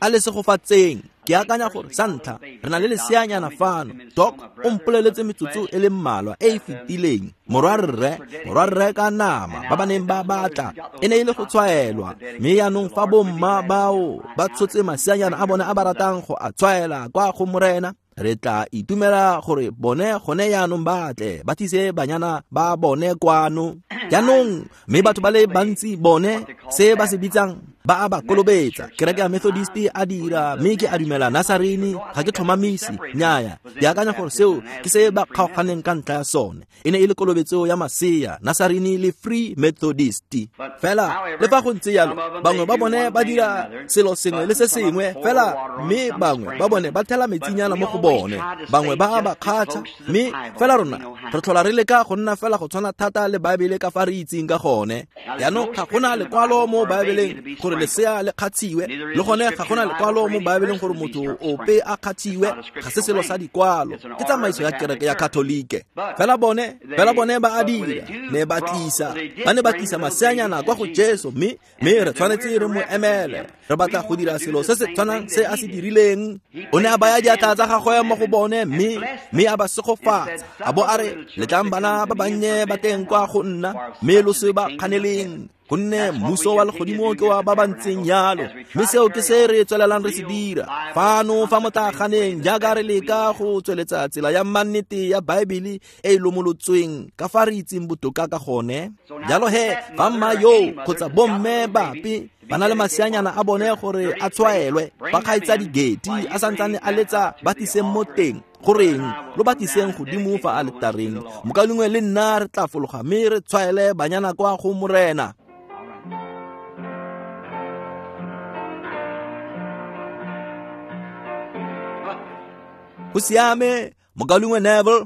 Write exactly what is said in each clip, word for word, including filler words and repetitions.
A le segofatseng. Ke akanya gore sa ntlha re na le leseanyana fano. Doc o mpoleletse metsotso e le mmalwa e e fetileng. Morwarre, morwarre ka nama ba ba neng ba batla e ne e le go tshwaelwa. Mme jaanong fa bomma bao ba tshotse maseanyana a bone a ba ratang go a tshwaela kwa go Morena, re tla itumela gore bone gone jaanong ba tle ba tlise banyana ba bone kwano. Jaanong mme batho ba le bantsi bone se ba se bitsang ba a ba kolobetsa. Kereke ya Methodist a dira, mme ke a dumela Nazarene, ga ke tlhomamise. Nnyaya, ke akanya gore seo ke se ba kgaoganeng ka ntlha ya sone. E ne e le kolobetso ya masea, Nazarene le Free Methodist. Fela le fa go ntse jalo, bangwe ba bone ba dira selo sengwe le se sengwe fela, mme bangwe ba bone ba thela metsinyana mo go bone, bangwe ba a ba kgatha. Mme fela rona re tlhola re leka go nna fela go tshwana thata le Baebele ka fa re itseng ka gone. Jaanong ga gona lekwalo mo Baebeleng gore lesea le kgatshiwe, le gone ga gona lekwalo mo Baebeleng gore motho ope a kgatshiwe. Ga se selo sa dikwalo, ke tsamaiso ya kereke ya Katolike. Fela bone, fela bone ba a dira, ne ba tlisa, ba ne ba tlisa maseanyana kwa go Jesu, mme mme re tshwanetse re mo emele. Re batla go dira selo se se tshwanang se a se dirileng. O ne a baya diatla tsa gagwe mo go bone, mme mme a ba segofatsa, a bo a re, letlang bana ba bannye ba teng kwa go nna, mme lo se ba kganeleng, gonne mmuso wa legodimo ke wa ba ba ntseng jalo. Mme seo ke se re tswelelang re se dira fano fa motlaganeng, jaaka re leka go tsweletsa tsela ya mannete ya Baebele e e lomolotsweng ka fa re itseng botoka ka gone. Jalo he, fa mma yo kgotsa bomme bape ba na le maseanyana a bone gore a tshwaelwe, ba kgaitsa digeti a santsane a letsa, ba tliseng mo teng. Goreng lo ba tliseng godimo fa aletareng. Mokaulengwe le nna re tla fologa mme re tshwaele banyana kwa go Morena. Go siame, mokaulengwe Neville.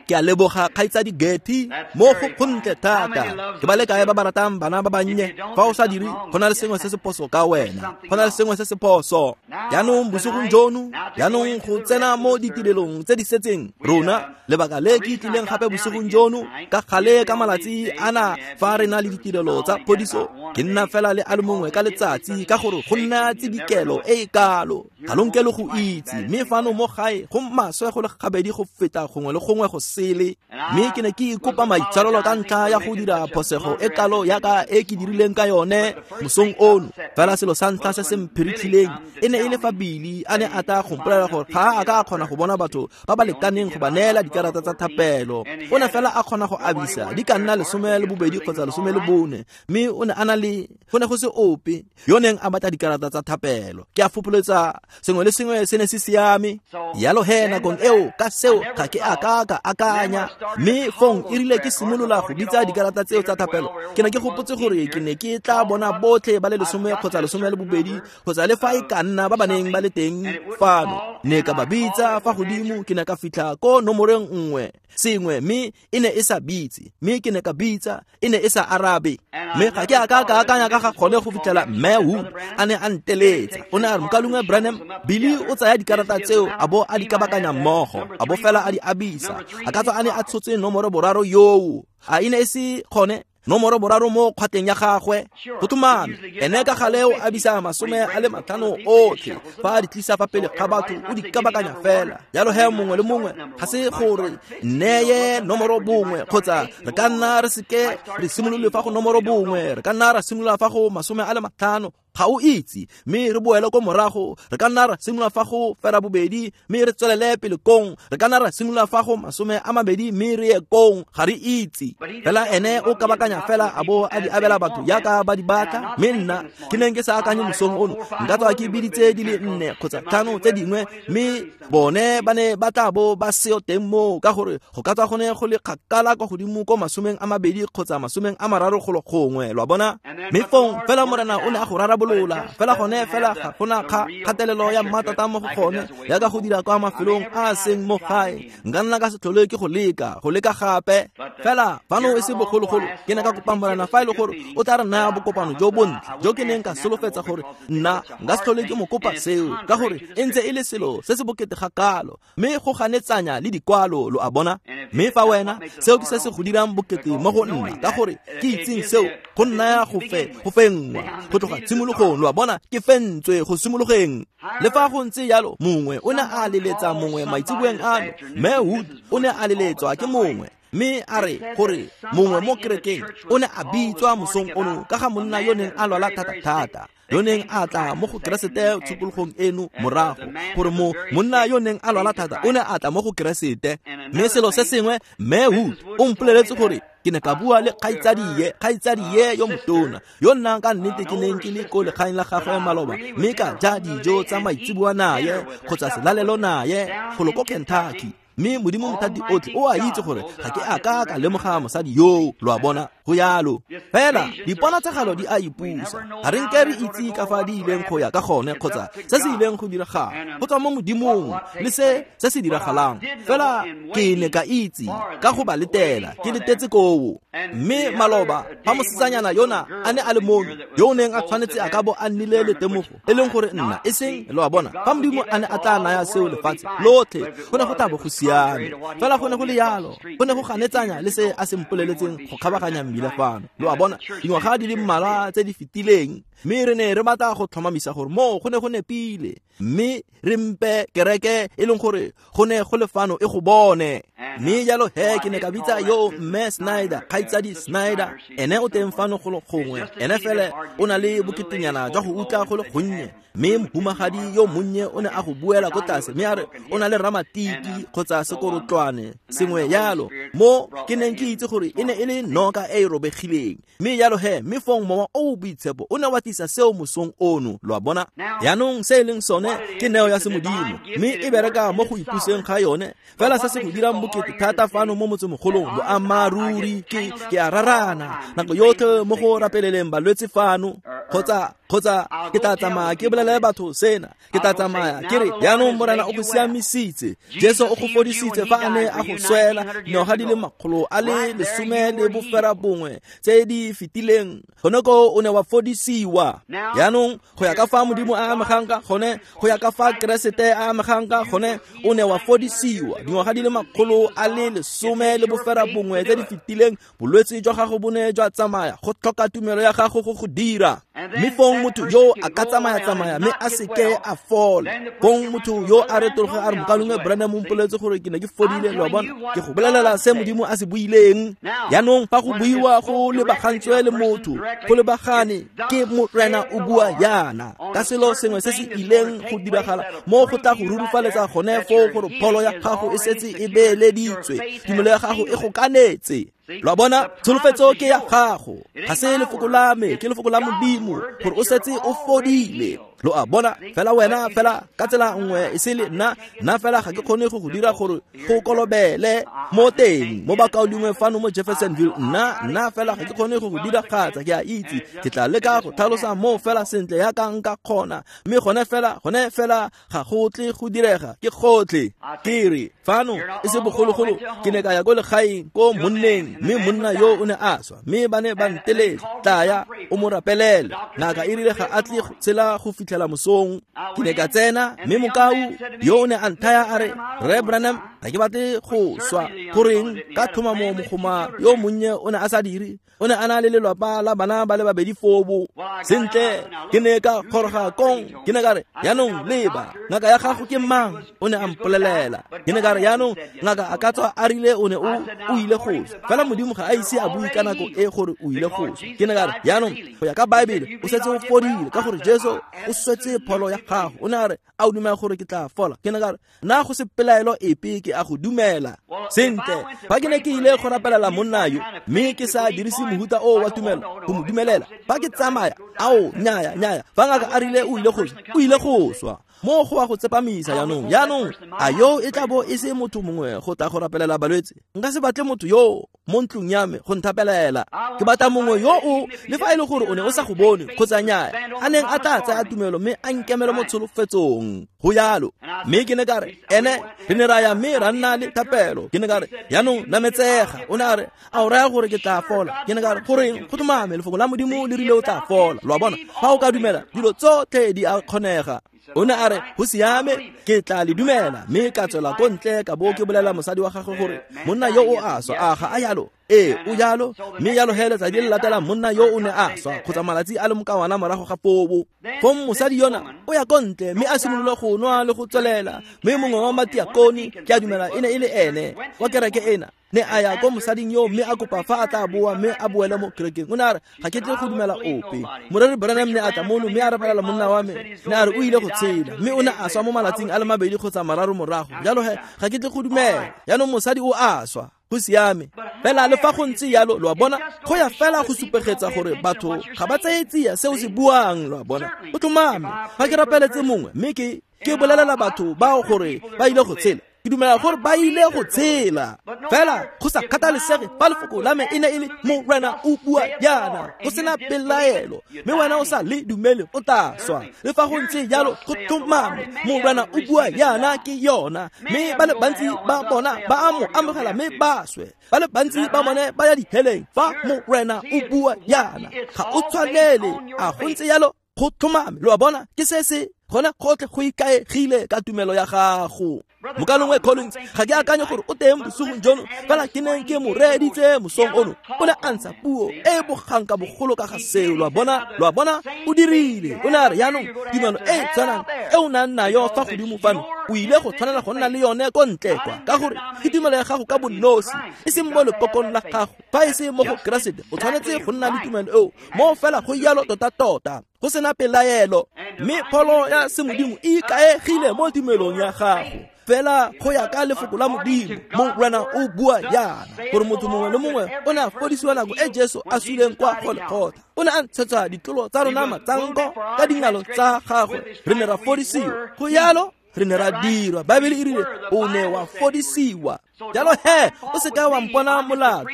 Ke a leboga kgaitsadi Getty mo go gontle thata. Ke ba le kae ba ba ratang bana ba bannye? Fa o sa dire, go na le sengwe se se phoso ka wena. Go na le sengwe se se phoso. Jaanong bosigong jono, jaanong go tsena mo ditirelong tse di setseng rona, lebaka le ke tlileng gape bosigong jono, ka gale ka malatsi ana fa re na le ditirelo tsa phodiso, ke nna fela le a le mongwe ka letsatsi, ka gore go nna tsidikelo e e kalo. Ga lo nke le go itse, mme fano mo gae go maswe go le gabedi go feta gongwe le gongwe go sele. Mme ke ne ke ikopa maitshwarelo ka ntlha ya go dira phosego e kalo yaka e ke dirileng ka yone mosong ono. Fela selo sa ntlha se se mphiritlhileng e ne e le fa Billy a ne a tla go mpolelela gore ga a ka a kgona go bona batho ba ba lekaneng go ba neela dikarata tsa thapelo. O ne fela a kgona go abisa di ka nna lesome le bobedi kgotsa lesome le bone, mme o ne a na le go ne go se ope yo neng a batla dikarata tsa thapelo. Ke a fopholetsa sengwe le sengwe se ne se siame. Jalo he nakong eo ka seo ga ke a ka ka akanya. Mme fong e rile ke simolola go bitsa dikarata tseo tsa thapelo, ke ne ke gopotse gore ke ne ke tla bona botlhe ba le lesome kgotsa lesome le bobedi kgotsa le fa e ka nna ba ba neng ba le teng fano. Ne ka ba bitsa fa godimo, ke ne ka fitlha ko nomoreng nngwe sengwe, mme e ne e sa bitse, mme ke ne ka bitsa, e ne e sa arabe. Mme ga ke a ka ka akanya ka ga gone go fitlhela mme Wood a ne a nteletsa. O ne a re, mokaulengwe Branham, Billy o tsaya dikarata tseo a bo a di kabakanya mmogo, a bo fela a di abisa. A ka tswa a ne a tshotse nomoro boraro yoo, a e ne e se gone nomoro boraro mo kgwateng ya gagwe. Go tlhomame, ene ka gale o abisa masome a le matlhano otlhe fa a di tlisa fa pele ga batho, o di kabakanya fela. Jalo he mongwe le mongwe ga se gore neye nomoro bongwe, kgotsa re ka nna re seke re simolole fa go nomoro bongwe, re ka nna ra simolola fa go masome a le matlhano. Ga o itse, mme re boele ko morago, re ka nna ra simolola fa go fera bobedi, mme re tswelele pele kong, re ka nna ra simolola fa go masome a mabedi, mme re ye kong. Ga re itse. Fela ene o kabakanya fela a bo a di abela batho yaka ba di batla. Mme nna ke neng ke sa akanye mosong ono, nka tswa ke biditse di le nne kgotsa tlhano tse dingwe, mme bone ba ne ba tla bo ba seo teng moo, ka gore go ka tswa go ne go le kgakala kwa godimo ko masomeng a mabedi kgotsa masomeng a mararo golo gongwe, lo a bona. Mme fong fela Morena o ne a go rarabolola fela gone fela ga gona kgatelelo ya mmatata mo go gone yaka go dira kwa mafelong a a seng mo gae. Nka nna ka se tlhole ke go leka go leka gape. Fela fano e se bogologolo ke ne ka kopa Morena fa e le gore o tla re naya bokopano jo bontle jo ke neng ka solofetsa gore nna nka se tlhole ke mo kopa seo, ka gore e ntse e le selo se se bokete ga kalo, mme go ganetsanya le dikwalo, lo a bona. Mme fa wena seo ke se se go dirang bokete mo go nna, ka gore ke itseng seo go nnaya go fe go fenngwa go tloga tshimologong. tshimologong, lo a bona, ke fentswe go simologeng. Le fa go ntse jalo, mongwe o ne a leletsa mongwe maitseboeng ano, Mme Wood o ne a leletswa ke mongwe, mme a re gore mongwe mo kerekeng o ne a bitswa mosong ono ka ga monna yo neng a lwala thata-thata, yo neng a tla mo go Keresete tshokologong eno morago, gore mo monna yo neng a lwala thata o ne a tla mo go Keresete. Mme selo se sengwe, Mme Wood o mpoleletse gore ke ne ka bua le kgaitsadie, kgaitsadie yo motona, yo nnang ka nnete ke neng ke le ko legaeng la gagwe maloba, mme ka ja dijo tsa maitseboa naye kgotsa selalelo naye golo ko Kentucky. Mme Modimo Mothati otlhe o a itse gore ga ke a ka ka lemoga mosadi yoo, lo a bona, go yalo. Fela diponatshegelo di a ipusa, ga re nke re itse ka fa di ileng go ya ka gone kgotsa se se ileng go diragala go tswa mo Modimong le se se se diragalang. Fela ke ne ka itse ka go ba letela, ke letetse koo. Mme maloba fa mosetsanyana yona a ne a le mono, yo o neng a tshwanetse a ka bo a nnile le temogo, e leng gore nna e seng, lo a bona, fa Modimo a ne a tla naya seo lefatshe lotlhe, go ne go tla bo go siame. Fela go ne go le yalo, go ne go ganetsanya le se a se mpoleletseng go kgabaganya mmila fano, lo a bona, dingwaga di le mmalwa tse di fetileng. Mme re ne re batla go tlhomamisa gore moo go ne go nepile, mme re mpe kereke e leng gore go ne go le fano e go bone. Mme jalo he ke ne ka bitsa yo Mme Snyder, kgaitsadi Snyder, ene o teng fano go le gongwe, ene fele o na le boketenyana jwa go utlwa go le gonnye. Mme mohumagadi yo monnye o ne a go buela ko tlase, mme a re o na le ramatiki kgotsa sekorotlwane sengwe yalo, mo ke neng ke itse gore e ne e le noka e e robegileng. Mme jalo he, mme fong mowa o o boitshepo o ne wa tlisa seo mosong ono, lo a bona. Jaanong se e leng sone ke neo ya semodimo, mme e bereka mo go ipuseng ga yone. Fela se se go dirang bokete thata fano mo motsemogolong, boammaaruri ke ke a rarana nako yotlhe mo go rapeleleng balwetse fano, kgotsa kgotsa ke tla tsamaya ke bolelele batho sena, ke tla tsamaya ke re jaanong Morena o go siamisitse, Jesu o go fodisitse fa a ne a go swela dingwaga di le makgolo a le lesome le bofera bongwe tse di fetileng, gone ko o ne wa fodisiwa. Jaanong go ya ka fa Modimo a amegang ka gone, go ya ka fa Keresete a amegang ka gone, o ne wa fodisiwa dingwaga di le makgolo a le lesome le bofera bongwe tse di fetileng, bolwetse jwa gago bo ne jwa tsamaya, go tlhoka tumelo ya gago go go dira. Mme fong motho yo a ka tsamaya-tsamaya mme a seke a fola, fong motho yo a retologe a re mokalongwe Branham o mpoleletse gore ke ne ke fodile, lo a bona, ke go bolelela se Modimo a se buileng. Jaanong fa go buiwa go lebagantswe le motho, go lebagane ke Morena o bua yana ka selo sengwe se se ileng go diragala mo go tla go rurufaletsa gone foo gore pholo ya gago e setse e beeleditswe, tumelo ya gago e go kanetse. Lo a bona, tsholofetso ke ya gago, ga se lefoko la me, ke lefoko la Modimo gore o setse o fodile. Lo a bona, fela wena fela ka tsela nngwe e se le nna, nna fela ga ke kgone go go dira gore go kolobele mo teng mo bakaulengwe fano mo Jeffersonville, nna nna fela ga ke kgone go go diragatsa, ke a itse ke tla leka go tlhalosa mo fela sentle yaka nka kgona, mme gone fela gone fela ga go tle go direga, ke gotlhe. Ke re fano e se bogologolo ke ne ka ya ko legaeng ko monneng, mme monna yo o ne a swa, mme ba ne ba nteletsa, tlaya o mo rapelele. Ngaka e rile ga a tle go tshela go fitlhela mosong. Ke ne ka tsena, mme mokau yo o ne a nthaya a re, Rre Branham, ga ke batle go swa. Goreng ka tlhomamo mogoma yo monnye o ne a sa dire, o ne a na le lelapa la bana ba le babedi fobo. Sentle ke ne ka goroga kong, ke ne ka re jaanong leba, ngaka ya gago ke mang? O ne a mpolelela. Ke ne ka re jaanong ngaka a ka tswa a rile o ne o o ile go swa, fela Modimo ga a ise a bue ka nako e gore o ile go swa. Ke ne ka re jaanong go ya ka Baebele o setse o fodile ka gore Jesu o swetse pholo ya gago. O ne a re a o dumela gore ke tla fola? Ke ne ka re nna go se pelaelo epe, ke a go dumela. Sentle fa ke ne ke ile go rapelela monna yo, mme ke sa dirise mohuta o wa tumelo go mo dumelela, fa ke tsamaya, ao nyaya nyaya, fa ngaka a rile o ile go swa, o ile go swa, mo go wa go tsepamisa jaanong. Jaanong a yo e tla bo e se motho mongwe go tla go rapelela balwetse? Nka se batle motho yo mo ntlong ya me go nthapelela. Ke batla mongwe yo o, le fa e le gore o ne o sa go bone kgotsa nyaya, a neng a tla tsaya tumelo mme a nkemele mo tsholofetsong. Go yalo. Mme ke ne ka re ene re ne ra ya mme ra nna le thapelo. Ke ne ka re jaanong nametsega. O ne a re a o raya gore ke tla fola? Ke ne ka re goreng go tlhomame, lefoko la Modimo le rile o tla fola. Lo a bona, fa o ka dumela dilo tsotlhe di a kgonega. O ne a re go siame, ke tla le dumela. Mme ka tswela ko ntle ka bo ke bolela mosadi wa gagwe gore monna yo o a swa, a ga a yalo? Ee, o jalo, mme jalo he letsatsi le latelang monna yo o ne a swa kgotsa malatsi a le mokawana morago ga foo. Fong mosadi yona o ya ko ntle mme a simolola go nwa le go tswelela, mme mongwe wa matiakone, ke a dumela e ne e le ene wa kereke ena, ne a ya ko mosading yo mme a kopa fa a tla boa mme a boele mo kerekeng. O ne a re, ga ke tle go dumela ope. Moreri Branham ne a tla mono mme a rapelela monna wa me, ne a re o ile go tshela, mme o ne a swa mo malatsing a le mabedi kgotsa mararo morago. Jalo he ga ke tle go dumela. Jaanong mosadi o a swa. Go siame. Fela le fa go ntse jalo, lo a bona, go ya fela go supegetsa gore batho ga ba tseye tsia seo se buang, lo a bona. Go tlhomame, fa ke rapeletse mongwe mme ke ke bolelela batho bao gore ba ile go tshela, ke dumela gore ba ile go tshela. Fela go sa kgathalesege fa lefoko la me e ne e le Morena o bua jaana, go sena pelaelo, mme wena o sa le dumele, o tla swa. Le fa go ntse jalo, go tlhomame, Morena o bua jaana ke yona. Mme ba le bantsi ba bona ba a mo amogela mme ba swe. Ba le bantsi ba bone ba ya diheleng fa Morena o bua jaana. Ga o tshwanele, a go ntse jalo, go tlhomame. Lo a bona, ke se se gona gotlhe go ikaegile ka tumelo ya gago. Mokalongwe Collins, ga ke akanye gore o teng bosigong jono, fela ke neng ke mo reeditse mosong ono. O ne a ntsha puo e e bogang ka bogolo ka ga seo. Lo a bona, lo a bona, o dirile. O ne a re, jaanong tumelo e e tshwanang e o nang nayo fa godimo fano, o ile go tshwanela go nna le yone ko ntle kwa, ka gore ke tumelo ya gago ka bonosi, e seng mo lekokong la gago. Fa e se mo go Keresete, o tshwanetse go nna le tumelo eo mo fela go jalo tota-tota, go sena pelaelo. Mme pholo ya semodimo e ikaegile mo tumelong ya gago. Fela go ya ka lefoko la Modimo, Morena o bua jaana, gore motho mongwe le mongwe o ne a fodisiwa nako e Jesu a suleng kwa Golgotha. O ne a ntshetsa ditlolo tsa rona matsanko ka dingalo tsa gagwe, re ne ra fodisiwa. Go jalo, re ne ra dirwa. Baebele e rile o ne wa fodisiwa. Jalo he, o se ka wa mpona molato.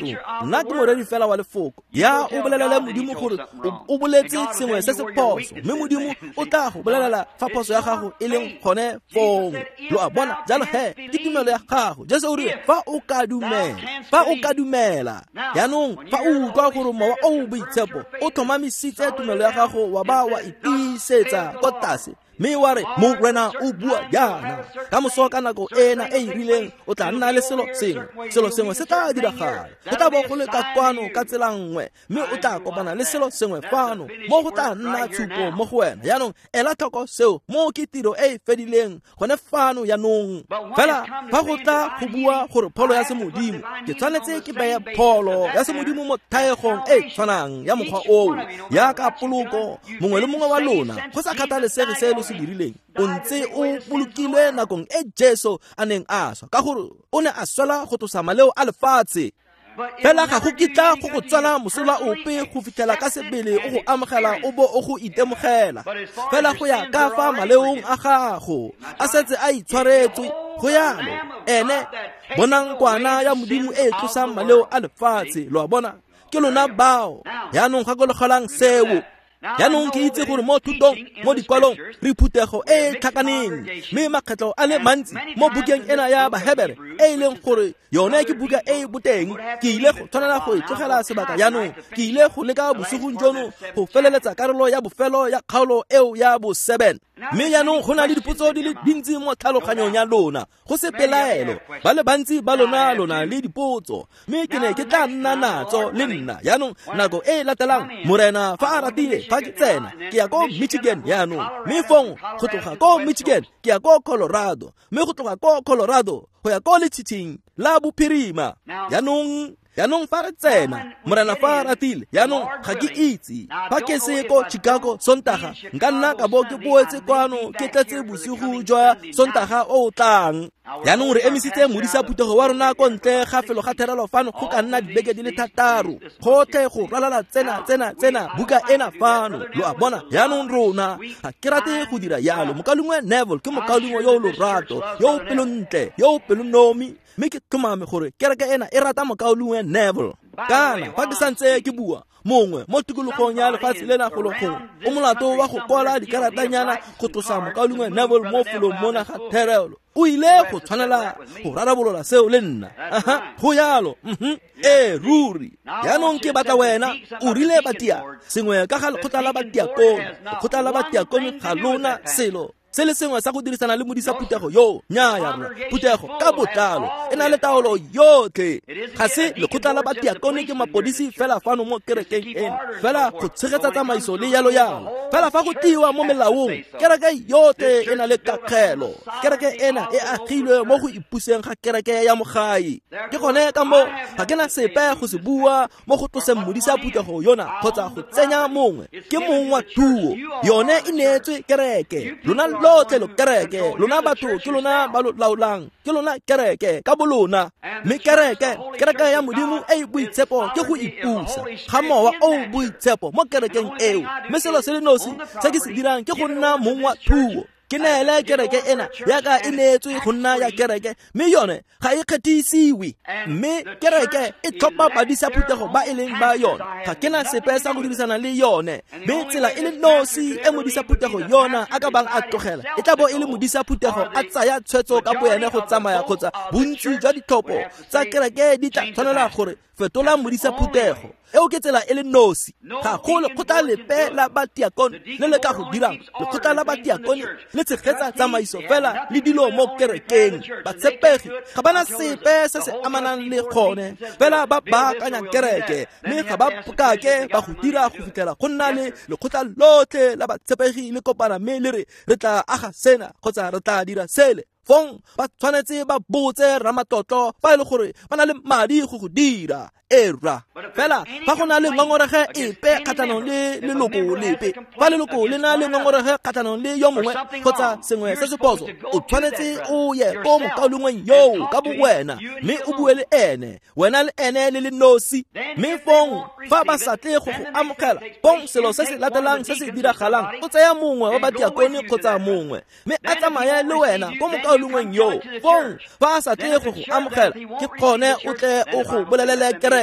Nna ke moreri fela wa lefoko. Ya o bolelele Modimo gore o boletse sengwe se se phoso, mme Modimo o tla go bolelela fa phoso ya gago e leng gone fong. Lo a bona? Jalo he, ke tumelo ya gago. Jesu o rile, fa o ka dumela, fa o ka dumela. Jaanong fa o utlwa gore Mowa o o Boitshepo o tlhomamisitse tumelo ya gago wa ba wa itiisetsa ko tlase, mme wa re, Morena o bua jaana, ka moso ka nako ena e e rileng o tla nna le selo sengwe. Selo sengwe se tla diragala. Go tla bo go le ka kwano ka tsela nngwe, mme o tla kopana le selo sengwe fano, mo go tla nna tshupo mo go wena. Jaanong ela tlhoko seo, mo ke tiro e e fedileng gone fano jaanong. Fela fa go tla go bua gore pholo ya semodimo, ke tshwanetse ke beye pholo ya semodimo mo thaegong e e tshwanang ya mokgwa oo, yaka poloko. Mongwe le mongwe wa lona, go sa kgathalesege se lo se dirileng, o ntse o bolokilwe nakong e Jesu a neng a swa, ka gore o ne a swela go tlosa maleo a lefatshe. Fela ga go kitla go go tswela mosola ope go fitlhela ka sebele o go amogela o bo o go itemogela. Fela go ya ka fa maleong a gago a setse a itshwaretswe, go yalo ene bonang kwana ya Modimo e e tlosang maleo a lefatshe. Lo a bona, ke lona bao. Jaanong gakologelang seo. Jaanong ke itse gore mo thutong, mo dikwalong, re phuthego e e tlhakaneng, mme makgetlho a le mantsi mo bukeng ena ya Bahebere, e e leng gore yone ke buka e e boteng, ke ile go tshwanela go e tlogela sebaka jaanong. Ke ile go leka bosigong jono go feleletsa karolo ya bofelo ya kgaolo eo ya bo seven. Mme jaanong go na le dipotso di le dintsi mo tlhaloganyong ya lona, go se pelaelo. Ba le bantsi ba lona lona le dipotso, mme ke ne ke tla nna natso le nna. Jaanong nako e e latelang, Morena fa a ratile, fa ke tsena, ke ya ko Michigan jaanong, mme fong go tloga ko Michigan ke ya ko Colorado, mme go tloga ko Colorado go ya ko letshitshing la bophirima. Jaanong Jaanong fa re tsena, Morena fa a ratile, jaanong ga ke itse fa ke se ko Chicago Sontaga, nka nna ka bo ke boetse kwano ke tletse bosigo jwa Sontaga o o tlang. Jaanong re emisitse modisa phuthego wa rona ko ntle ga felo ga therelo fano go ka nna dibeke di le thataro, gotlhe go ralala tsena tsena tsena buka ena fano. Lo a bona? Jaanong rona ga ke rate go dira jalo. Mokalengwe Neville ke mokalengwe yo o lorato, yo o pelontle, yo o pelonomi, mme ke tlhomame gore kereke ena e rata mokaulengwe Neville. Kana fa ke santse ke bua, mongwe mo tikologong ya lefatshe lena golo gongwe o molato wa go kwala dikaratanyana go tlosa mokaulengwe Neville mo felong mona ga therelo. O ile go tshwanela go rarabolola seo le nna. Aha, go yalo. Mhm. Ee, ruri. Jaanong ke batla wena, o rile batia sengwe ka ga lekgotla la batiakone. Lekgotla la batiakone ga lona selo se le sengwe sa go dirisana le modisa phuthego yo. Nnyaya rra, phuthego ka botlalo e na le taolo yotlhe. Ga se lekgotla la batiakone ke mapodisi fela fano mo kerekeng eno, fela go tshegetsa tsamaiso le yalo yalo. Fela fa go tliwa mo melaong, kereke yotlhe e na le kakgelo. Kereke ena e agilwe mo go ipuseng ga kereke ya mogae. Ke gone ka moo ga ke na sepe go se bua mo go tloseng modisa phuthego yona kgotsa go tsenya mongwe. Ke mong wa thuo, yone e neetswe kereke. Lona lotlhe lo kereke, lona batho ke lona ba lo laolang, ke lona kereke ka bolona. Mme kereke, kereke ya Modimo e e boitshepo ke go ipusa ga mowa o o boitshepo mo kerekeng eo. Mme selo se le nosi se ke se dirang ke go nna mong wa thuo. Ke neele kereke ena yaka e neetswe go nna ya kereke, mme yone ga e kgethisiwe. Mme kereke e tlhopha badisa phuthego ba e leng ba yone. Ga ke na sepe sa go dirisana le yone. Mme tsela e le nosi e modisa phuthego yona a ka bang a tlogela e tla bo e le modisa phuthego a tsaya tshwetso ka boene go tsamaya, kgotsa bontsi jwa ditlhopho tsa kereke di tla tshwanela gore fetola modisa phuthego. Eo ke tsela e le nosi. Ga go lekgotla lepe la batiakone le le ka go dirang. Lekgotla la batiakone le tshegetsa tsamaiso fela le dilo mo kerekeng. Batshepegi ga bana sepe se se amanang le gone, fela ba baakanya kereke, mme ga ba kake ba go dira go fitlhela go nna le lekgotla lotlhe la batshepegi le kopana mme le re re tla aga sena kgotsa re tla dira sele. Fong ba tshwanetse ba botse ramatlotlo fa e le gore ba na le madi go go dira. Era fela fa go na le ngongorege epe kgatlhanong le leloko lepe, fa leloko le na le ngongorege kgatlhanong le yo mongwe kgotsa sengwe se se phoso, o tshwanetse o ye ko mokaulengweng yoo ka bo wena, mme o bue le ene, wena le ene le le nosi. Mme fong fa ba sa tle go go amogela, fong selo se se latelang se se diragalang, o tsaya mongwe wa batiakone kgotsa mongwe, mme a tsamaye le wena ko mokaulengweng yoo. Fong fa a sa tle go go amogela, ke gone o tle o go bolelele kereke.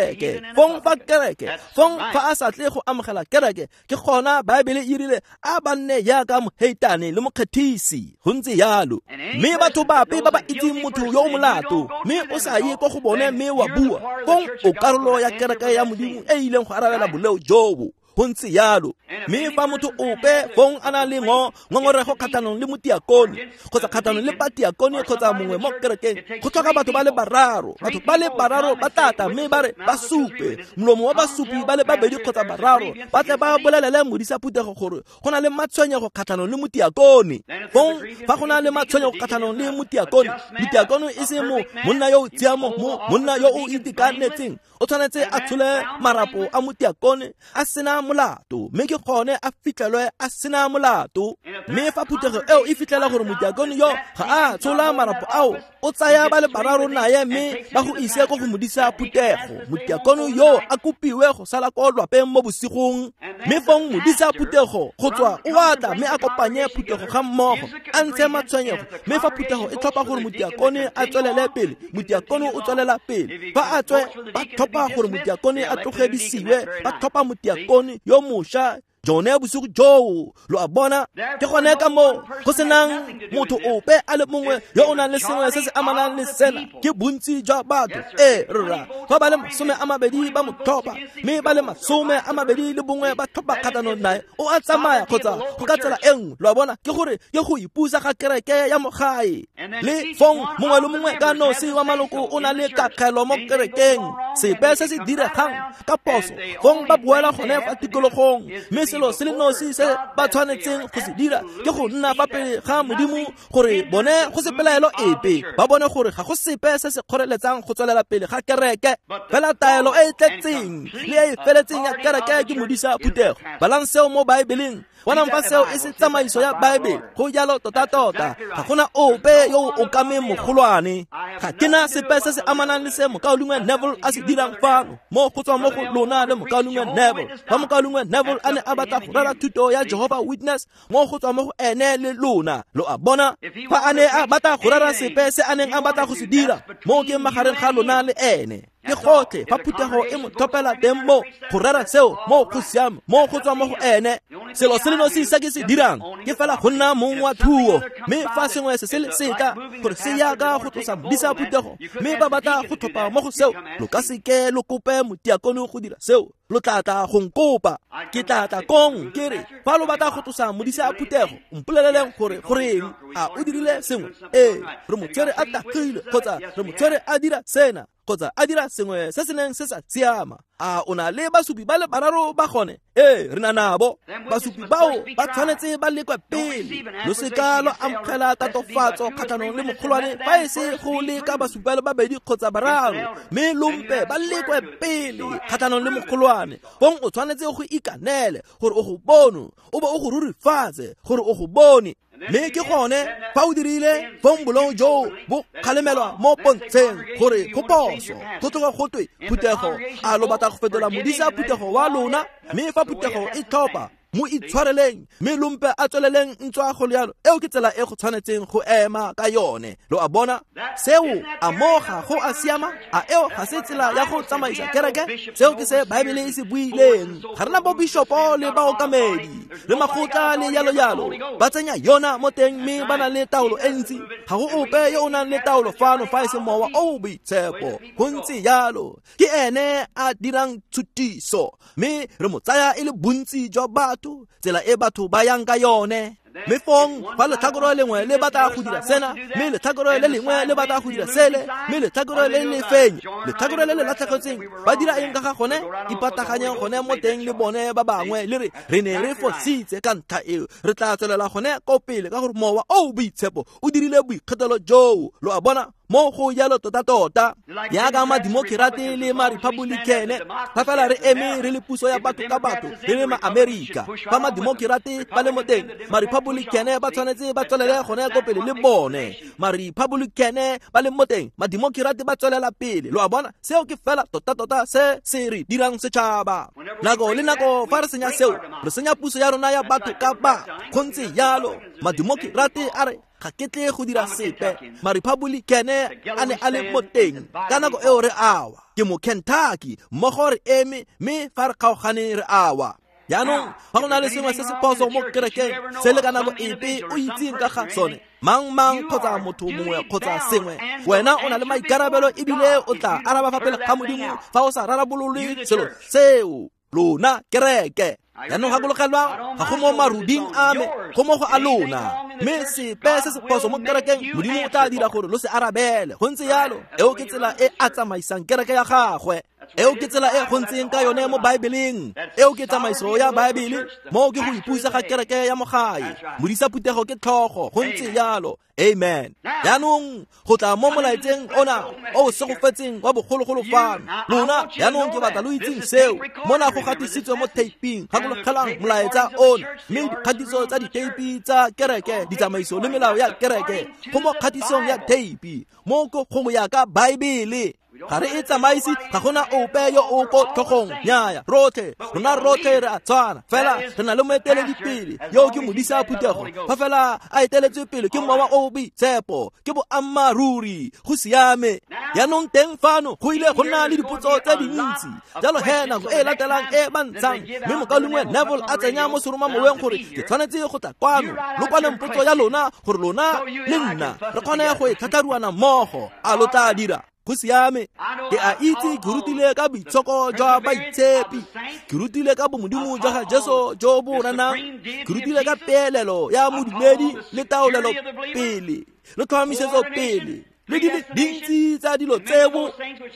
Fong fa kereke, fong fa a sa tle go amogela kereke, ke gona Baebele e rile a ba nne jaaka moheitane le mokgethisi. Go ntse jalo. Mme batho bape ba ba itseng motho yo o molato, mme o sa ye ko go bone mme wa bua, fong o karolo ya kereke ya Modimo e ileng go arabela boleo jobo. Go ntse jalo. Mme fa motho ope fong a na le ngo ngongorego kgatlhanong le motiakone kgotsa kgatlhanong le batiakone kgotsa mongwe mo kerekeng, go tlhoka batho ba le bararo. Batho ba le bararo ba tata mme ba re ba supe molomo wa basupi ba le babedi kgotsa bararo, ba tle ba bolelele modisa phuthego gore go na le matshwenyego kgatlhanong le motiakone. Fong fa go na le matshwenyego kgatlhanong le motiakone, motiakone e se mo monna yo o tshiamo, mo monna yo o itekanetseng, o tshwanetse a tshole marapo a motiakone a sena molato, mme ke gone a fitlhelwe a sena molato. Mme fa phuthego eo e fitlhela gore motiakone yo ga a tshola marapo ao, o tsaya ba le bararo naye mme ba go ise ko go modisa phuthego. Motiakone yo a kopiwe go sala ko lwapeng mo bosigong, mme fong modisa phuthego go tswa o atla mme a kopanye phuthego ga mmogo, a ntshe matshwenyego. Mme fa phuthego e tlhopha gore motiakone a tswelele pele, motiakone o tswelela pele. Fa a tswe ba tlhopha gore motiakone a tlogedisiwe, ba tlhopha motiakone yo mošwa jone bosigo joo. Lo a bona? Ke gone ka moo go senang motho ope a le mongwe yo o nang le sengwe se se amanang le sena. Ke bontsi jwa batho. Ee rra, fa ba le masome a mabedi ba mo tlhopha, mme ba le masome a mabedi le bongwe ba tlhopha kgatlhanong nae, o a tsamaya kgotsa go ka tsela e nngwe. Lo a bona? Ke gore ke go ipusa ga kereke ya mogae. Le fong mongwe le mongwe ka nosi wa maloko o na le kakgelo mo kerekeng. Sepe se se diregang ka phoso, fong ba boela gone fa tikologong. Mme selo se le nosi se ba tshwanetseng go se dira ke go nna fa pele ga Modimo gore bone go se pelaelo epe, ba bone gore ga go sepe se se kgoreletsang go tswelela pele ga kereke. Fela taelo e e tletseng le e e feletseng ya kereke ke modisa phuthego. Balang seo mo Baebeleng. Bonang fa seo e se tsamaiso ya Baebele. Go jalo tota-tota. Ga gona ope yo o okameng mogolwane. Ga ke na sepe se se amanang le se mokaulengwe Neville a se dirang fano, mo go tswa mo go lona le mokaulengwe Neville. Fa mokaulengwe Neville a ne a batla go rera thuto ya Jehovah Witness, mo go tswa mo go ene le lona. Lo a bona? Fa a ne a batla go rera sepe se a neng a batla go se dira, mo ke magareng ga lona le ene. Ke gotlhe fa phuthego e mo tlhophela teng mo go rera seo mo go siame mo go tswa mo go ene. Selo se le nosi se ke se dirang ke fela go nna mong wa thuo, mme fa sengwe se se le setla gore se yaka go tlosa modisa phuthego mme ba batla go tlhopha mo go seo, lo ka seke lo kope motiakone go dira seo. Lo tla tla go nkopa, ke tla tla kong ke re fa lo batla go tlosa modisa phuthego mpoleleleng gore goreng a o dirile sengwe. Ee, re mo tshwere a tagile kgotsa re mo tshwere a dira sena kgotsa a dira sengwe se se neng se sa siama. A o na le basupi ba le bararo ba gone? Ee, re na nabo. Basupi bao ba tshwanetse ba lekwe pele. Lo seka lo amogela tatofatso kgatlhanong le mogolwane fa e se go leka basupi ba le babedi kgotsa bararo, mme lompe ba lekwe pele kgatlhanong le mogolwane. Fong o tshwanetse go ikanele gore o go bone, o bo o go rurifatse gore o go bone. Mme ke gone fa o dirile fong bolong joo bo kgalemelwa mo pontsheng gore go phoso. Go tloga go twe phuthego a lo batla go fetola modisa phuthego wa lona, mme fa phuthego e tlhopha mo itshwareleng mme lompe a tsweleleng ntswa go le yalo. Eo ke tsela e go tshwanetseng go ema ka yone. Lo a bona seo? A mo ga go a siama? A eo ga se tsela ya go tsamaisa kereke? Seo ke se Baebele e se buileng. Ga rena bo bishopo le baokamedi le makgotla le yalo yalo ba tsenya yona mo teng mme ba na le taolo e ntsi. Ga go ope yo o nang le taolo fano fa e se Mowa o o Boitshepo. Go ntse yalo, ke ene a dirang tshutiso, mme re mo tsaya e le bontsi jwa batho, tsela e batho ba yang ka yone. Mme fong fa letlhakore lengwe le batla go dira sena, mme letlhakore le lengwe le batla go dira sele, mme letlhakore le le fenye, letlhakore le le latlhegetseng ba dira eng ka ga gone? Ipataganyeng gone mo teng le bone ba bangwe le re re ne re fositse ka ntlha eo, re tla tswelela gone ko pele ka gore Mowa o o Boitshepo o dirile boikgethelo joo. Lo a bona? Mo go jalo tota-tota yaka mademokirate le ma-republicane fa fela re eme re le puso ya batho ka batho re le ma-Amerika. Fa mademokirate ba le mo teng, ma-republicane ba tshwanetse ba tswelele gone ko pele le bone. Ma-republicane ba le mo teng, mademokirate ba tswelela pele. Lo a bona? Seo ke fela tota-tota se se re dirang setšhaba. Nako le nako fa re senya seo, re senya puso ya rona ya batho ka batho. Go ntse jalo. Mademokirate a re ga ke tle go dira sepe, ma-republicane a ne a le mo teng ka nako eo re awa. Ke mo Kentucky mmogo re eme, mme fa re kgaogane re awa. Jaanong fa go na le sengwe se se phoso mo kerekeng se le ka nako epe o itseng ka ga sone, mang mang kgotsa motho mongwe kgotsa sengwe, wena o na le maikarabelo ebile o tla araba fa pele ga Modimo fa o sa rarabolole selo seo. Lona kereke. Jaanong gakologelwang, ga go mo maruding a me, go mo go a lona. Mme sepe se se phoso mo kerekeng, Modimo o tla dira gore lo se arabele. Go ntse yalo. Eo ke tsela e a tsamaisang kereke ya gagwe. Eo ke tsela e go ntseng ka yone mo Baebeleng. Eo ke tsamaiso ya Baebele. Mo ke go ipusa ga kereke ya mo gae. Modisa phuthego ke tlhogo. Go ntse yalo. Amen. Jaanong go tla mo molaetseng ona o o segofetseng wa bogologolo fano. Lona jaanong ke batla lo itseng seo. Mona go gatisitswe mo taping. Gakologelang molaetsa ona, mme dikgatiso tsa diteipi tsa kereke, ditsamaiso le melao ya kereke go mo kgatisong ya teipi. Mo go go ya ka Baebele. Ga re e tsamaise, ga gona ope yo o ko tlhogong. Nnyaya, rotlhe rona rotlhe re a tshwana, fela re na le moeteledipele yo ke modisa phuthego. Fa fela a eteletswe pele ke Mowa o o Boitshepo, ke boammaaruri, go siame. Jaanong teng fano go ile go nna le dipotso tse dintsi. Jalo he nako e latelang e ba ntshang, mme mokaulengwe Neville a tsenya mo seromamoweng gore ke tshwanetse go tla kwano lo kwaleng potso ya lona gore lona le nna re kgone go e tlhatlharuana mmogo. A lo tla dira? Go siame. Ke a itse ke rutile ka boitshoko jwa baitshepi, ke rutile ka bomodimo jwa ga Jesu jo bo renang, ke rutile ka peelelo ya modumedi le taolelo pele le tlhomamisetso pele le di le dintsi tsa dilo tseo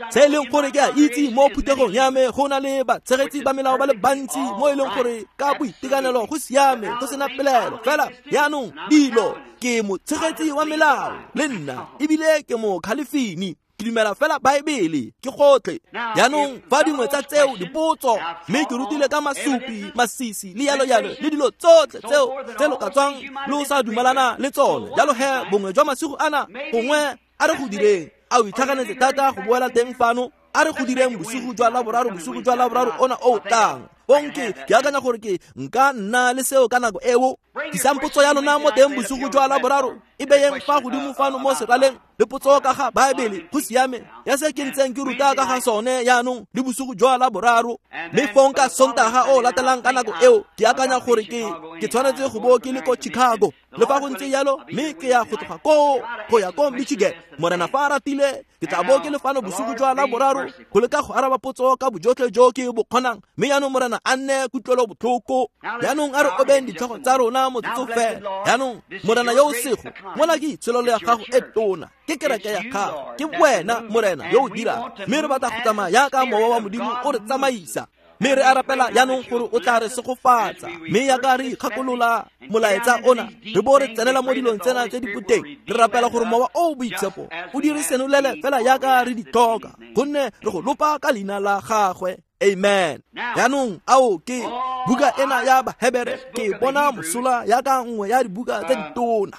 tse e leng gore ke a itse mo phuthegong ya me go na le batshegetsi ba melao ba le bantsi mo e leng gore ka boitekanelo go siame go sena pelaelo. Fela jaanong dilo ke motshegetsi wa melao le nna ebile ke mo khalefini. Ke dumela fela Baebele ke gotlhe. Jaanong fa dingwe tsa tseo dipotso, mme ke rutile ka masupi, masisi le yalo yalo le dilo tsotlhe tseo tse lo ka tswang lo sa dumalana le tsone. Jalo he bongwe jwa masigo ana gongwe a re go direng, a o itlhaganetse thata go boela teng fano. A re go direng bosigo jwa Laboraro, bosigo jwa Laboraro ona o tlang. Bonke ke akanya gore ke nka nna le seo ka nako eo. Tlisang potso ya lona mo teng bosigo jwa Laboraro, e beyeng fa godimo fano mo seraleng. Le potso ka ga Baebele go siame ya se ke ntseng ke ruta ka ga sone jaanong le bosigo jwa la boraro. Mme fong ka Sontaga o latelang ka nako eo ke akanya gore ke ke tshwanetse go bo ke le ko Chicago. Le fa go ntse jalo mme ke ya go tloga koo go ya ko Michigan. Morena fa a ratile ke tla bo ke le fano bosigo jwa la boraro go leka go araba potso ka bojotlhe jo ke bo kgonang. Mme jaanong Morena a nne kutlwelo botlhoko. Jaanong a re obeng ditlhogo tsa rona motsotso fela. Jaanong Morena yo o sego mona ke itsholelo ya gago e tona, ke kereke ya gago, ke wena Morena yo o dirang. Mme re batla go tsamaya jaaka mowa wa Modimo o re tsamaisa. Mme re a rapela jaanong gore o tla re segofatsa. Mme jaaka re ikgakolola molaetsa ona re bo re tsenela mo dilong tsena tse di boteng, re rapela gore mowa o o boitshepo o di re senolele fela jaaka re di tlhoka, gonne re go lopa ka leina la gagwe. Amen. Jaanong ao ke buka ena ya Bahebere ke bona mosola jaaka nngwe ya dibuka tse ditona.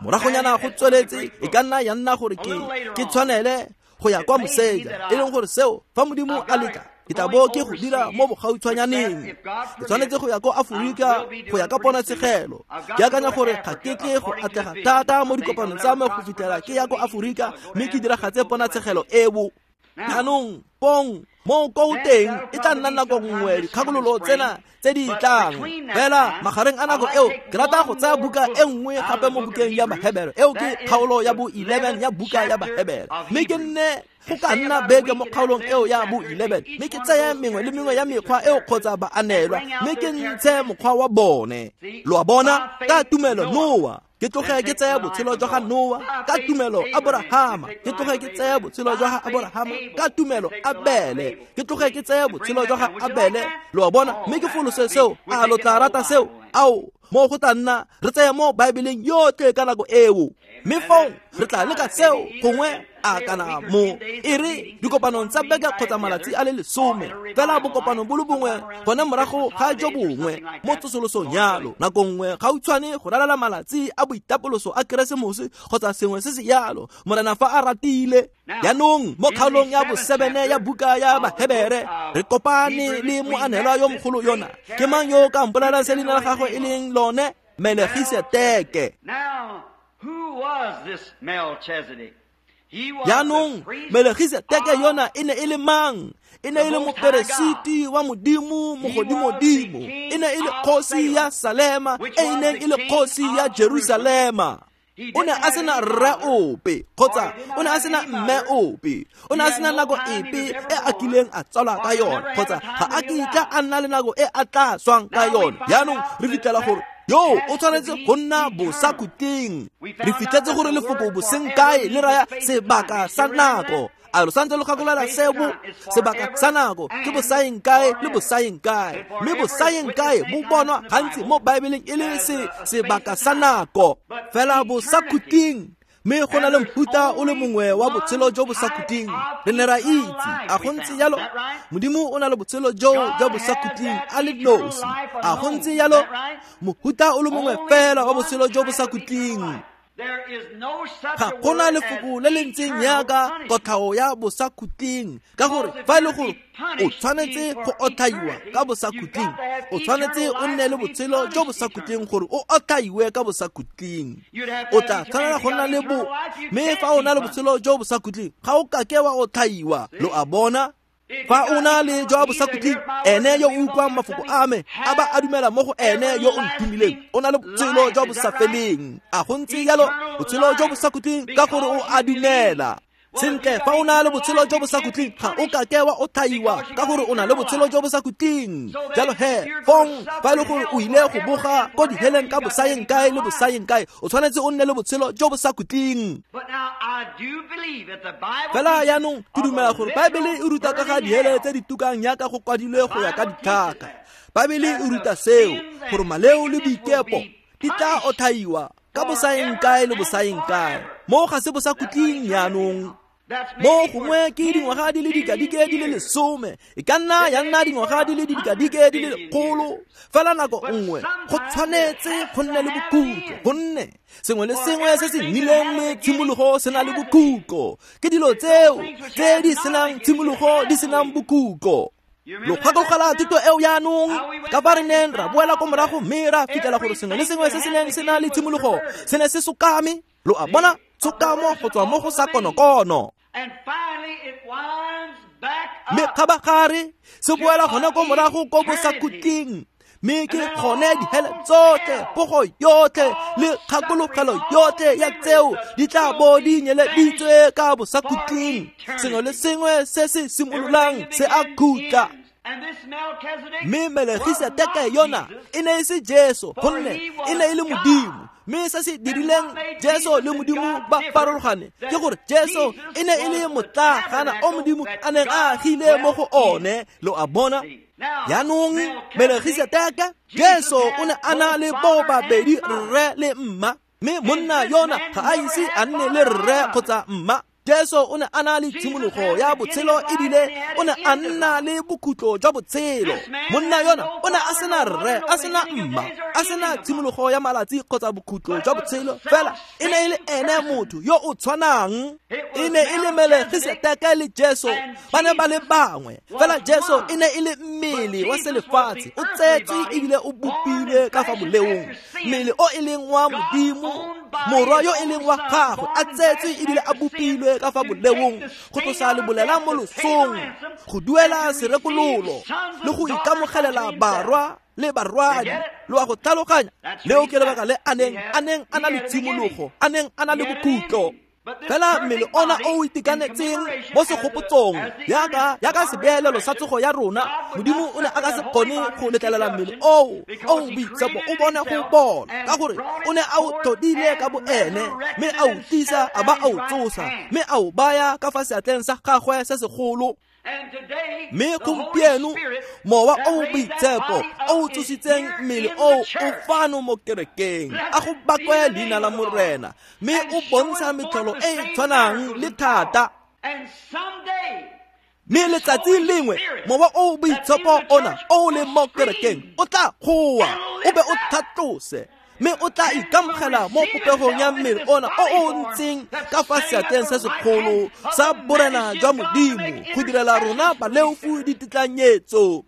Moragonyana go tsweletse e ka nna ya nna gore ke ke tshwanele go ya kwa moseja, e leng gore seo fa Modimo a letla ke tla bo ke go dira mo bogautshwanyaneng. Ke tshwanetse go ya ko Aforika go ya ka ponatshegelo. Ke akanya gore ga ke tle go atlega thata mo dikopanong tsa me go fitlhela ke ya ko Aforika mme ke diragatse ponatshegelo eo. Jaanong pong mo ko teng e tla nna nako nngwe dikgakololo tsena tse di tlang. Fela magareng a nako eo ke rata go tsaya buka e nngwe gape mo bukeng ya Bahebere. Eo ke kgaolo ya bo eleven ya buka ya Bahebere. Mme ke nne go ka nna beke mo kgaolong eo ya bo eleven. Mme ke tseye mengwe le mengwe ya mekgwa eo kgotsa baanelwa mme ke ntshe mokgwa wa bone. Lo a bona ka tumelo Noa ke tloge ke tsaya botshelo jwa ga Noa, ka tumelo Aborahama ke tloge ke tsaya botshelo jwa ga Aborahama, ka tumelo Abele ke tloge ke tsaya botshelo jwa ga Abele. Lo a bona mme ke folose seo. A lo tla rata seo? Ao mo go tla nna re tsaya mo Baebeleng yotlhe ka nako eo. Mme fong re tla leka seo gongwe a kana mo e re dikopanong tsa beke kgotsa malatsi a le lesome fela bokopano bo le bongwe gone morago ga jo bongwe mo tsosolosong yalo. Nako nngwe gautshwane go ralala malatsi a boitapoloso a Keresemose kgotsa sengwe se se yalo, Morena fa a ratile. Jaanong mo kgaolong ya bosebene ya buka ya Bahebere re kopane le moanelwa yo mogolo yona. Ke mang yo o ka mpolelang se leina la gagwe e leng lone? Melegiseteke. Jaanong Melegiseteke yona e ne e le mang? E ne e le moperesiti wa Modimo mogodimodimo. E ne e le kgosi ya Salema e e neng e le kgosi ya Jerusalema. O ne a sena rre ope kgotsa o ne a sena mme ope. O ne a sena nako epe e a kileng a tsalwa ka yone kgotsa ga a kitla a nna le nako e a tla swang ka yone. Jaanong re fitlhela gore yo o tshwanetse go nna bosakhutleng. Re fitlhetse gore lefoko bosenkae le raya sebaka sa nako. A lo santse lo gakolola seo? Sebaka sa nako ke bosaeng kae le bosaeng kae. Mme bosaeng kae bo bonwa gantsi mo Baebeleng e le se sebaka sa nako. Fela bosakhutleng mme go na le mofuta o le mongwe wa botshelo jo bosakhutleng. Re ne ra itse a go ntse jalo Modimo o na le botshelo jo jwa bosakhutleng a le nosi. A go ntse jalo mofuta o le mongwe fela wa botshelo jo bosakhutleng. Ga gona lefoko le le ntseng jaaka kotlhao ya bosakhutleng, ka gore fa e le gore o tshwanetse go otlhaiwa ka bosakhutleng, o tshwanetse o nne le botshelo jo bosakhutleng gore o otlhaiwe ka bosakhutleng. O tla tshwanela go nna le bo, mme fa o na le botshelo jo bosakhutleng ga o kake wa otlhaiwa. Lo a bona? Fa o na le jwa bosakhutleng, ene yo o utlwang mafoko a me a ba a dumela mo go ene yo o nthomileng o na le botshelo jwa bosafeleng. A go ntse jalo botshelo jo bosakhutleng ka gore o a dumela. Sentle, fa o na le botshelo jo bosakhutleng ga o kake wa otlhaiwa ka gore o na le botshelo jo bosakhutleng. Jalo he fong fa e le gore o ile go boga ko diheleng ka bosaeng kae le bosaeng kae, o tshwanetse o nne le botshelo jo bosakhutleng. Fela jaanong ke dumela gore Baebele e ruta ka ga dihele tse di tukang jaaka go kwadilwe go ya ka ditlhaka. Baebele e ruta seo gore maleo le boikepo di tla otlhaiwa ka bosaeng kae le bosaeng kae. Mo ga se bosakhutleng jaanong. Mo gongwe ke dingwaga di le dikadike di le lesome, e ka nna ya nna dingwaga di le dikadike di le lekgolo. Fela nako nngwe go tshwanetse go nne le bokhutlo, gonne sengwe le sengwe se se nnileng le tshimologo se na le bokhutlo. Ke dilo tseo tse di senang tshimologo di senang bokhutlo. Lo gakologelwa thuto eo jaanong ka fa re neng ra boela ko morago mme ra fitlhela gore sengwe le sengwe se se neng se na le tshimologo se ne se sokame. Lo a bona, tshokamo go tswa mo go sa konokono. Mme kgabagare se boela gone ko morago ko bosakhutleng, mme ke gone dihele tsotlhe, pogo yotlhe le kgakologelo yotlhe ya tseo di tla bo di nyeleditswe ka bosakhutleng. Sengwe le sengwe se se simololang se a khutla. Mme Melegiseteke yona e ne e se Jesu, gonne e ne e le Modimo. Mme se se dirileng Jesu le Modimo ba farologane ke gore Jesu e ne e le motlagana o Modimo a neng a agile mo go one. Lo a bona? Jaanong Melegiseteke, Jesu o ne a na le bo babedi, rre le mma, mme monna yona ga a ise a nne le rre kgotsa mma. Jesu o ne a na le tshimologo ya botshelo ebile o ne a nna le bokhutlo jwa botshelo. Monna yona o ne a sena rre, a sena mma, a sena tshimologo ya malatsi kgotsa bokhutlo jwa botshelo, fela e ne e le ene motho yo o tshwanang. E ne e le Melegiseteke le Jesu ba ne ba le bangwe, fela Jesu e ne e le mmele wa selefatshe, o tsetswe ebile o bopilwe ka fa boleong, mmele o e leng wa Modimo, morwa yo e leng wa gagwe, a tsetswe ebile a bopilwe ka fa boleong, go tlosa lebolela mo losong, go duela serekololo le go ikamogelela barwa le barwadi. Lo a go tlhaloganya? Leo ke lebaka le a neng a neng a na le tshimologo, a neng a na le bokhutlo. Fela mmele ona o o itekanetseng mo segopotsong yaka yaka sebeelelo sa tsogo ya rona, Modimo o ne a ka se kgone go letlelela mmele oo o o boitshepo o bone go bola, ka gore o ne a o tlhodile ka boene, mme a o tlisa a ba a o tsosa, mme a o baya ka fa seatleng sa gagwe se segolo. Mme gompieno mowa o o boitshepo o o tsositseng mmele oo o fano mo kerekeng, a go bakwe leina la Morena, mme o bontsha metlholo e e tshwanang le thata. Mme letsatsi lengwe mowa o o boitshepo ona o o leng mo kerekeng o tla goa, o be o tlhatlose, mme o tla ikamogela mo popegong ya mmele ona o o ntseng ka fa seatleng se segolo sa borena jwa Modimo go direla rona baleofu ditetlanyetso.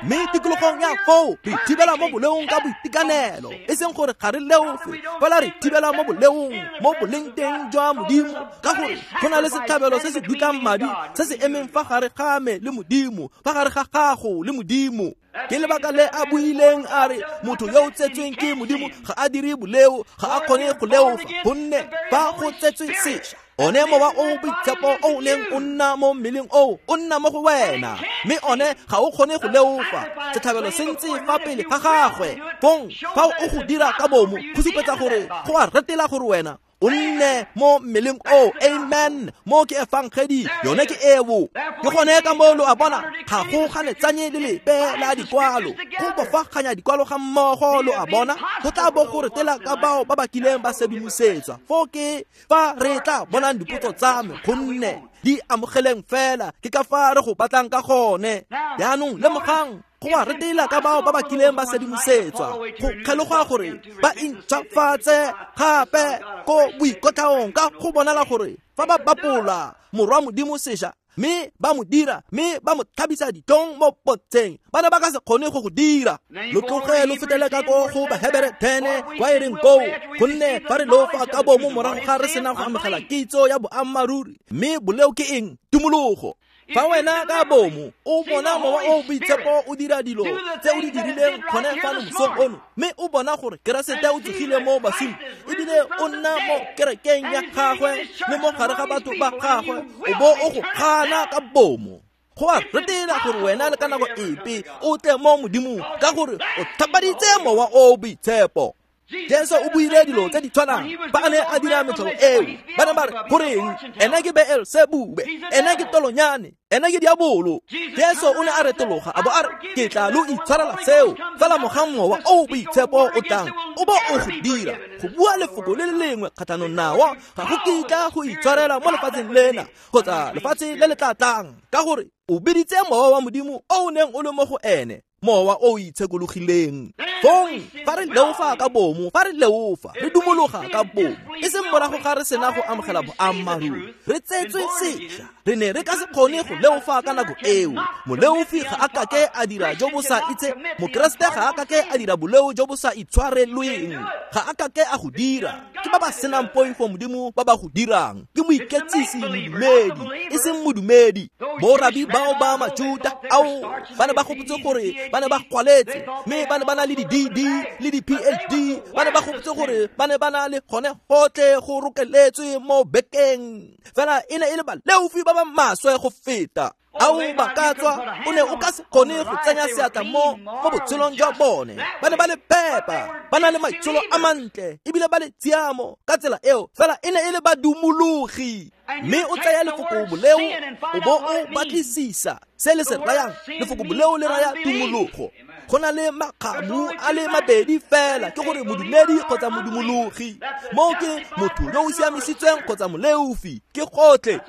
Mme tikologong ya foo re thibela mo boleong ka boitekanelo, e seng gore ga re leofe, fela re thibela mo boleong mo boleng teng jwa Modimo, ka gore go na le setlhabelo se se dutlang madi se se emeng fa gare ga me le Modimo, fa gare ga gago le Modimo. Ke lebaka le a buileng a re motho yo o tsetsweng ke Modimo ga a dire boleo, ga a kgone go leofa, gonne fa go tsetswe sešwa, one mowa o boitshepo o o leng o nna mo mmeleng oo o nna mo go wena, mme one ga o kgone go leofa. Setlhabelo se ntse fa pele ga gagwe, fong fa o go dira ka bomo go supetsa gore go a retela gore wena o nne mo mmeleng oo. Amen. Mo ke efangedi, yone ke eo. Ke gone ka moo lo a bona, ga go ganetsanye le lepe la dikwalo, go bofaganya dikwalo ga mmogo. Lo a bona, go tla bo go retela ka bao ba ba kileng ba sedimosetswa. Foo ke fa re tla bonang dipotso tsa me, gonne di amogeleng fela ke ka fa re go batlang ka gone. Jaanong lemogang, go a retela ka bao ba ba kileng ba sedimosetswa, go kgeloga gore ba intšhafatse gape ko boikotlhaong, ka go bonala gore fa ba bapola morwa Modimo sešwa, mme ba mo dira, mme ba mo tlhabisa ditlhong mo potseng, ba ne ba ka se kgone go go dira. Lo tloge lo fetele ka ko go Bahebere ten kwa e reng koo, gonne fa re lofa ka bomo morago ga re sena go amogela kitso ya boammaaruri, mme boleo ke eng? Tumologo. Fa wena ka bomo o bona mowa o boitshepo o dira dilo tse o di dirileng gone fano mosong ono, mme o bona gore Keresete o tsogile mo baswing ebile o nna mo kerekeng ya gagwe le mo gare ga batho ba gagwe, o bo o go gana ka bomo, go a retela gore wena le ka nako epe o tle mo Modimong, ka gore o thapaditse mowa o boitshepo. Jesu o buile dilo tse di tshwanang fa a ne a dira metlholo eo. Ba ne ba re, goreng ene ke Beelsebube, ene ke tolonyane, ene ke diabolo. Jesu o ne a retologa a bo a re, ke tla lo itshwarela seo, fela mogang mowa o boitshepo o tlang o bo o go dira go bua lefoko le le lengwe kgatlhanong nao, ga go kitla go itshwarela mo lefatsheng lena kgotsa lefatshe le le tla tlang, ka gore o biditse mowa wa Modimo o o neng o le mo go ene. Mowa o o itshekologileng. Fong fa re leofa ka bomo, fa re leofa, re dumologa ka bomo, e seng morago ga re sena go amogela boammaaruri, re tsetswe sešwa. Re ne re ka se kgone go leofa ka nako eo. Moleofi ga a kake a dira jo bo sa itse, Mokeresete ga a kake a dira boleo jo bo sa itshwarelweng, ga a kake a go dira. Ke ba ba senang poifo Modimo ba ba go dirang. Ke moiketsisi modumedi, e seng modumedi. Borabi bao ba Majuta ao ba ne ba gopotse gore ba ne ba kwaletse, mme ba ne ba na le di D D le di P H D, ba ne ba gopotse gore ba ne ba na le gone gotlhe go rokeletswe mo bekeng. Fela e ne e le baleofi ba ba maswe go feta. Ao ba ka tswa, o ne o ka se kgone go tsenya seatla mo mo botshelong jwa bone. Ba ne ba le phepa, ba na le maitsholo a mantle, ebile ba le tshiamo ka tsela eo. Fela e ne e le badumologi. Mme o tsaya lefoko boleo o bo o batlisisa se le se rayang. Lefoko boleo le raya tumologo. Go na le makgamu a le mabedi fela, ke gore modumedi kgotsa modumologi. Moo ke motho yo o siamisitsweng kgotsa moleofi, ke gotlhe.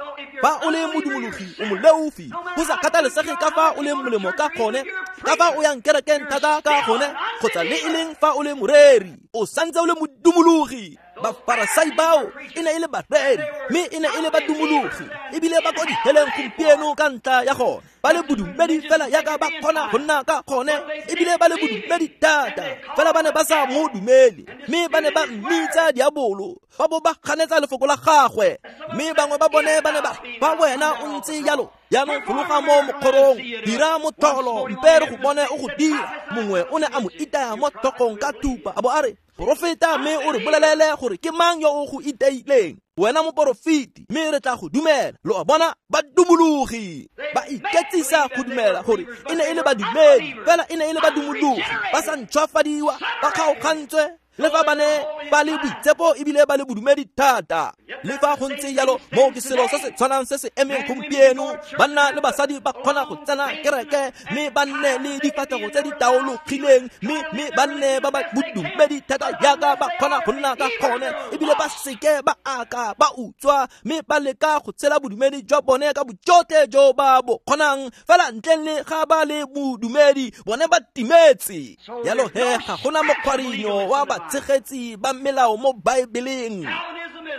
Fa o le modumologi, o moleofi. Go sa kgathalesege ka fa o leng molemo ka gone, ka fa o yang kerekeng thata ka gone, kgotsa le e leng fa o le moreri, o santse o le modumologi. Bafarasai bao e ne e le bareri, mme e ne e le badumologi, ebile ba ko diheleng gompieno ka ntlha ya gone. Ba le bodumedi fela yaka ba kgona go nna ka gone, ebile ba le bodumedi thata, fela ba ne ba sa mo dumele, mme ba ne ba mmitsa diabolo, ba bo ba ganetsa lefoko la gagwe. Mme bangwe ba bone ba ne ba ba wena o ntse jalo, jaanong fologa mo mokgorong, dira motlholo, mpe re go bone o go dira. Mongwe o ne a mo itaya mo tlhogong ka thupa, a bo a re, porofeta mme o re bolelele gore ke mang yo o go iteileng, wena moporofeti, mme re tla go dumela. Lo a bona, badumologi ba iketsisa go dumela gore e ne e le badumedi, fela e ne e le badumologi, ba sa ntšhwafadiwa, ba kgaogantswe. Le fa ba ne ba le boitshepo ebile ba le bodumedi thata. Le fa go ntse jalo, moo ke selo se se tshwanang se se emeng gompieno. Banna le basadi ba kgona go tsena kereke, mme ba nne le difatlhego tse di taologileng, mme mme ba nne ba ba bodumedi thata jaaka ba kgona go nna ka gone, ebile ba seke ba aka ba utswa, mme ba leka go tshela bodumedi jwa bone ka bojotlhe jo ba bo kgonang. Fela ntleng le ga ba le bodumedi, bone ba timetse. Jalo he ga gona mokgwarinyo wa batshegetsi ba melao mo Baebeleng.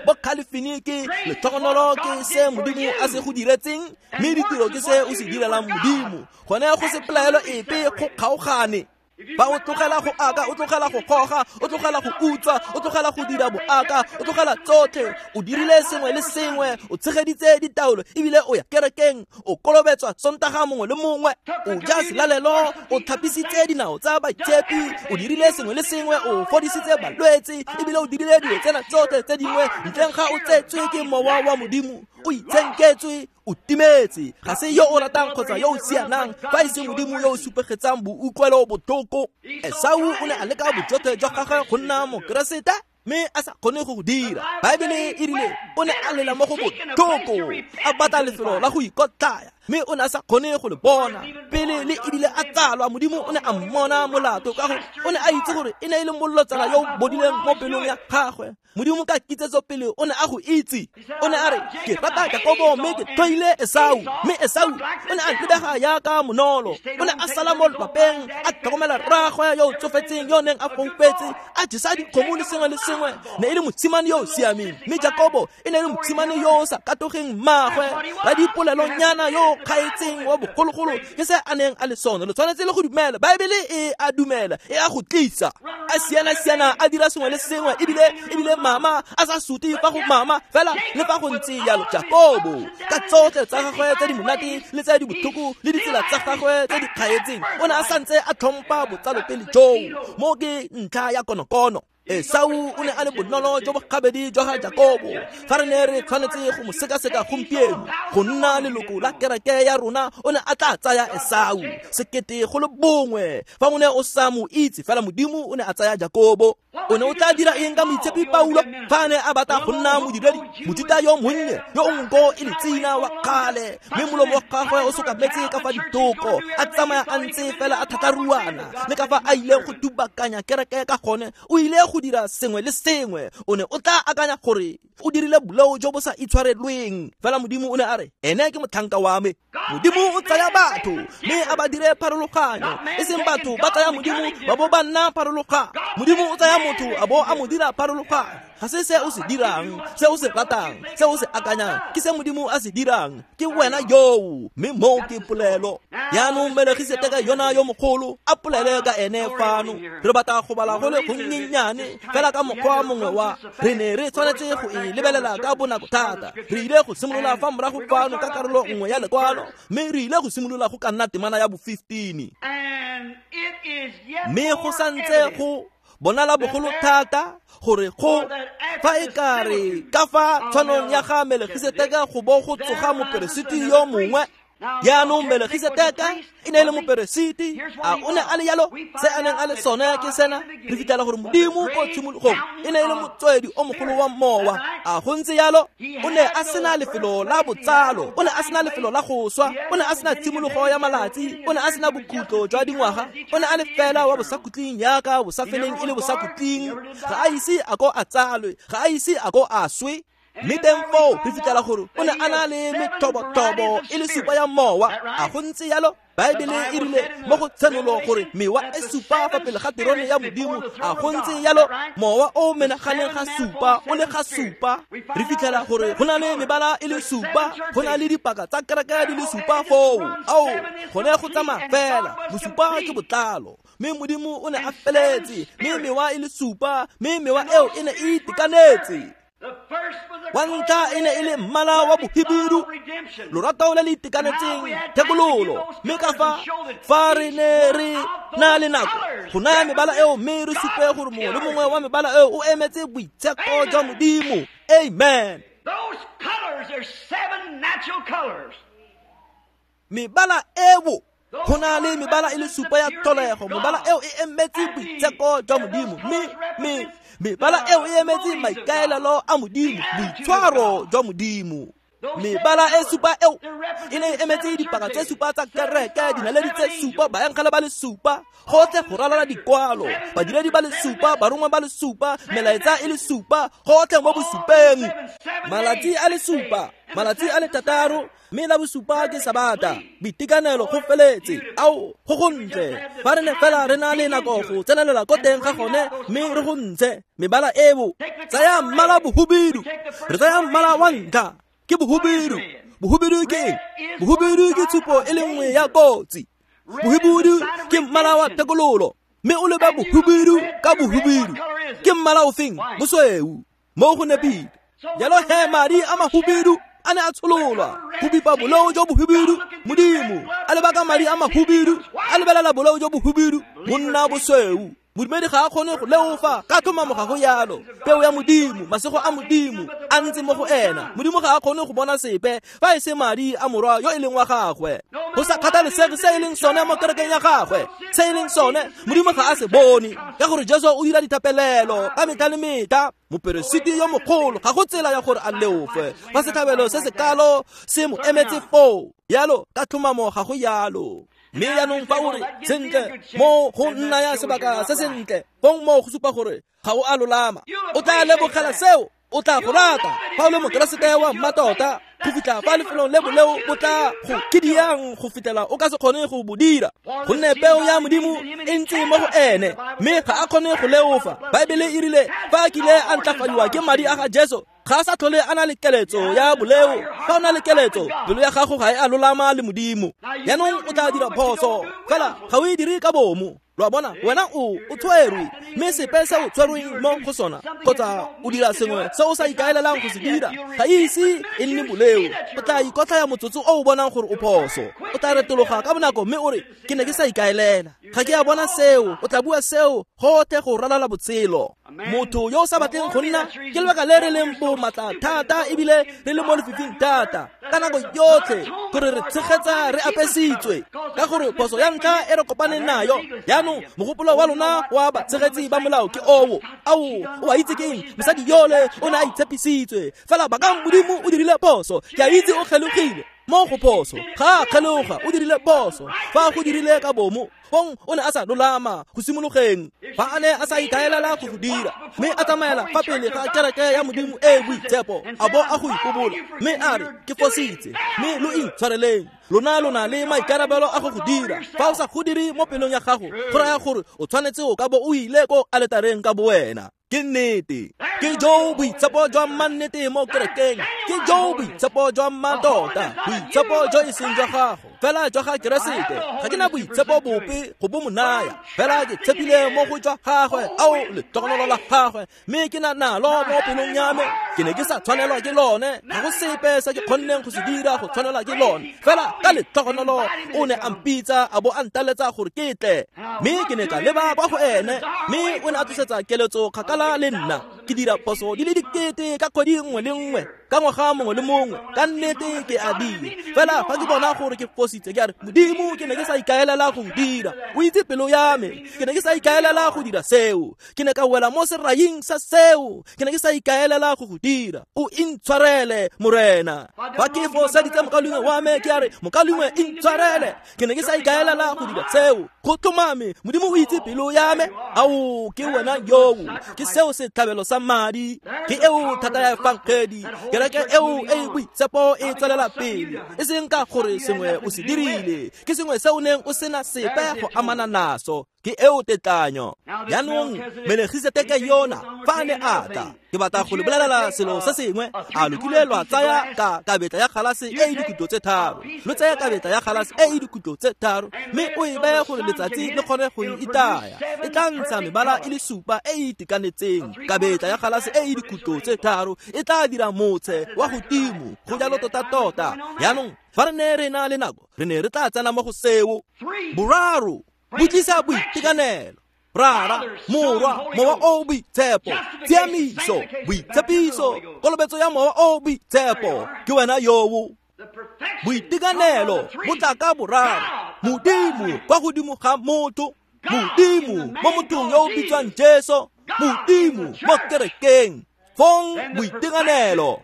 Bo Califini ke letlhogonolo ke se Modimo a se go diretseng, mme ditiro ke se o se direlang Modimo. Gone go se pelaelo epe go kgaogane. Fa o tlogela go aka, o tlogela go goga, o tlogela go utswa, o tlogela go dira boaka, o tlogela tsotlhe, o dirile sengwe le sengwe, o tshegeditse ditaolo, ebile o ya kerekeng, o kolobetswa Sontaga mongwe le mongwe, o ja selalelo, o tlhapisitse dinao tsa baitshepi, o dirile sengwe le sengwe, o fodisitse balwetse, ebile o dirile dilo tsena tsotlhe tse dingwe, ntleng ga o tsetswe ke mowa wa Modimo, o itshenketswe, o timetse. Ga se yo o ratang kgotsa yo o sianang, fa e se Modimo yo o supegetsang boutlwelo botlhoko. Esau o ne a leka bojotlhe jwa gagwe go nna Mokeresete, mme a sa kgone go go dira. Baebele e rile o ne a lela mo go botlhoko, a batla lefelo la go ikotlaya, mme o ne a sa kgone go le bona. Pele le ebile a tsalwa, Modimo o ne a mmona molato ka gore o ne a itse gore e ne e le molotsana yo o bodileng mo pelong ya gagwe. Modimo ka kitsetso pele o ne a go itse. O ne a re, ke rata Jakobo mme ke tlhoile Esau. Mme Esau o ne a lebega jaaka monolo. O ne a sala mo lwapeng, a tlhokomela rraagwe yo o tsofetseng yo o neng a foufetse, a jesa dikgomo le sengwe le sengwe. Ne e le mosimane yo o siameng, mme Jakobo e ne e le mosimane yo o sa katogeng mmaagwe, radipolelonyana yo o kgaetseng wa bogologolo. Ke se a neng a le sone. Lo tshwanetse le go dumela. Baebele e a dumela, e a go tlisa. A siana-siana, a dira sengwe le sengwe, ebile ebile mama a sa sute fa go mama, fela le fa go ntse jalo. Jakobo ka tsotlhe tsa gagwe tse di monate le tse di botlhoko le ditsela tsa gagwe tse di kgaetseng, o ne a santse a tlhompha botsalopele joo. Mo ke ntlha ya konokono. Esau o ne a le bonolo jo bo gabedi jwa ga Jakobo. Fa re ne re tshwanetse go mo sekaseka gompieno go nna leloko la kereke ya rona, o ne a tla tsaya Esau sekete go le bongwe. Fa o ne o sa mo itse, fela Modimo o ne a tsaya Jakobo. O ne o tla dira eng ka moitshepi Paulo fa a ne a batla go nna modiredi, Mojuta yo monnye yo o nko e le tsina wa kgale, mme molomo wa gagwe o sokametse ka fa ditoko, a tsamaya a ntse fela a thatharuana le ka fa a ileng go dubakanya kereke ka gone? O ile go dira sengwe le sengwe, o ne o tla akanya gore o dirile boleo jo bo sa itshwarelweng. Fela Modimo o ne a re, ene ke motlhanka wa me. Modimo o tsaya batho mme a ba dire pharologanyo, e seng batho ba tsaya Modimo ba bo ba nna pharologanyo. Modimo o tsaya motho a bo a mo dira pharologanyo. Ga se se o se dirang, se o se ratang, se o se akanyang, ke se Modimo a se dirang. Ke wena yoo, mme moo ke polelo. Jaanong Melegiseteke yona yo mogolo a polele ka ene fano. Re batla go bala go le gonnyenyane fela ka mokgwa mongwe wa re ne re tshwanetse go e lebelela ka bonako thata. Re ile go simolola fa morago fano ka karolo nngwe ya lekwalo, mme re ile go simolola go ka nna temana ya bo fifteen. Mme go santse go bonala bogolo thata gore go fa e ka re ka fa tshwanong ya ga Melegiseteke go bo go tsoga moperesiti yo mongwe. Jaanong Melegiseteke e ne e le moperesiti. A o ne a le yalo? Se a neng a le sone ke sena. Re fitlhela gore Modimo ko tshimologong e ne e le motswedi o mogolo wa mowa. A go ntse yalo? O ne a sena lefelo la botsalo, o ne a sena lefelo la go swa, o ne a sena tshimologo ya malatsi, o ne a sena bokhutlo jwa dingwaga, o ne a le fela wa bosakhutleng yaka bosafeleng e le bosakhutleng. Ga a ise a ko a tsalwe, ga a ise a ko a swe. Mme teng foo re fitlhela gore o ne a na le methobo-thobo e le supa ya mowa. A go ntse yalo? Baebele e rile mo go Tshenolo gore mewa e supa fa pele ga terone ya Modimo. A go ntse yalo? Mowa o menaganeng ga supa o le ga supa. Re fitlhela gore go na le mebala e le supa, go na le dipaka tsa kereke di le supa foo. Ao, gone go tsamaya fela. Bosupa ke botlalo, mme Modimo o ne a feletse, mme mewa e le supa, mme mewa eo e ne e itekanetse. Wa ntlha e ne e le mmala wa bohibidu, lorato le le itekanetseng, thekololo. Mme ka fa fa re ne re na le nako go naya mebala eo, mme re supe gore mongwe le mongwe wa mebala eo o emetse boitsheko jwa Modimo. Amen. Mebala eo, go na le mebala e le supa ya tlholego. Mebala eo e emetse boitsheko jwa Modimo, mme mme mebala eo e emetse maikaelelo a Modimo, boitshwaro jwa Modimo. Mebala e supa eo e ne e emetse dipaka tse supa tsa kereke, dinaledi tse supa, baengele ba le supa, gotlhe go ralala dikwalo, badiredi ba le supa, barongwa ba le supa, melaetsa e le supa, gotlhe mo bosupeng. Malatsi a le supa, malatsi a le thataro, mme la bosupa ke Sabata. Boitekanelo go feletse. Ao, go gontle. Fa re ne fela re na le nako go tsenelela ko teng ga gone, mme re go ntshe mebala eo. Tsaya mmala bohubidu, re tsaya mmala wa ntlha ke bohubidu. Bohubidu ke eng? Bohubidu ke tshupo e le nngwe ya kotsi. Bohubidu ke mmala wa thekololo, mme o leba bohubidu ka bohubidu. Ke mmala ofeng? Bosweu. Mo go nepile. Jalo he madi a mahubidu a ne a tshololwa go bipa boleo jo bohubidu. Modimo a leba ka madi a mahubidu, a lebelela boleo jo bohubidu, monna bosweu. Modumedi ga a kgone go leofa ka tlhomamo ga go yalo. Peo ya Modimo, masego a Modimo a ntse mo go ena. Modimo ga a kgone go bona sepe fa e se madi a morwa yo e leng wa gagwe. Go sa kgathalesege se e leng sone mo kerekeng ya gagwe, se e leng sone Modimo ga a se bone, ka gore Jesu o dira dithapelelo ka metlha le metlha. Moperesiti yo mogolo ga go tsela ya gore a leofe fa setlhabelo se se kalo se mo emetse foo. Yalo ka tlhomamo ga go yalo. Mme jaanong fa o re sentle mo go nna ya sebaka se sentle, fong mo go supa gore ga o a lolama, o tla lebogela seo, o tla go rata fa o le mokeresete wa mmatota go fitlha fa lefelong le boleo bo tla go kidiang go fitlhela o ka se kgone go bo dira, gonne peo ya Modimo e ntse mo go ene, mme ga a kgone go leofa. Baebele e rile fa a kile a ntlafadiwa ke madi a ga Jesu, ga a sa tlhole a na le keletso ya boleo. Fa o na le keletso, pelo ya gago ga e a lolama le Modimo. Jaanong o tla dira phoso, fela ga o e dire ka bomo. Lo a bona, wena o o tshwerwe, mme sepe se o tshwerweng mo go sona, kgotsa o dira sengwe se o sa ikaelelang go se dira, ga ise e nne boleo. O tla ikotlhaya motsotso o o bonang gore o phoso. O tla retologa ka bonako mme o re, ke ne ke sa ikaelela, ga ke a bona seo. O tla bua seo gotlhe go ralala botshelo. Motho yo o sa batleng go nna, ke lebaka le re leng bomatla thata ebile re le mo lefifing thata ka nako yotlhe, gore re tshegetsa re apesitswe, ka gore phoso ya ntlha e re kopaneng nayo. Jaanong mogopolo wa lona wa batshegetsi ba molao ke oo. Ao, o a itse ke eng? Mosadi yole o ne a itshepisitswe, fela bakang Modimo o dirile phoso. Ke a itse o kgelogile. Mo go phoso, ga a kgeloga, o dirile phoso. Fa go dirile ka bomo, fong o ne a sa lolama go simologeng. Fa a ne a sa ikaelela go go dira, mme a tsamaela fa pele ga kereke ya Modimo e e boitshepo, a bo a go ipobola, mme a re, ke fositse, mme lo intshwareleng. Lona lona le maikarabelo a go go dira. Fa o sa go dire mo pelong ya gago, go raya gore o tshwanetse o ka bo o ile ko aletareng ka bowena. Ke nnete. Ke jo boitshepo jwa mannete mo kerekeng. Ke jo boitshepo jwa mmatota. Boitshepo jo e seng jwa gago, fela jwa ga Keresete. Ga ke na boitshepo bope go bo mo naya, fela ke tshepile mo go jwa gagwe, ao letogonolo la gagwe, mme ke na nalo mo pelong ya me. Ke ne ke sa tshwanelwa ke lone, ga go sepe se ke kgonneng go se dira go tshwanelwa ke lone, fela ka letogonolo o ne a mpitsa a bo a ntaletsa gore ke tle. Mme ke ne ka leba kwa go ene, mme o ne a tlosetsa keletso kgakala le nna. Ke dira phoso di le dikete ka kgwedi nngwe le nngwe, ka ngwaga mongwe le mongwe, ka nnete ke a dira. Fela fa ke bona gore ke fositse, ke a re, Modimo, ke ne ke sa ikaelela go dira. O itse pelo ya me, ke ne ke sa ikaelela go dira seo. Ke ne ka wela mo seraing sa seo, ke ne ke sa ikaelela go go dira. O intshwarele, Morena. Fa ke foseditse mokaulengwe wa me, ke a re, mokaulengwe, intshwarele, ke ne ke sa ikaelela go dira seo. Go tlhomame, Modimo o itse pelo ya me. Ao, ke wena yoo, ke seo setlhabelo sa madi, ke eo thata ya efangedi. Kereke eo e boitshepo e tswelela pele, e seng ka gore sengwe o se dirile, ke sengwe se o neng o sena sepe go amana naso. Ke eo tetlanyo. Jaanong Melegiseteke yona fa a ne a tla, ke batla go le bolelela selo se sengwe. A lo kile lwa tsaya ka kabetla ya galase e e dikhutlo tse tharo? Lo tsaya kabetla ya galase e e dikhutlo tse tharo, mme o e beye gore letsatsi le kgone go e itaya. E tla ntsha mebala e le supa e e itekanetseng. Kabetla ya galase e e dikhutlo tse tharo e tla dira motshe wa godimo, go jalo tota-tota. Jaanong fa re ne re na le nako, re ne re tla tsena mo go seo. Boraro bo tlisa boitekanelo. Rara, Morwa, Mowa o boitshepo, tshiamiso, boitshepiso, kolobetso ya Mowa o boitshepo. Ke wena yoo. Boitekanelo bo tla ka boraro. Modimo kwa godimo ga motho, Modimo mo mothong yo o bitswang Jesu, Modimo mo kerekeng. Fong boitekanelo.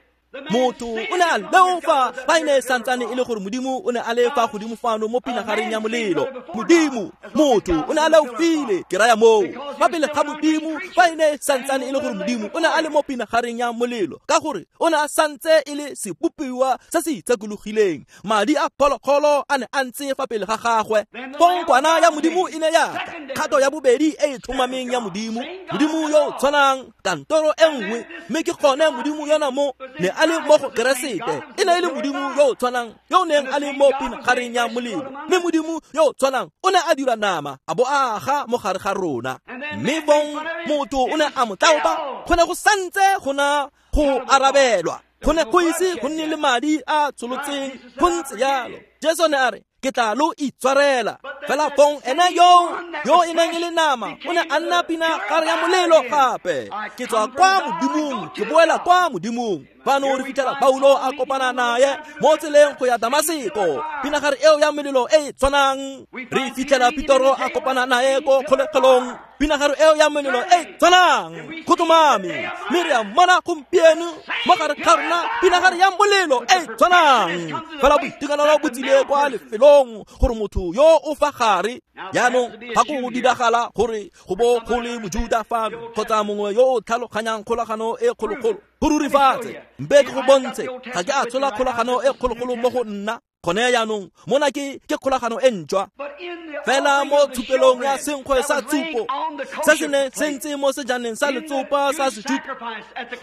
Motho o ne a leofa fa e ne e santsane e le gore Modimo o ne a le fa godimo fano mo pinagareng ya molelo. Modimo, motho o ne a leofile, ke raya moo, fa pele ga Modimo fa e ne e santsane e le gore Modimo o ne a le mo pinagareng ya molelo, ka gore o ne a santse e le sebopiwa se se itshekologileng. Madi a phologolo a ne a ntse fa pele ga gagwe. Fong kwana ya Modimo e ne ya tla, kgato ya bobedi e e tlhomameng ya Modimo, Modimo yo o tshwanang, kantoro e nngwe, mme ke gone Modimo yona mo ne a le mo go Keresete. E ne e le Modimo yo o tshwanang yo o neng a le mo pinagareng ya molelo, mme Modimo yo o tshwanang o ne a dira nama a bo a aga mo gare ga rona. Mme bong motho o ne a mo tlaopa, go ne go santse go na go arabelwa, go ne go ise go nne le madi a tsholotseng, go ntse jalo. Jesu ne a re, ke tla lo itshwarela. Fela fong ene yo yo e neng e le nama o ne a nna pinagare ya molelo gape. Ke tswa kwa Modimong, ke boela kwa Modimong. Fano re fitlhela Paulo a kopana naye mo tseleng go ya Damaseko, pinagare eo ya molelo e e tshwanang. Re fitlhela Petro a kopana naye ko kgolegelong, pinagare eo ya molelo e e tshwanang. Go tlhomame, mme re a mmona gompieno mo gare ga rona pinagare ya molelo e e tshwanang. Fela boitekanelo bo tsile kwa lefelong gore motho yo o fa gare. Jaanong ga go diragala gore go bo go le Mojuda fano kgotsa mongwe yo o tlhaloganyang kgolagano e kgologolo, go rurifatse, mpe ke go bontshe, ga ke a tshola kgolagano e kgologolo mo go nna. Gone jaanong mona ke ke kgolagano e ntšhwa. Fela mo tshupelong ya senkgwe sa tshupo se se ne se ntse mo sejaneng sa letsopa sa Sejuta,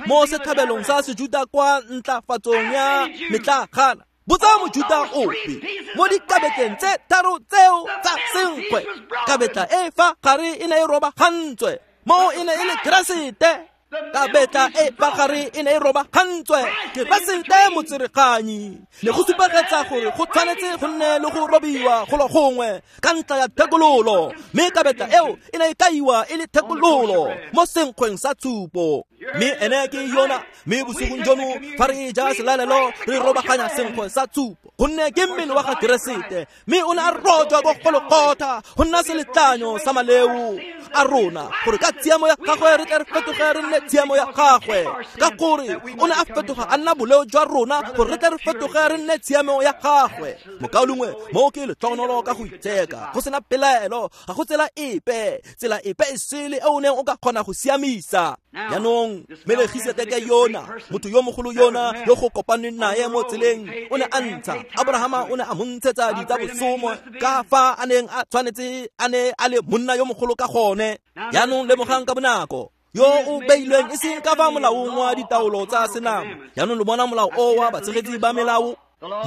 mo setlhabelong sa Sejuta kwa ntlafatsong ya metlagana, botsa Mojuta ope mo dikabetleng tse tharo tseo tsa senkgwe, kabetla e fa gare e ne e robagantswe, mo e ne e le Keresete. Kabetla e fa gare e ne e robagantswe, Keresete motsereganyi. Ne go supegetsa gore go tshwanetse go nne le go robiwa golo gongwe ka ntla ya thekololo, mme kabetla eo e ne e kaiwa e le thekololo mo senkgweng sa tshupo. Mme ene ke yona. Mme bosigong jono fa re ja selalelo re robaganya senkgwe sa tshupo, gonne ke mmele wa ga Keresete, mme o ne a rojwa ko Golgotha go nna seletlanyo sa maleo. a rona gore ka tshiamo ya gagwe re tle re fetoge re nne tshiamo ya gagwe. Ka gore o ne a fetoga a nna boleo jwa rona gore re tle re fetoge re nne tshiamo ya gagwe. Mokaulengwe, mo ke letlhogonolo ka go itsheka, go sena pelaelo, ga go tsela epe, tsela epe e sele e o neng o ka kgona go siamisa. Jaanong Melegiseteke yona, motho yo mogolo yona yo go kopaneng nae mo tseleng, o ne a ntsha Abrahama, o ne a mo ntshetsa ditsa bosomo ka fa a neng a tshwanetse a ne a le monna yo mogolo ka gone. Jaanong lemogang ka bonako yo o beilweng e seng ka fa molaong wa ditaolo tsa senama. Jaanong lo bona molao o wa batshegetsi ba melao.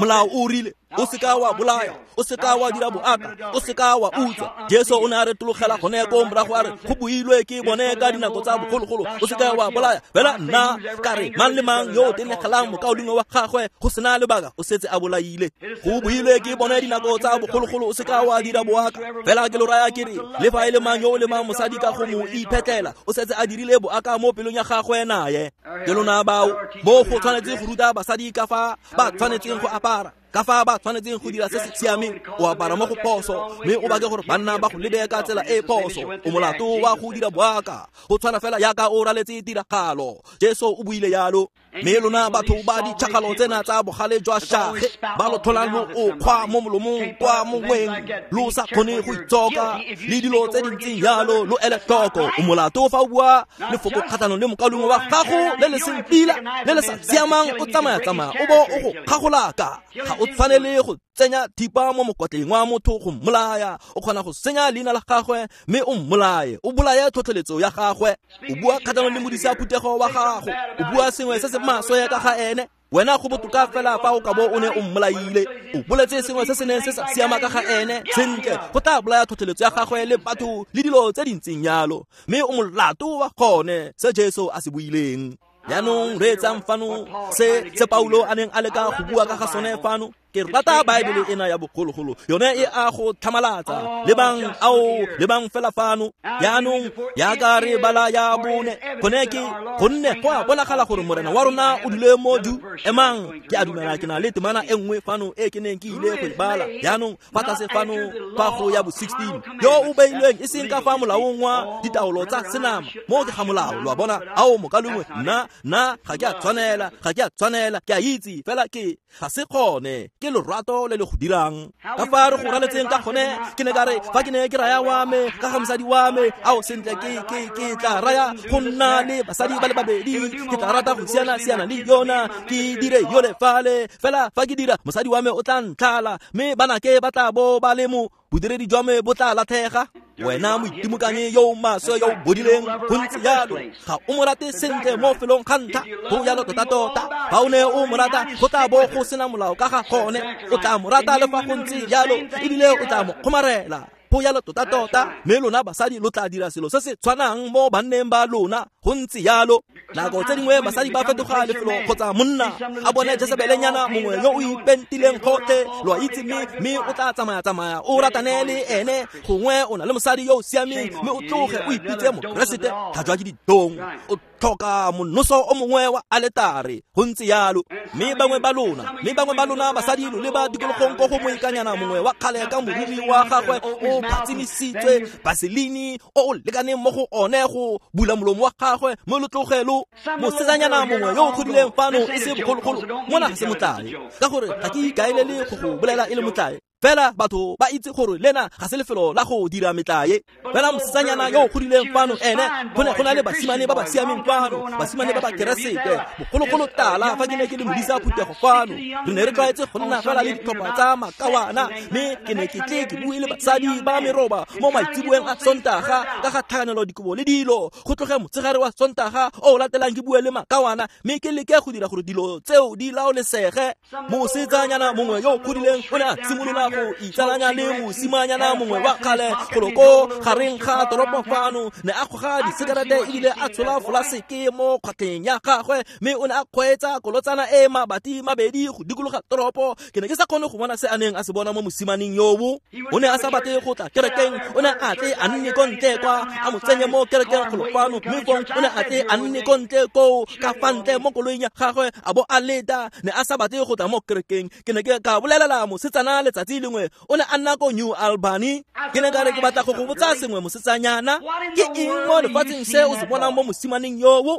Molao o rile o seka wa bolaya, o seka wa dira boaka, o seka wa utswa. Jesu o ne a retologela gone ko morago a re go builwe ke bone ka dinako tsa bogologolo, o seka wa bolaya. Fela nna ka re mang le mang yo o tenegelang mokaulengwe wa gagwe go sena lebaka o setse a bolaile. Go builwe ke bone dinako tsa bogologolo, o seka wa dira boaka. Fela ke lo raya ke re le fa e le mang yo o lemang mosadi ka go mo iphetlela, o setse a dirile boaka mo pelong ya gagwe naye. Ke lona bao mo go tshwanetse go ruta basadi ka fa ba tshwanetseng go apara, ka fa ba tshwanetseng go dira se se siameng. O apara mo go phoso mme o bake gore banna ba go lebe ka tsela e phoso, o molato wa go dira boaka. Go tshwana fela yaka o raletse tiragalo. Jesu o buile yalo. Mme lona batho ba ditšhakgalo tsena tsa bogale jwa shage ba lo tlholang lo o kgwa mo molomong kwa mongweng lo sa kgone go itsoka le dilo tse di ntseng yalo, lo ele tlhoko. O molato fa o bua lefoko kgatlhanong le mokaulengwe wa gago le le seng pila le le sa siamang, o tsamaya-tsamaya o bo o go kgagolaka. Ga o tshwanele go tsenya thipa mo mokotleng wa motho go mmolaya. O kgona go senya leina la gagwe mme o mmolaye, o bolaye tlhotlheletso ya gagwe. O bua kgatlhanong le modisa phuthego wa gago, o bua sengwe se se maswe ka ga ene. Wena go botoka fela fa o ka bo o ne o mmolaile. O boletse sengwe se se neng se sa siama ka ga ene, sentle go tla bolaya tlhotlheletso ya gagwe le batho le dilo tse di ntseng yalo, mme o molato wa gone se Jesu a se buileng. Jaanong reetsang fano se se Paulo a neng a leka go bua ka ga sone fano. Ke rata Baebele ena ya bogologolo, yone e a go tlhamalatsa. Lebang ao, lebang fela fano. Jaanong yaka re bala ya bone, gone ke gonne go a bonagala gore morena wa rona o dule mo du. Emang, ke a dumela ke na le temana e nngwe fano e ke neng ke ile go e bala. Jaanong fa tlase fano fa go ya bo sixteen, yo o beilweng e seng ka fa molaong wa ditaolo tsa senama, mo ke ga molao. Lo a bona? Ao mokaulengwe, nna nna ga ke a tshwanela, ga ke a tshwanela, ke a itse fela ke ga se gone. Ke lorato le le go dirang. Ka fa re go raletseng ka gone, ke ne ka re fa ke ne ke raya wa me ka ga mosadi wa me, ao sentle ke ke ke tla raya go nna le basadi ba le babedi, ke tla rata go siana siana le yona, ke dire yole fale. Fela fa ke dira mosadi wa me o tla ntlhala, mme banake ba tla bo ba le mo bodiredi jwa me bo tla latlhega. Wena moitimokanye yo o maswe yo o bodileng go ntse yalo, ga o mo rate sentle mo felong ga ntlha. Go yalo tota-tota, fa o ne o mo rata go tla bo go sena molao ka ga gone. O tla mo rata le fa go ntse yalo, ebile o tla mo kgomarela. Go yalo tota-tota, mme lona basadi lo tla dira selo se se tshwanang mo banneng ba lona. Go ntse yalo. Nako tse dingwe basadi ba fetoga lefelo kgotsa monna a bone Jesebelenyana mongwe yo o ipentileng gotlhe, lo a itse, mme mme o tla tsamaya-tsamaya o ratane le ene. Gongwe o na le mosadi yo o siameng, mme o tloge o ipitse mokeresete. Tlhajwa ke ditong, o tlhoka monoso o mongwe wa aletare. Go ntse yalo. Mme bangwe ba lona, mme bangwe ba lona basadi lo leba tikologong ko go moikanyana mongwe wa kgale ka moriri wa gagwe o phatsimisitswe baselini o o lekaneng mo go one go bula molomo wa gagwe, mme lo tloge lo mosetsanyana mongwe yo o godileng fano e se bogologolo. Mona ga se motlae, ka gore ga ke ikaelele go go bolela e le motlae. Fela batho ba itse gore lena ga se lefelo la go dira metlae. Fela mosetsanyana yo o godileng fano ene, go ne go na le basimane ba ba siameng fano, basimane ba ba keresete bogologolo tala. Fa ke ne ke le modisa phuthego fano, re ne re tlwaetse go nna fela le ditlhopha tsa makawana, mme ke ne ke tle ke bue le basadi ba meroba mo maitsiboeng a Sontaga ka ga tlhakanelo dikobo le dilo. Go tloge motshegare wa Sontaga o o latelang ke bue le makawana, mme ke leke go dira gore dilo tseo di laolesege. Mosetsanyana mongwe yo o godileng o ne a simolola go itsalanya le mosimanyana mongwe wa kgale golo ko gareng ga toropo fano. Ne a goga disekerete ebile a tshola folaseke mo kgwatlheng ya gagwe, mme o ne a kgweetsa kolotsana e mabati mabedi go dikologa toropo. Ke ne ke sa kgone go bona se a neng a se bona mo mosimaneng yobo. O ne a sa batle go tla kerekeng, o ne a tle a nne ko ntle kwa, a mo tsenye mo kerekeng golo fano, mme fong o ne a tle a nne ko ntle koo ka fa ntle mo koloing ya gagwe a bo a leta. Ne a sa batle go tla mo kerekeng. Ke ne ke ka bolelela mosetsana letsatsi letsatsi lengwe o ne a nna ko New Albany. Ke ne ka re ke batla go go botsa sengwe mosetsanyana, ke eng mo lefatsheng se o se bonang mo mosimaneng yoo?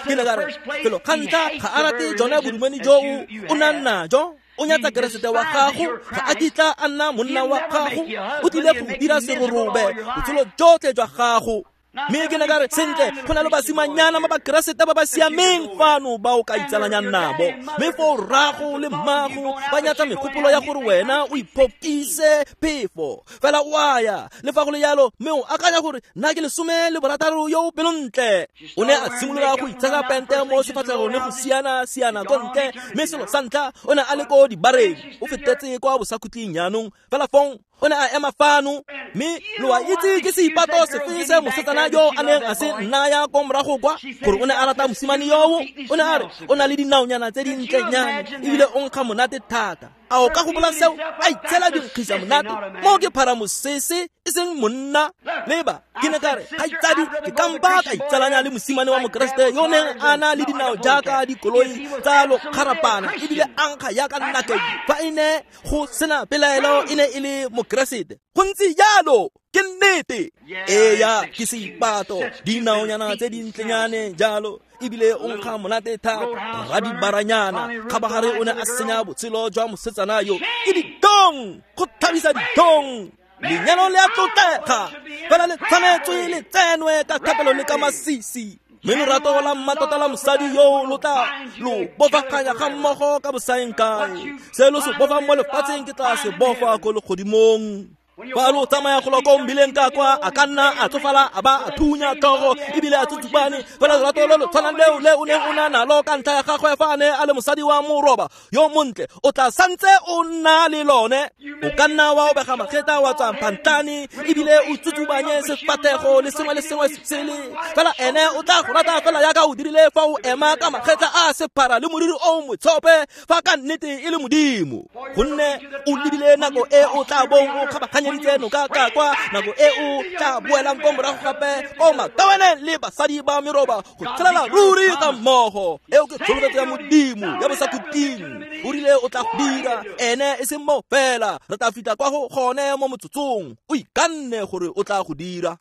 Ke ne ka re felo ga ntlha ga a rate jone bodumedi joo o nang najo, o nyatsa Keresete wa gago, ga a kitla a nna monna wa gago, o tlile go dira serorobe botshelo jotlhe jwa gago. Mme ke ne ka re sentle go na le basimanyana ba bakeresete ba ba siameng fano ba o ka itsalanyang nabo, mme foo rrago le mmago ba nyatsa megopolo ya gore wena o iphokise phefo fela o a ya. Le fa go le jalo mme o akanya gore nna ke lesome le borataro yo o pelontle. O ne a simolola go itshasa pente mo sefatlhegong le go siana-siana ko ntle, mme selo sa ntlha o ne a le ko dibareng, o fetetse kwa bosakhutleng jaanong. Fela fong o ne a ema fano, mme lo a itse ke seipato sefe se mosetsana yo a neng a se nnaya ko morago kwa gore o ne a rata mosimane yoo? O ne a re o na le dinaonyana tse dintlenyane ebile o nkga monate thata. A o ka gopola seo? A itshela dinkgisa monate mo ke phara mosese e seng monna. Leba, ke ne ka re kgaitsadi ke kampa ka itsalanya le mosimane wa mokeresete yo neng a na le dinao jaaka dikoloi tsa lokgarapana ebile a nkga jaaka nnakedi, fa e ne go sena pelaelo e ne e le mokeresete. Go ntse jalo, ke nnete. Eya, ke seipato, dinaonyana tse dintlenyane jalo ebile o nkga monate thata, radibaranyana. Kgabagare o ne a senya botshelo jwa mosetsana yo. Ke ditong, go thabisa ditong. Lenyalo le a tlotlega, fela le tshwanetswe le tsenwe ka thapelo le ka masisi. Mme lorato la mmatota la mosadi yo lo tla lo bofaganya ga mmogo ka bosaeng kae. Se lo se bofang mo lefatsheng ke tla se bofa ko legodimong. Fa lo tsamaya go lwa ko mbileng ka kwa, a ka nna a tsofala a ba a thunya tlhogo ebile a tsutsubane, fela lorato lo lo tshwanang leo le o neng o na nalo ka ntlha ya gagwe fa a ne a le mosadi wa moroba yo montle, o tla santse o nna le lone. O ka nna wa obega magetla wa tswa phantlane ebile o tsutsubanye sefathego le sengwe le sengwe se sele, fela ene o tla go rata fela jaaka o dirile fa o ema ka magetla a sephara le moriri o motshope, fa ka nnete e le Modimo. Gonne o lebile nako e o tla bong o kgabaganya ditseno ka ka kwa, nako e o tla boelang ko morago gape ko makawaneng le basadi ba meroba go tshelela ruri ga mmogo. Eo ke tsholofetso ya Modimo ya bosakhutleng. O rile o tla go dira, ene e seng mo fela, re tla fitlha kwa go gone mo motsotsong. O ikanne gore o tla go dira.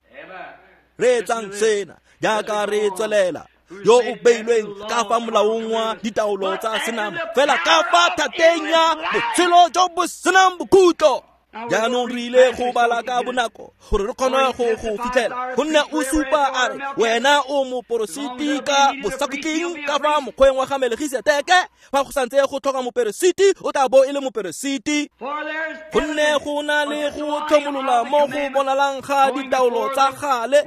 Reetsang sena jaaka re tswelela. Yo o beilweng ka fa molaong wa ditaolo tsa senama, fela ka fa thateng ya botshelo jo bo senang bokhutlo. Jaanong re ile go bala ka bonako gore re kgone go go fitlhela, gonne o supa a re wena o moporositi ka bosakhutleng ka fa mokgweng wa ga Melkisedeke. Fa go santse go tlhoka moperesiti, o tla bo e le moperesiti. Gonne go na le go tlhomolola mo go bonalang ga ditaolo tsa gale,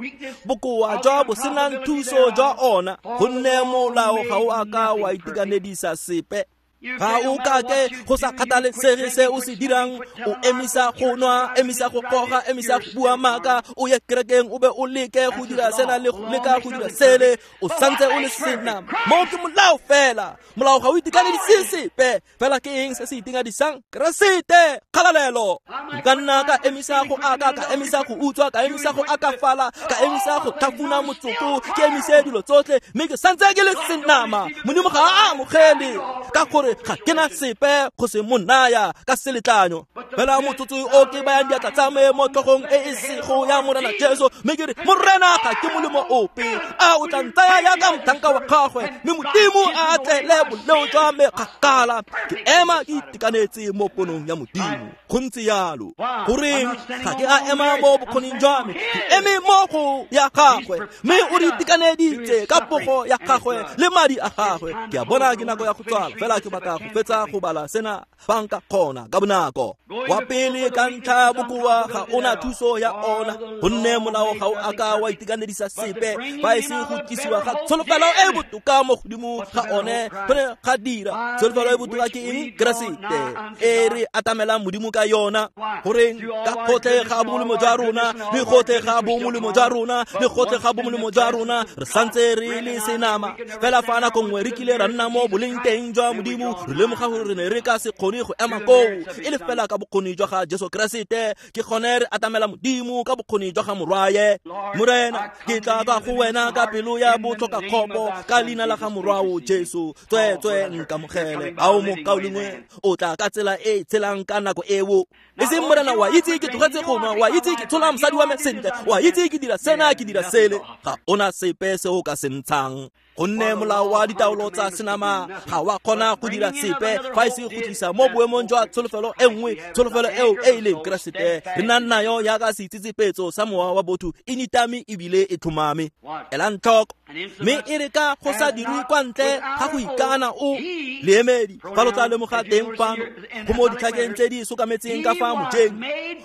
bokoa jwa bo senang thuso jwa ona, gonne molao ga o a ka wa itekanedisa sepe. Ga o kake go sa kgathalesege se o se dirang, o emisa go nwa, emisa go goga, emisa go bua maaka, o ye kerekeng o be o leke go dira sena le go leka go dira sele, o santse o le senama. Mo ke molao fela, molao ga o itekanedise sepe, fela ke eng se se itekanedisang? Keresete, kgalalelo. Nka nna ka emisa go aka, ka emisa go utswa, ka emisa go akafala, ka emisa go tlhafuna motsoko, ke emise dilo tsotlhe, mme ke santse ke le senama. Modimo ga a amogele ka gore ga ke na sepe go se mo naya ka seletlanyo. Fela motsotso o ke bayang diatla tsa me mo tlhogong e e sego ya Morena Jesu, mme ke re Morena ga ke molemo ope, a o tla ntsaya jaaka motlhanka wa gagwe, mme Modimo a atlele boleo jwa me kgakala. Ke ema ke itekanetse mo ponong ya Modimo. Go ntse jalo. Goreng ga ke a ema mo bokgoning jwa me, ke eme mo go ya gagwe, mme o re itekaneditse ka pogo ya gagwe le madi a gagwe. Ke a bona ke nako ya go tswala, fela ke batla go fetsa go bala sena fa nka kgona ka bonako. Wa pele ka ntlha bokoa ga ona thuso ya ona, gonne molao ga o a ka wa itekanedisa sepe, fa e se go tlisiwa ga tsholofelo e botoka mo godimo ga one go ne ga dira. Tsholofelo e botoka ke eng? Keresete e re atamelang Modimo ka yona. Goreng ka gotlhe ga bomolemo jwa rona, le gotlhe ga bomolemo jwa rona, le gotlhe ga bomolemo jwa rona, re santse re le senama. Fela fa nako nngwe re kile ra nna mo boleng teng jwa Modimo, godimo re lemoga gore re ne re ka se kgone go ema koo e le fela ka bokgoni jwa ga Jesu Keresete ke gone re atamela Modimo ka bokgoni jwa ga Morwaye. Morena ke tla ka go wena ka pelo ya botlhoka kgopo ka leina la ga Morwao Jesu tsweetswe nkamogele. Ao mokaulengwe o tla ka tsela e tshelang ka nako eo e seng Morena wa itse ke tlogetse go nwa wa itse ke tshola mosadi wa me sentle wa itse ke dira sena ke dira sele ga ona sepe se o ka se ntshang gonne molao wa ditaolo tsa senama ga wa kgona go dira sepe fa e se go tlisa mo boemong jwa tsholofelo e nngwe tsholofelo eo e e leng Keresete re nang nayo jaaka seitsetsepetso sa mowa wa botho e nitame ebile e tlhomame. Elang tlhoko mme e re ka go sa dirwe kwa ntle ga go ikana o leemedi fa lo tla lemoga teng fano go mo ditlhakeng tse di sokametseng ka fa mojeng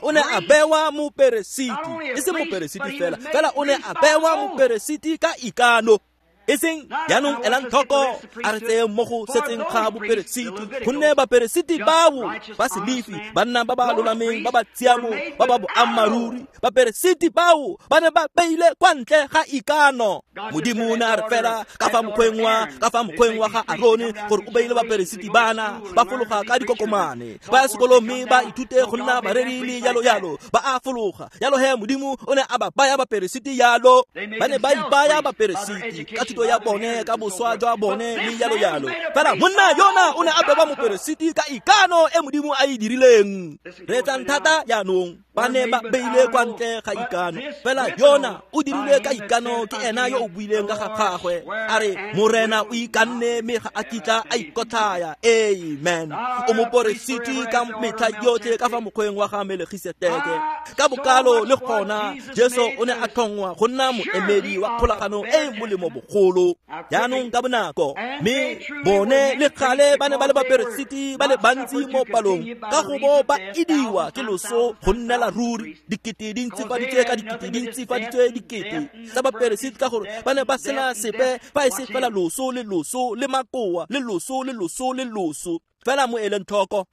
o ne a bewa moperesiti e seng moperesiti fela fela o ne a bewa moperesiti ka ikano e seng jaanong elang tlhoko a re tseye mo go setseng ga boperesiti gonne baperesiti bao ba Selefi banna ba ba lolameng ba ba tshiamo ba ba boammaaruri baperesiti bao ba ne ba beile kwa ntle ga ikano. Modimo o ne a re fela ka fa mokgweng wa ka fa mokgweng wa ga Arone gore o beile baperesiti bana ba fologa ka dikokomane ba ya sekolong mme ba ithute go nna bareri le jalo jalo ba a fologa jalo he Modimo o ne a ba baya baperesiti jalo ba ne ba ipaya baperesiti ka thuto ya bone ka boswa jwa bone le jalo jalo fela monna yona o ne a bewa moperesiti ka ikano e Modimo a e dirileng. Reetsang thata jaanong ba ne ba beile kwa ntle ga ikano fela yona o dirile ka ikano ke ena yo o buileng ka ga gagwe a re Morena o ikanne mme ga a kitla a ikotlhaya. Amen. O moperesiti ka metlha yotlhe ka fa mokgweng wa ga Melkisedeke ka bokalo le gona Jesu o ne a tlhongwa go nna moemedi wa kgolagano e e molemo bogolo. Jaanong ka bonako mme bone le kgale ba ne ba le baperesiti ba le bantsi mo palong ka go bo ba idiwa ke loso go nnela ruri dikete di ntsifaditswe ka dikete di ntsifaditswe dikete tsa baperesiti ka gore ba ne ba sena sepe fa e se fela loso le loso le makoa le loso le loso le loso fela mo eleng tlhoko.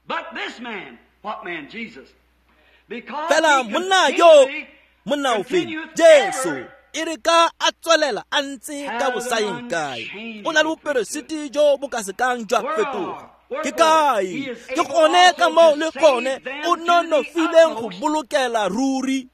Fela monna yo monna ofe Jesu e re ka a tswelela a ntse ka bosaeng kae o na le boperesiti jo bo ka sekang jwa fetoga ke kae ke gone ka moo le gone o nonofileng go bolokela ruri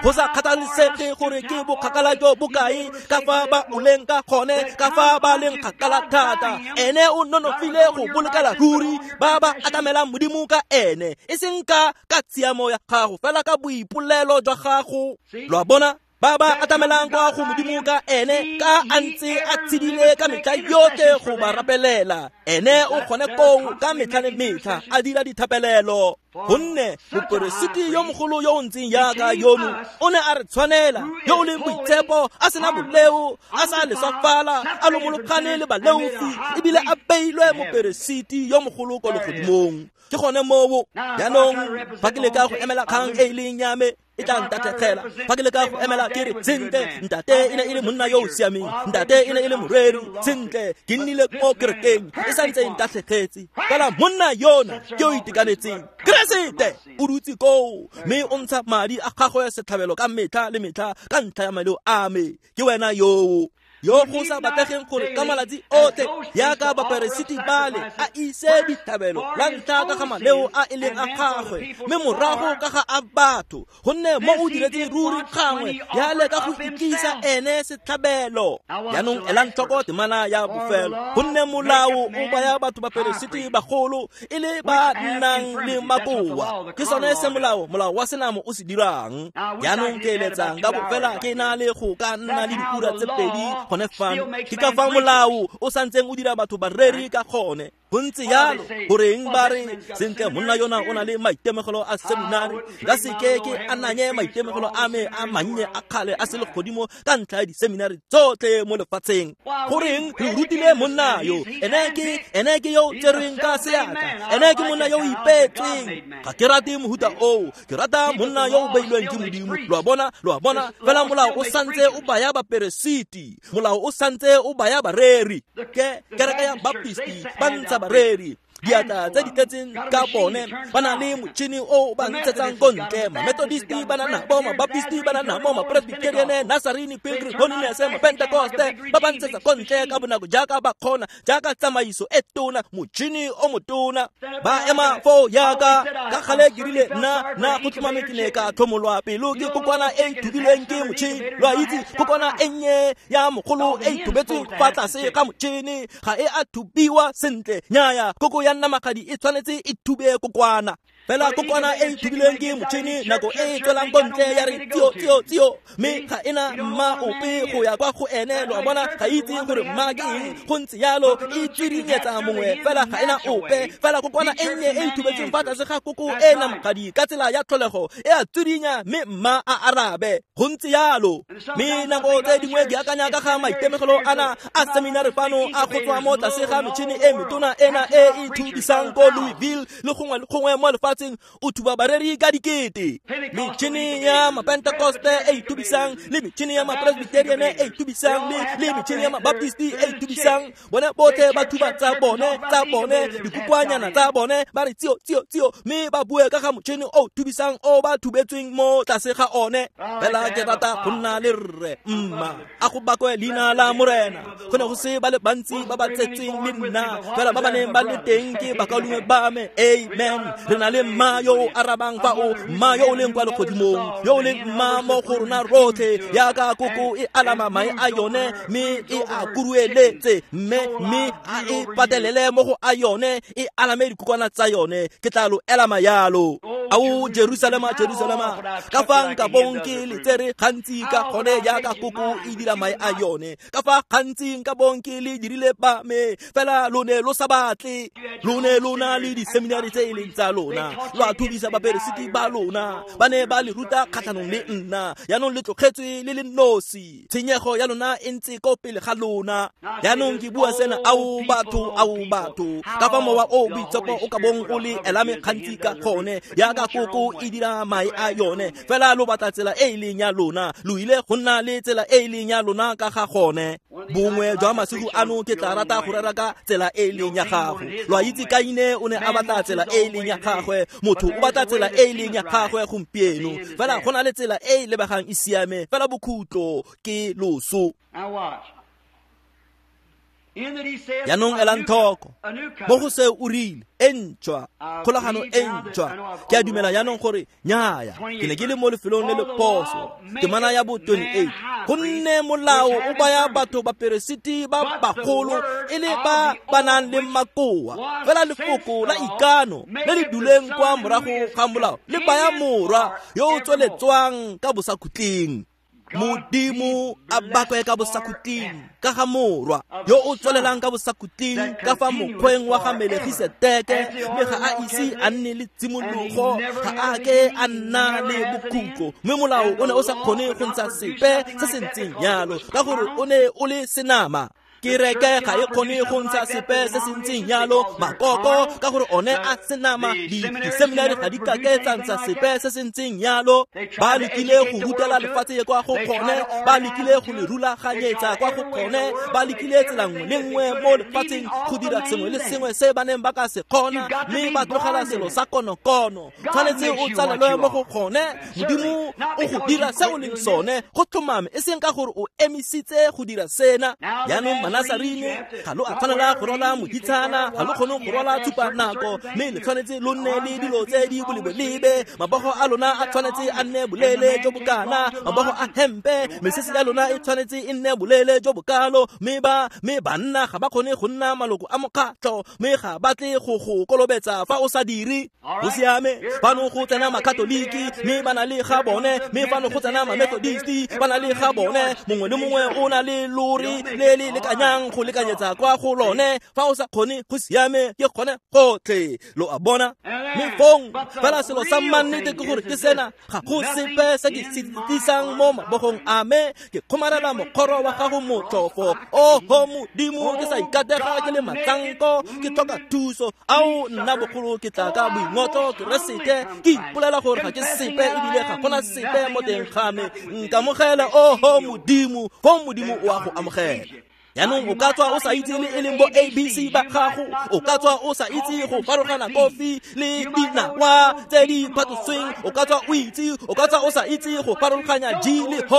go sa kgathalesege gore ke bokgakala jo bokae ka fa ba oleng ka gone ka fa ba leng kgakala thata ene o nonofile go bolokela ruri ba ba atamelang Modimo ka ene e seng ka ka tshiamo ya gago fela ka boipolelo jwa gago. Lo a bona ba ba atamelang kwa go Modimo ka ene ka a ntse a tshedile ka metlha yotlhe go ba rapelela ene o kgone koo ka metlha le metlha a dira dithapelelo gonne moperesiti yo mogolo yo o ntseng jaaka yono o ne a re tshwanela yo o leng boitshepo a sena boleo a sa leswafala a lomologane le baleofi ebile a beilwe moperesiti yo mogolo kwa legodimong. Ke gone moo jaanong fa ke leka go emela kgang e e leng ya me e tla ntatlhegela fa ke leka go emela ke re sentle ntate e ne e le monna yo o siameng ntate e ne e le moreri sentle ke nnile mo kerekeng e santse e ntatlhegetse fela monna yona ke o itekanetseng Keresete o dutse koo mme o ntsha madi a gagwe setlhabelo ka metlha le metlha ka ntlha ya maleo a me ke wena yoo yo go sa batlegeng gore ka malatsi otlhe jaaka baperesiti bale a ise ditlhabelo la ntlha ka ga maleo a e leng a gagwe mme morago ka ga a batho gonne mo o diretse ruri gangwe yale ka go ikisa ene setlhabelo. Jaanong elang tlhoko temana ya bofelo gonne molao o baya batho baperesiti bagolo e le ba nnang le makoa ke sone se molao molao wa senamo o se dirang. Jaanong ke eletsang ka bofela ke na le go ka nna le diura tse pedi gone fano ke ka fa molao o santseng o dira batho bareri ka gone go ntse jalo goreng ba re sentle monna yona o na le maitemogelo a seminari ka seke ke ananye maitemogelo a me a mannye a kgale a selegodimo ka ntlha ya diseminari tsotlhe mo lefatsheng goreng re rutile monna yo ene ke ene ke yo tserweng ka seatla ene ke monna yo o ipeetsweng ga ke rate mohuta oo ke rata monna yo o beilweng ke Modimo. Lo a bona lo a bona fela molao o santse o baya baperesiti molao o santse o baya bareri ke kereke ya Baptisti ba ntsha bareri Diatla tse di tletseng ka bone ba na le motšhini o ba ntshetsang ko ntle. Ma-Methodisti ba na nabo, ma-Baptisti ba na nabo, ma-Presbyterian, Nazarene, Pilgrim, Holiness, ma-Pentecoste ba ba ntshetsa ko ntle ka bonako jaaka ba kgona, jaaka tsamaiso e tona, motšhini o motona. Ba ema foo yaka ka gale ke rile nna nna go tlhomame ke ne ka tlhomolwa pelo ke kokwana e e thubilweng ke motšhini. Lo a itse kokwana e nnye ya mogolo e e thubetsweng fa tlase ga motšhini ga e a thubiwa sentle. Nnyaya, koko ya namagadi e tshwanetse e thube kokwana. Fela kokwana e e thubilweng ke motšhini nako e e tswelang ko ntle ya re tio tio tio, mme ga ena mma ope go ya kwa go ene. Lo a bona, ga itse gore mma ke eng, go ntse yalo e tswirinyetsa mongwe fela ga ena ope. Fela kokwana e nnye e e thubetsweng fa tlase ga koko e namagadi ka tsela ya tlholego e a tswirinya, mme mma a arabe. Go ntse yalo. Mme nako tse dingwe ke akanya ka ga maitemogelo ana a seminari fano a go tswa mo tlase ga metšhini e metona ena e e thubisang ko Louisville le gongwe le gongwe mo lefatsheng, o thuba bareri ka dikete. Metšhini ya ma-Pentecoste e e thubisang, le metšhini ya ma-Presbyterian e e thubisang, le le metšhini ya ma-Baptisti e e thubisang. Bone botlhe ba thuba tsa bone tsa bone dikokoanyana tsa bone, ba re tio tio tio, mme ba bue ka ga motšhini o thubisang o ba thubetsweng mo tlase ga one. Fela ke rata go nna le rre mma, a go bakwe leina la Morena. Go ne go se ba le bantsi ba ba tsetsweng le nna, fela ba ba neng ba le teng ke bakaulengwe ba me. Amen. Re na le mma yo o arabang fa o, mma yo o leng kwa legodimong, yo o leng mma mo go rona rotlhe, yaka koko e alama mae a yone mme e a kurueletse, mme mme a e patelele mo go a yone, e alame dikokwana tsa yone. Ke tla lo elama yalo. Ao Jerusalema, Jerusalema, ka fa nka bong ke le tsere gantsi ka gone yaka koko e dira mae a yone, ka fa gantsi nka bong ke le dirile ba me, fela lo ne lo sa batle. Lo ne lo na le diseminari tse e leng tsa lona, lo a thubisa baperesiti ba lona, ba ne ba le ruta kgatlhanong le nna. Yaanong le tlogetswe le le nosi, tshenyego ya lona e ntse ko pele ga lona. Yaanong ke bua sena, ao batho, ao batho, ka fa mowa o boitshepo o ka bong o le elame gantsi ka gone yaka koko e dira mae a yone. Fela lo batla tsela e e leng ya lona, lo ile go nna le tsela e e leng ya lona ka ga gone. Bongwe jwa masigo ano ke tla rata go rera ka tsela e e leng ya gago. Lo a itse Kaine o ne a batla tsela e e leng ya gagwe, motho o batla tsela e e leng ya gagwe gompieno. Fela go na le tsela e e lebegang e siame, fela bokhutlo ke loso. Yaanong elang tlhoko mo go se o rile e ntšhwa, kgolagano e ntšhwa. Ke a dumela yaanong gore nnyaya, ke ne ke le mo lefelong le le phoso. Temana ya bo twenty-eight, gonne molao o baya batho baperesiti ba bagolo e le ba ba nang le makoa, fela lefoko la ikano le le duleng kwa morago ga molao le baya morwa yo o tsweletswang ka bosakhutleng. Modimo a bakwe ka bosakhutleng ka ga morwa yo o tswelelang ka bosakhutleng ka fa mokgweng wa ga Melegiseteke, mme ga a ise a nne le tshimologo, ga a ke a nna le bokhutlo. Mme molao o ne o sa kgone go ntsha sepe se se ntseng yalo, ka gore o ne o le senama. Kereke ga e kgone go ntsha sepe se se ntseng yalo, makoko, ka gore one a senama. Diseminari ga di kake tsa ntsha sepe se se ntseng yalo. Ba lekile go rutela lefatshe kwa go kgone, ba lekile go le rulaganyetsa kwa go kgone, ba lekile tsela nngwe le nngwe mo lefatsheng go dira sengwe le sengwe se ba neng ba ka se kgona, mme ba tlogela selo sa konokono. Tshwanetse o tsalelwe mo go kgone. Modimo o go dira se o leng sone go tlhomame, e seng ka gore o emisitse go dira sena. Yaanong Nazarene ga lo a tshwanela go rwala moditshana, ga lo kgone go rwala tshupanako, mme le tshwanetse lo nne le dilo tse di bolebelebe. Mabogo a lona a tshwanetse a nne bolele jo bokana, mabogo a hempe, mesese ya lona e tshwanetse e nne bolele jo bokalo. Mme ba mme banna ga ba kgone go nna maloko a mokgatlho, mme ga ba tle go go kolobetsa fa o sa dire. Go siame, fano go tsena makatoliki mme ba na le ga bone, mme fano go tsena mamethodisti ba na le ga bone. Mongwe le mongwe o na le lori le le lekanyang go lekanyetsa kwa go lone. Fa o sa kgone, go siame, ke kgone gotlhe. Lo a bona? Mme fong fela selo sa mannete ke gore ke sena, ga go sepe se ke se tlisang mo mabogong a me. Ke kgomarela mokgoro wa gago motlhofo. Oho Modimo, ke sa ikatega ke le matsanko, ke tlhoka thuso. Ao nna bogolo ke tla ka boingotlo Keresete, ke ipolela gore ga ke sepe ebile ga gona sepe mo teng ga me. Nkamogele, oho Modimo, fong Modimo o a go amogela. Jaanong o ka tswa o sa itse le e leng bo A B C ba gago, o ka tswa o sa itse go farologana kofi le dinawa tse di phatosweng, o ka tswa o itse, o ka tswa o sa itse go farologanya G le H,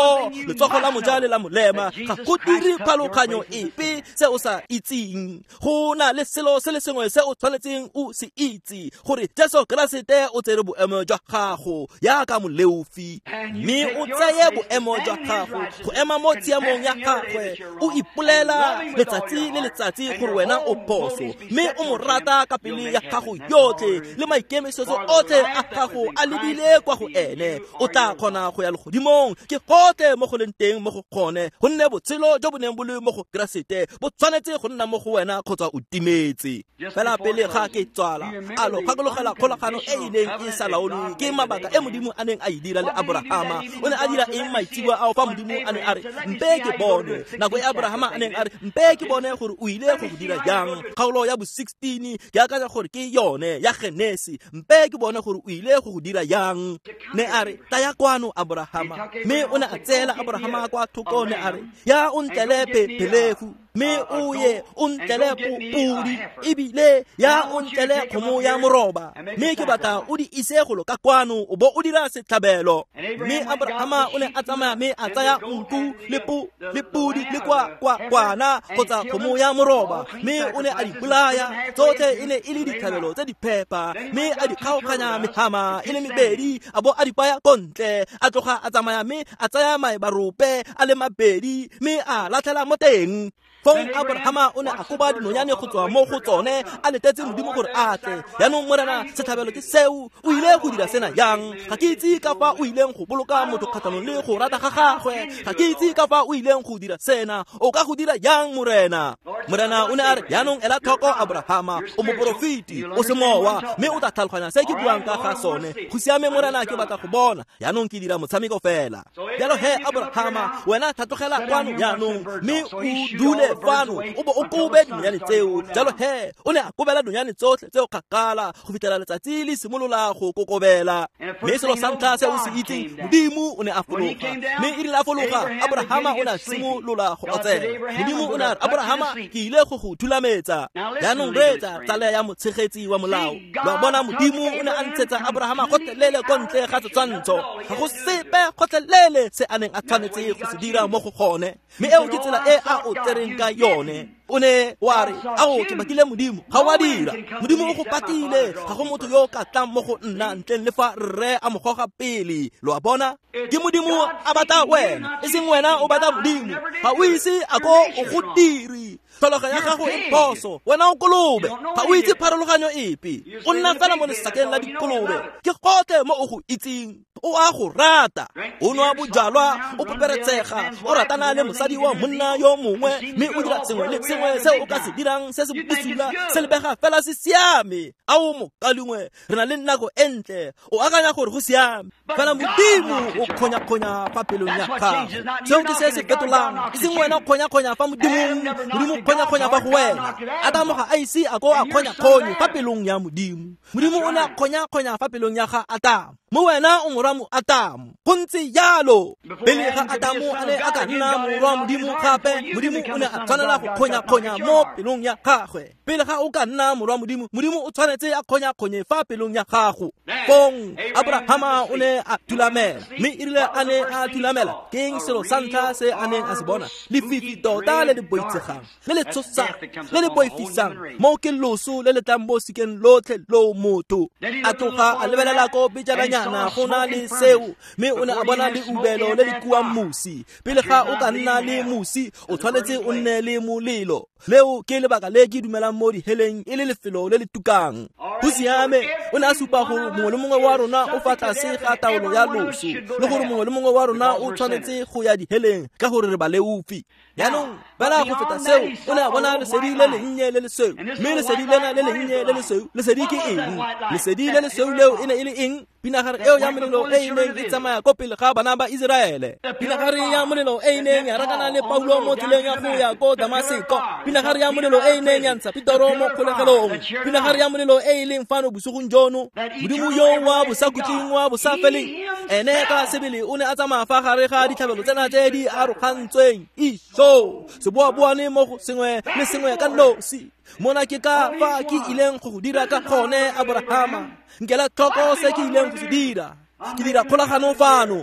letsogo la moja le la molema, ga go dire pharologanyo epe se o sa itseng. Go na le selo se le sengwe se o tshwanetseng o se itse, gore Jesu Keresete o tsere boemo jwa gago jaaka moleofi, mme o tseye boemo jwa gago go ema mo tshiamong ya gagwe, o ipolela letsatsi le letsatsi gore wena o phoso, mme o mo rata ka pelo ya gago yotlhe le maikemisetso otlhe a gago a lebile kwa go ene, o tla kgona go ya legodimong. Ke gotlhe mo go leng teng mo go gone, gonne botshelo jo bo neng bo le mo go Keresete bo tshwanetse go nna mo go wena kgotsa o timetse. Fela pele ga ke tswala, a lo gakologela kgolagano e e neng e sa laolwe ke mabaka e Modimo a neng a e dira le Abrahama. O ne a dira eng maitseboa ao fa Modimo a ne a re mpe ke bone? Nako e Abrahama a neng a re mpe ke bone gore o ile go go dira jang, kgaolo ya bo sixteen ke akanya gore ke yone ya Genesi, mpe ke bone gore o ile go go dira jang. Ne a re taya kwano Abrahama, mme o ne a tseela Abrahama kwa thoko, ne a re ya o ntlele phelefu, mme o ye o ntlele podi, ebile ya o ntlele kgomo ya moroba, mme ke batla o di ise golo ka kwano o bo o dira setlhabelo. Mme Abrahama o ne a tsamaya mme a tsaya nku le po le podi le kwa kwa kwana kgotsa kgomo ya moroba, mme o ne a di bolaya tsotlhe, e ne e le ditlhabelo tse di phepa, mme a di kgaoganya mehama e le mebedi, a bo a di baya ko ntle. A tloga a tsamaya mme a tsaya maebarope a le mabedi mme a latlhela mo teng. Fong Abrahama o ne a koba dinonyane go tswa mo go tsone, a letetse Modimo gore a tle. Jaanong Morena, setlhabelo ke seo, o ile go dira sena jang? Ga ke itse ka fa o ileng go boloka motho kgatlhanong le go rata ga gagwe, ga ke itse ka fa o ileng go dira sena, o ka go dira jang Morena? Morena o ne a re, jaanong ela tlhoko Abrahama, o moporofeti, o semowa, mme o tla tlhaloganya se ke buang ka ga sone. Go siame Morena, ke batla go bona, jaanong ke dira motshameko fela. Jalo he Abrahama, wena tlhatlogela kwano jaanong, mme o dule fano o bo o kobe dinonyane tseo. Jalo he o ne a kobela dinonyane tsotlhe tseo kgakala go fitlhela letsatsi le simolola go kokobela. Mme selo sa ntlha se o se itseng, Modimo o ne a fologa, mme e rile a fologa, Abrahama o ne a simolola go otsela. Modimo o ne a re, Abrahama, ke ile go go thulametsa. Jaanong reetsa tsala ya motshegetsi wa molao. Lo a bona, Modimo o ne a ntshetsa Abrahama gotlhelele ko ntle ga setshwantsho, ga go sepe gotlhelele se a neng a tshwanetse go se dira mo go gone, mme eo ke tsela e a o tsereng ka yone. O ne wa re, ao ke bakile Modimo, ga o a dira. Modimo o go patile, ga go motho yo o ka tlang mo go nna ntleng le fa rre a mo goga pele. Lo a bona, ke Modimo a batla wena, e seng wena o batla Modimo. Ga o ise a ko o go dire. Tlhologo ya gago e phoso, wena o kolobe, ga o itse pharologanyo epe, o nna fela mo lesakeng la dikolobe. Ke gotlhe mo o go itseng, o a go rata, o nwa bojalwa, o peperetsega, o ratana le mosadi wa monna yo mongwe, mme o dira sengwe le sengwe se o ka se dirang se se bosula, se lebega fela se siame. Ao mokalengwe, re na le nako e ntle, o akanya gore go siame, fela Modimo o kgonya-kgonya fa pelong ya gago. Seo ke se se fetolang, e seng wena o kgonya-kgonya fa Modimong, Modimo kgonya-kgonya fa go wena. Adamo ga a ise a ko a kgonya-kgonye fa pelong ya Modimo. Modimo o ne a kgonya-kgonya fa pelong ya ga Adamo, mo wena o morwa mo Adamo. Go ntse jalo, pele ga Adamo a ne a ka nna morwa Modimo gape, Modimo o ne a tshwanela go kgonya-kgonya mo pelong ya gagwe. Pele ga o ka nna morwa Modimo, Modimo o tshwanetse a kgonya-kgonye fa pelong ya gago. Fong Abrahama o ne a thulamela, mme e rile a ne a thulamela, ke eng selo sa ntlha se a neng a se bona? Lefifi tota le le boitshegang, le le tshosang, le le boifisang, mo ke loso le le tlang mo sikeng lotlhe lo motho. A tloga a lebelela ko pejananyana go na le seo, mme o ne a bona leubelo le le kuang mosi. Pele ga o ka nna le mosi, o tshwanetse o nne le molelo. Leo ke lebaka le ke dumelang mo diheleng e le lefelo le le tukang. Go siame, o ne a supa gore mongwe le mongwe wa rona o fa tlase ga taolo ya loso, le gore mongwe le mongwe wa rona o tshwanetse go ya diheleng ka gore re baleofi. Jaanong fela go feta seo, o ne a bona lesedi le lennye le lesweu, mme lesedi lena le lennye le lesweu, lesedi ke eng? Lesedi le lesweu leo e ne e le eng? Pinagare eo ya molelo e e neng e tsamaya ko pele ga bana ba Iseraele, pinagare ya molelo e e neng ya rakana le Paulo mo tseleng ya go ya ko Damaseko, pinagare ya molelo e e neng ya ntsha Petero mo kgolegelong, pinagare ya molelo e e leng fano bosigong jo yono Modimo yo wa bosakhutleng wa bosafeleng ene ka sebele o ne a tsamaya fa gare ga ditlhabelo tsena tse di arogantsweng iso seboaboane mo go sengwe le sengwe ka nosi mona ke ka fa ke ileng go go dira ka gone Abrahama nkela tlhoko se ke ileng go se dira ke dira kgolagano fano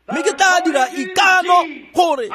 mme ke tla dira ikano gore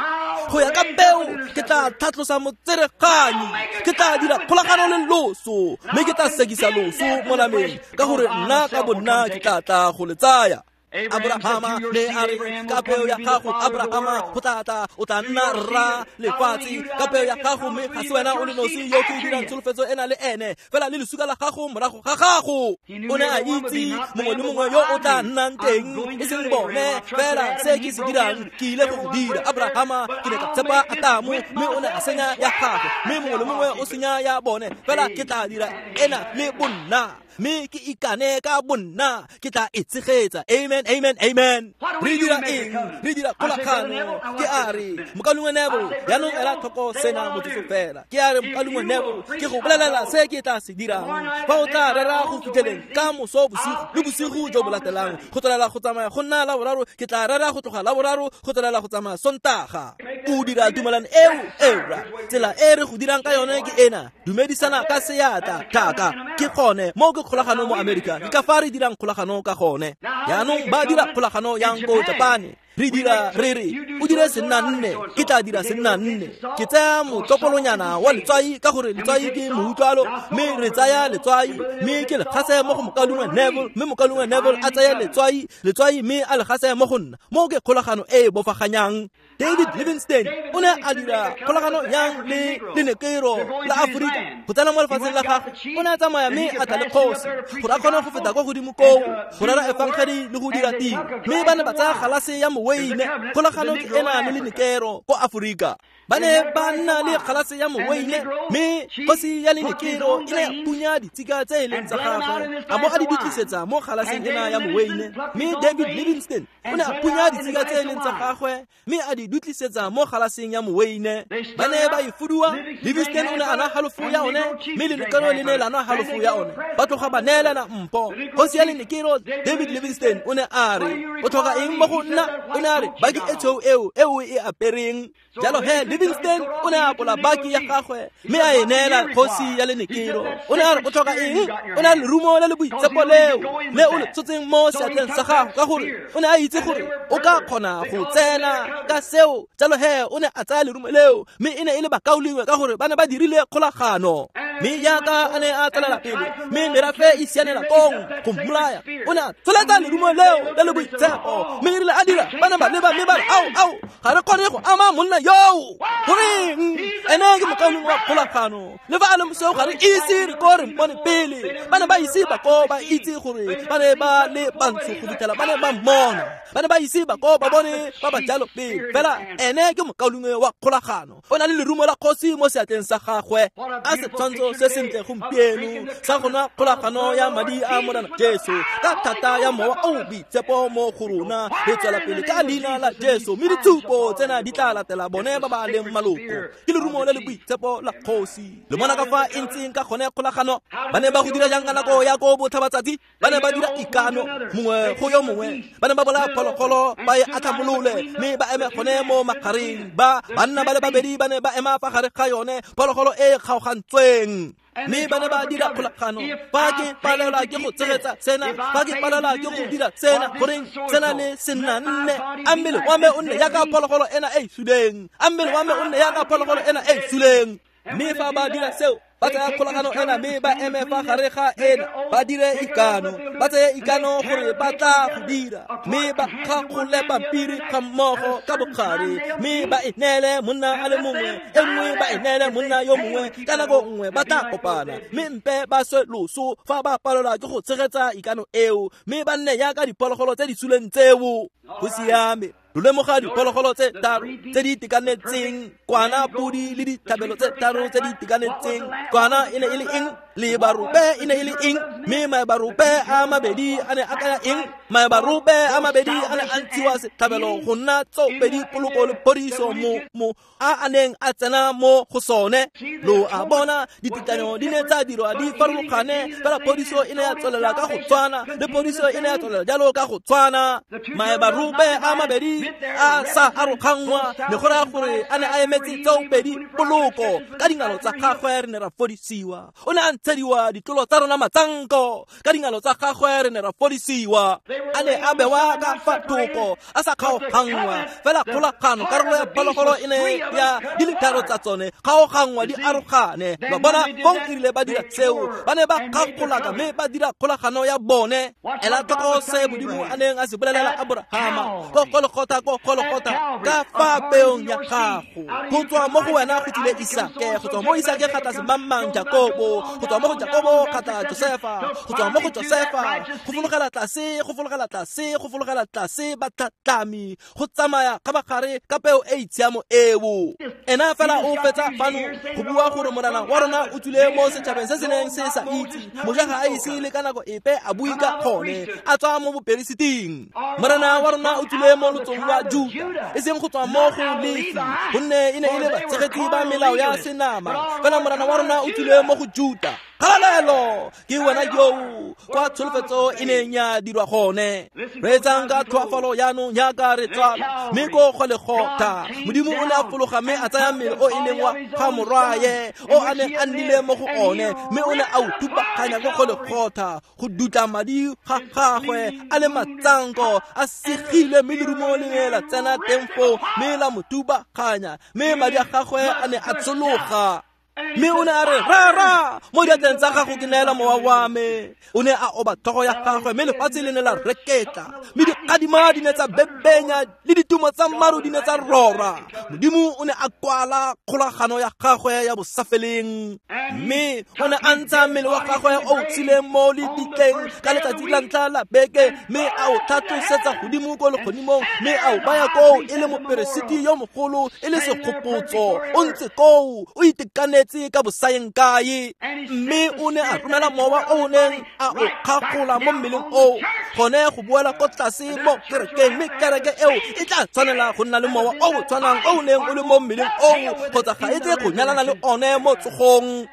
go ya ka peo ke tla tlhatlosa motsereganyi ke tla dira kgolagano le loso mme ke tla sekisa loso mo nameng ka gore nna ka bonna ke tla tla go le tsaya Abrahama ne a re ka peo ya gago Abrahama go tla tla o tla nna rra lefatshe ka peo ya gago mme ga se wena o le nosi yo ke dirang tsholofetso ena le ene fela le lesuka la gago morago ga gago o ne a itse mongwe le mongwe yo o tla nnang teng e seng bone fela se ke se dirang ke ile go go dira Abrahama ke ne ka tshepa Atamo mme o ne a senya ya gagwe mme mongwe le mongwe o senya ya bone fela ke tla dira ena le bonna mme ke ikane ka bonna ke tla e tshegetsa amen amen amen re dira eng re dira kgolagano ke a re mokalungwe Neville jaanong ela tlhoko sena motsotso fela ke a re mokalungwe Neville ke go bolelela se ke tla se dirang fa o tla rera go fitlheleng ka moso bosigo le bosigo jo bo latelang go tswelela go tsamaya go nna la boraro ke tla rera go tloga la boraro go tswelela go tsamaya Sontaga o dira tumelano eo era tsela e re go dirang ka yone ke ena dumedisana ka seatla thaka ke gone mo ke kgolagano mo Amerika ke ka fa re dirang kgolagano ka gone jaanong ba dira kgolagano yang ko Japane re dira re re o dire senna nne ke tla dira senna nne ke tsaya motlopolonyana wa letswai ka gore letswai ke moutlwalo mme re tsaya letswai mme ke le gase mo go mokalungwe Neville mme mokalungwe Neville a tsaya letswai letswai mme a le gase mo go nna mo ke kgolagano e e bofaganyang David Livingstone o ne a dira kgolagano yang le lenekero la Aforika go tsena mo lefatsheng la gagwe o ne a tsamaya mme a tla le kgosi gore a kgone go feta kwa godimo koo go rera efangedi le go dira tiro mme ba ne ba tsaya galase ya moweine kgolagano ke ena le lenekero ko Aforika ba ne ba nna le galase ya moweine mme kgosi ya lenekero e ne ya punya ditsika tse e leng tsa gagwe a bo a di dutlisetsa mo galaseng ena ya moweine mme David Livingstone o ne a punya ditsika tse e leng tsa gagwe mme a di dutlisetsa mo galaseng ya moweine ba ne ba e fuduwa Livingstone o ne a nwa halofo ya one mme lenekero le ne la nwa halofo ya one ba tloga ba neelana mpho kgosi ya lenekero David Livingstone o ne a re o tlhoka eng mo go nna o ne a re baki e tshweu eo eo e apereng jalo he Livingstone o ne a apola baki ya gagwe mme a e neela kgosi ya lenekero o ne a re o tlhoka eng o ne a lerumo le le boitshepo leo le o le tshotseng mo seatleng sa gago ka gore o ne a itse gore o ka kgona go tsena ka seo jalo he o ne a tsaya lerumo leo mme e ne e le bakaulengwe ka gore ba ne ba dirile kgolagano mme jaaka a ne a tswelela pele mme merafe e sianela kong go mmolaya o ne a tsholetsa lerumo leo le le boitshepo mme e rile a dira ba ne ba leba mme ba re ao ao ga re kgone go ama monna yoo goreng ene ke mokaulengwe wa kgolagano le fa a le mosweu ga re ise re ko re mpone pele ba ne ba ise ba ko ba itse gore ba ne ba le bantsho go fitlhela ba ne ba mmona ba ne ba ise ba ko ba bone ba ba jalo pele fela ene ke mokaulengwe wa kgolagano o na le lerumo la kgosi mo seatleng sa gagwe a setshwantsho se sentle gompieno sa go nwa kgolagano ya madi a Morena Jesu ka thata ya mowa o boitshepo mo go rona re tswela pele ka leina la Jesu mme ditshupo tsena di tla latela bone ba ba leng maloko ke lerumo le le boitshepo la kgosi le mona ka fa e ntseng ka gone kgolagano ba ne ba go dira jang ka nako ya ko botlhabatsatsi ba ne ba dira ikano mongwe go yo mongwe ba ne ba bolaya phologolo ba e atlhamolole mme ba eme gone mo magareng ba banna ba le babedi ba ne ba ema fa gare ga yone phologolo e e kgaogantsweng mme ba ne ba dira kgolagano fa ke palelwa ke go tshegetsa sena fa ke palelwa ke go dira sena goreng sena le senna nne a mmele wa me o nne yaka phologolo ena e e suleng a mmele wa me o nne yaka phologolo ena e e suleng mme fa ba dira seo ba tsaya kgolagano ena mme ba eme fa gare ga ena ba dire ikano ba tseye ikano gore ba tla go dira mme ba kgakgole pampiri ga mmogo ka bogare mme ba e neele monna a le mongwe e nngwe ba e neele monna yo mongwe ka nako nngwe ba tla kopana mme mpe ba swe loso fa ba palelwa ke go tshegetsa ikano eo mme ba nne yaka diphologolo tse di suleng tseo go siame lo lemoga diphologolo tse tharo tse di itekanetseng kwana podi le ditlhabelo tse tharo tse di itekanetseng kwana e ne e le eng lebarope e ne e le eng Mme maebarope a mabedi a ne a kaya eng? Maebarope a mabedi a ne a ntshiwa setlhabelo go nna tsoopedi poloko le phodiso mo mo a a neng a tsena mo go sone. Lo a bona, ditetlanyo di ne tsa dirwa di farologane, fela phodiso e ne ya tswelela ka go tshwana, le phodiso e ne ya tswelela jalo ka go tshwana. Maebarope a mabedi a sa aroganngwa, ne go raya gore a ne a emetse tsoopedi poloko. Ka dingalo tsa gagwe re ne ra fodisiwa. O ne a ntshediwa ditlolo tsa rona matsanko. Ka dingalo tsa gagwe re ne ra fodisiwa. A ne a bewa ka fa thoko, a sa kgaoganngwa. Fela kgolagano, karolo ya phologolo e ne ya di le tharo tsa tsone kgaoganngwa di arogane. Ba bona fong e rile ba dira seo, ba ne ba kgakgolaka mme ba dira kgolagano ya bone. Ela tlhoko se Modimo a neng a se bolelela Aborahama ko Golgotha, ko Golgotha, ka fa peong ya gago. Go tswa mo go wena go tlile Isake, go tswa mo Isake ga tla semangmang Jakobo, go tswa mo go Jakobo ga tla Josefa, go tswa mo go Josefa go fologela tlase, go fologela tlase, go fologela tlase batlhatlhami, go tsamaya kgabagare ka peo e itshiamo eo. Ena fela o fetsa fano go bua gore Morena wa rona o tswile mo setšhabeng se se neng se sa itse. Moshe ga a ise le ka nako epe a bue ka gone, a tswa mo boperesiting. Morena wa rona o tswile mo lotsong lwa Juta, e seng go tswa mo go Lefi, gonne e ne e le batshegetsi ba melao ya senama. Fela Morena wa rona o tswile mo go Juta. Kgalalelo ke wena yo kwa tsholofetso e neng ya dirwa gone. Reetsang ka tlhoafalo jaanong jaaka re tswala, mme ko Golgotha Modimo o ne a fologa mme a tsaya mmele o e leng wa ga morwaye o a neng a nnile mo go one, mme o ne a o thubaganya ko Golgotha go dutla madi ga gagwe a le matsanko a segilwe, mme lerumo le ne la tsena teng foo mme la mo thubaganya, mme madi a gagwe a ne a tshologa. Mme o ne a re, Rara, mo diatleng tsa gago ke neela mowa wa me. O ne a oba tlhogo ya gagwe, mme lefatshe le ne la reketla, mme dikgadima di ne tsa bebenya, le ditumo tsa maru di ne tsa rora. Modimo o ne a kwala kgolagano ya gagwe ya bosafeleng, mme o ne a ntsha mmele wa gagwe o o tshileng mo lebitleng ka letsatsi la ntlha la beke, mme a o tlhatlosetsa godimo ko legodimong, mme a o baya koo e le moperesiti yo mogolo, e le segopotso. O ntse koo o itekanetse ka bosaeng kae, mme o ne a romela mowa o neng a o kgagola mo mmeleng oo gone go boela ko tlase mo kerekeng, mme kereke eo e tla tshwanela go nna le mowa o o tshwanang o o neng o le mo mmeleng oo, kgotsa ga e tle go nyalana le one mo tsogong.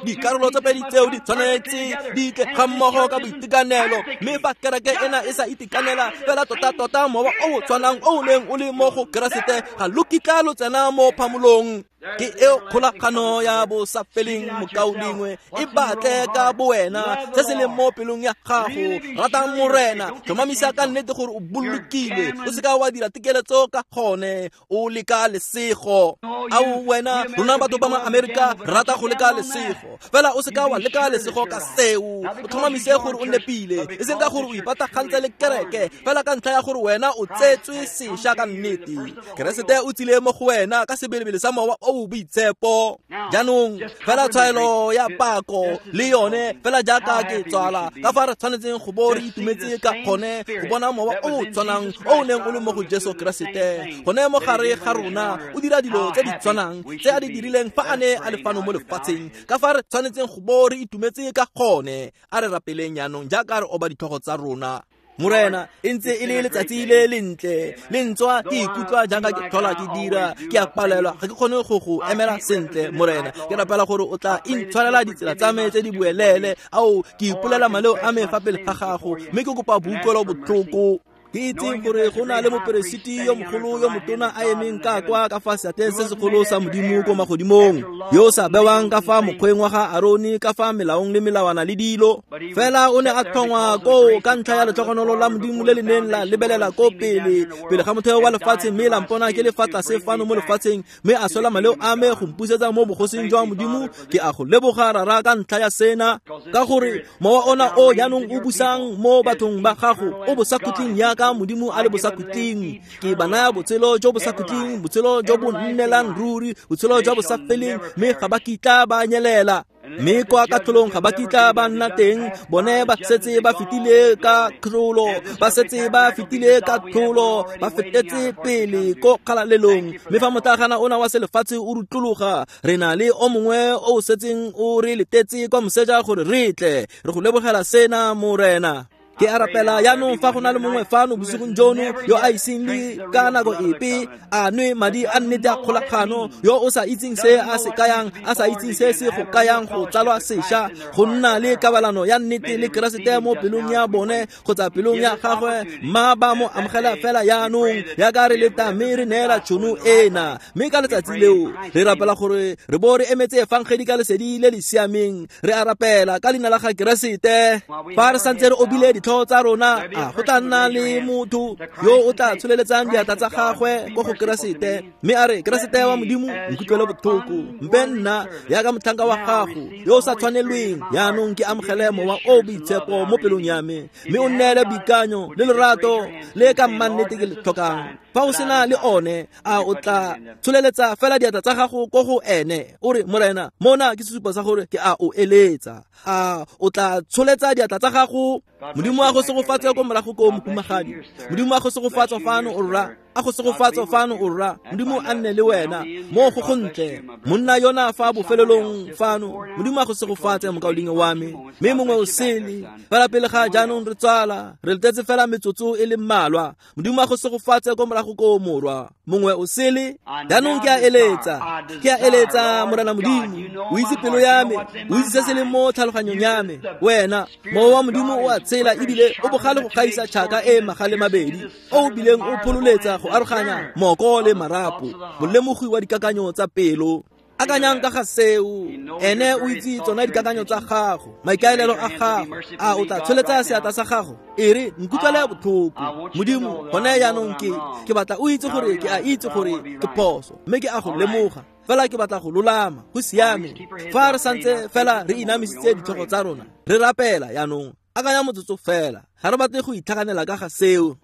Dikarolo tse pedi tseo di tshwanetse di tle ga mmogo ka boitekanelo, mme fa kereke ena e sa itekanela fela tota-tota mowa o o tshwanang o o neng o le mo go Keresete ga lo kitla lo tsena mo phamolong. Ke eo kgolagano ya bosafeleng, mokaulengwe, e batle ka bowena se se leng mo pelong ya gago. Rata Morena, tlhomamisa ka nnete gore o bolokile, o seka wa dira tekeletso ka gone, o leka lesego. Ao wena, rona batho ba ma-Amerika re rata go leka lesego, fela o seka wa leka lesego ka seo. O tlhomamise gore o nepile, e seng ka gore o ipatagantse le kereke, fela ka ntlha ya gore wena o tsetswe sešwa ka nnete. Keresete o tsile mo go wena ka sebelebele sa mowa o boitshepo. Jaanong fela tshwaelo ya pako le yone, fela jaaka ke tswala ka fa re tshwanetseng go bo re itumetse ka gone go bona mowa o o tshwanang o o neng o le mo go Jesu Keresete gone mo gare ga rona, o dira dilo tse di tshwanang tse a di dirileng fa a ne a le fano mo lefatsheng. Ka fa re tshwanetseng go bo re itumetse ka gone. A re rapeleng jaanong jaaka re oba ditlhogo tsa rona. Morena, e ntse e le letsatsi le lentle, le ntswa ke ikutlwa jaaka ke tlhola ke dira, ke a palelwa, ga ke kgone go go emela sentle. Morena, ke rapela gore o tla intshwarela ditsela tsa me tse di buelele. Ao, ke ipolela maleo a me fa pele ga gago, mme ke kopa boutlwelo botlhoko. Ke itse gore go na le moperesiti yo mogolo yo motona a emeng ka kwa ka fa seatleng se segolo sa Modimo ko magodimong, yo o sa bewang ka fa mokgweng wa ga Arone ka fa melaong le melawana le dilo. Fela o ne a tlhongwa koo ka ntlha ya letlhogonolo la Modimo le le neng la lebelela ko pele pele ga motheo wa lefatshe, mme la mpona ke le fa tlase fano mo lefatsheng, mme a swela maleo a me go mpusetsa mo bogosing jwa Modimo. Ke a go leboga Rara ka ntlha ya sena, ka gore mowa ona o jaanong o busang mo bathong ba gago o bosakhutleng yaka Modimo a le bosakhutleng. Ke ba naya botshelo jo bosakhutleng, botshelo jo bo nnelang ruri, botshelo jwa bosafeleng, mme ga ba kitla ba nyelela. Mme kwa katlholong ga ba kitla ba nna teng, bone ba setse ba fetile ka katlholo, ba setse ba fetile ka katlholo, ba fetetse pele ko kgalalelong. Mme fa motlagana ona wa selefatshe o rutlologa, re na le o mongwe o o setseng o re letetse kwa moseja gore re tle. Re go lebogela sena, Morena. Ke a rapela jaanong fa go na le mongwe fano bosigong jono yo a iseng le ka nako epe a nwe madi a nnete a kgolagano, yo o sa itseng se a se kayang, a sa itseng se se go kayang go tsalwa sešwa, go nna le kabalano ya nnete le Keresete mo pelong ya bone kgotsa pelong ya gagwe, mma ba mo amogela fela jaanong yaka re leta mme re neela tšhono ena. Mme ka letsatsi leo re rapela gore re bo re emetse efangedi ka lesedi le le siameng. Re a rapela ka leina la ga Keresete. Fa re santse re obile ditlhogo tsa rona, a go tla nna le motho yo o tla tsholeletsang diatla tsa gagwe ko go Keresete mme a re, Keresete wa Modimo, nkutlwele botlhoko, mpe nna yaka motlhanka wa gago yo o sa tshwanelweng jaanong ke amogele mowa o boitshepo mo pelong ya me, mme o nneele boikanyo le lerato le ka mmannete ke le tlhokang. Fa o sena le one, a o tla tsholeletsa fela diatla tsa gago ko go ene, o re, Morena, mona ke sesupo sa gore ke a o eletsa. A o tla tsholetsa diatla tsa gago. Modimo a go segofatse ko morago ko mohumagadi. Modimo a go segofatse fano o rra, a go segofatse fano o rra. Modimo a nne le wena mo go gontle. Monna yona fa bofelelong fano, Modimo a go segofatse mokaulengwe wa me. Mme mongwe o sele fela pele ga jaanong re tswala, re letetse fela metsotso e le mmalwa. Modimo a go segofatse ko morago ko morwa. Mongwe o sele jaanong ke a eletsa, ke a eletsa Morena Modimo, o itse pelo ya me, o itse se se leng mo tlhaloganyong ya me. Wena mowa wa Modimo o a tsela ebile o bogale go gaisa tšhaka e magale mabedi, o bileng o phololetsa go aroganya moko le marapo, molemogi wa dikakanyo tsa pelo. Akanyang ka ga seo, ene o itse tsona dikakanyo tsa gago, maikaelelo a gago. A o tla tsholetsa seatla sa gago, e re, nkutlwele botlhoko Modimo, gone jaanong ke ke batla o itse gore ke a itse gore ke phoso, mme ke a go lemoga fela ke batla go lolama. Go siame. Fa re santse fela re inamisitse ditlhogo tsa rona re rapela jaanong, akanya motsotso fela, ga re batle go itlhaganela ka ga seo.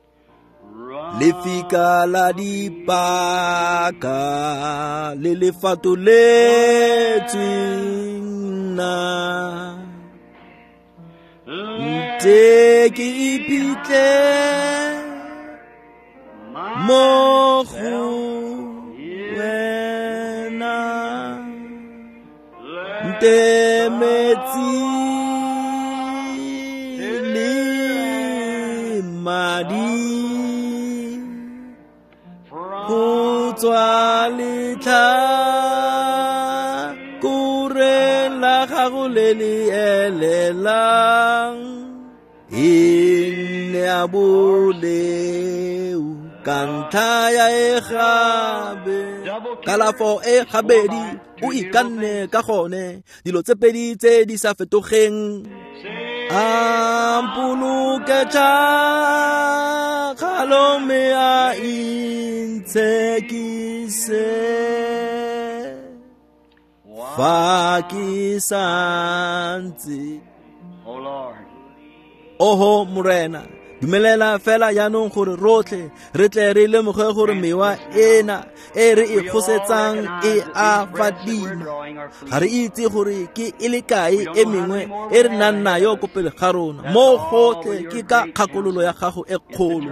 Lefika la dipaka le le fatoletsweng nna, nte ke iphitlhe mo go wena, nte metsi le madi go tswa letlhakoreng la gago le le elelang, e nne a boleu ka ntlha ya e gabe. Kalafo e gabedi o ikanne ka gone, dilo tse pedi tse di sa fetogeng. A mpoloke tšhakgalo mme a intshekise fa ke santse. Oho Morena, dumelela fela jaanong gore rotlhe re tle re lemoge gore mewa ena e re e kgosetsang e a fadima. Ga re itse gore ke e le kae e mengwe e re nang nayo ko pele ga rona. Mo gotlhe ke ka kgakololo ya gago e kgolo,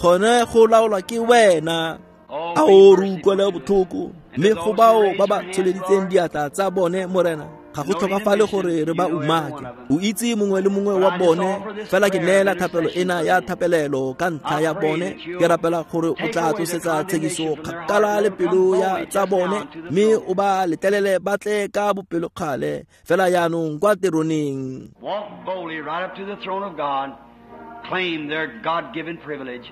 gone go laolwa ke wena. A o re utlwele botlhoko, mme go bao ba ba tsholeditseng diatla tsa bone, Morena, ga go tlhokafale gore re ba umake. O itse mongwe le mongwe wa bone, fela ke neela thapelo ena ya thapelelo ka ntlha ya bone. Ke rapela gore o tla tlosetsa tshekiso kgakala le pelo ya tsa bone, mme o ba letlelele ba tle ka bopelokgale fela jaanong kwa teroneng. Walk boldly right up to the throne of God, claim their God-given privilege.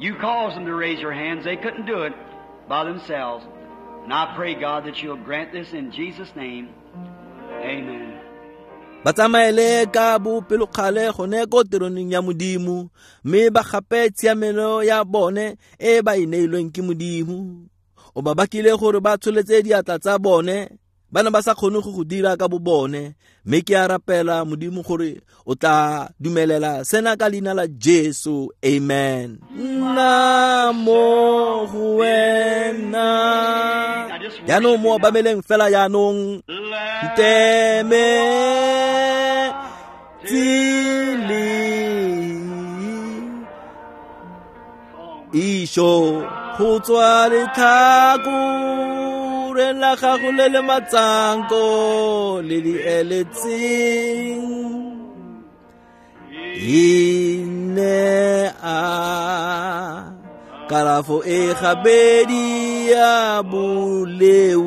You caused them to raise their hands. They couldn't do it by themselves. And I pray, God, that you'll grant this in Jesus' name. Amen. Ba tsamaele ka bopelokgale gone ko teroneng ya Modimo, mme ba gape tshiamelo ya bone e ba e neilweng ke Modimo. O ba bakile gore ba tsholetse diatla tsa bone, Ba ne ba sa kgone go go dira ka bo bone, mme ke a rapela Modimo gore o tla dumelela sena ka leina la Jesu. Amen. Nna mo go wena. Jaanong mo obameleng fela jaanong. Nteme tsile isho go tswa letlhakoreng la gago le le matsanko le di eletseng ine a kalafo e gabedi ya boleu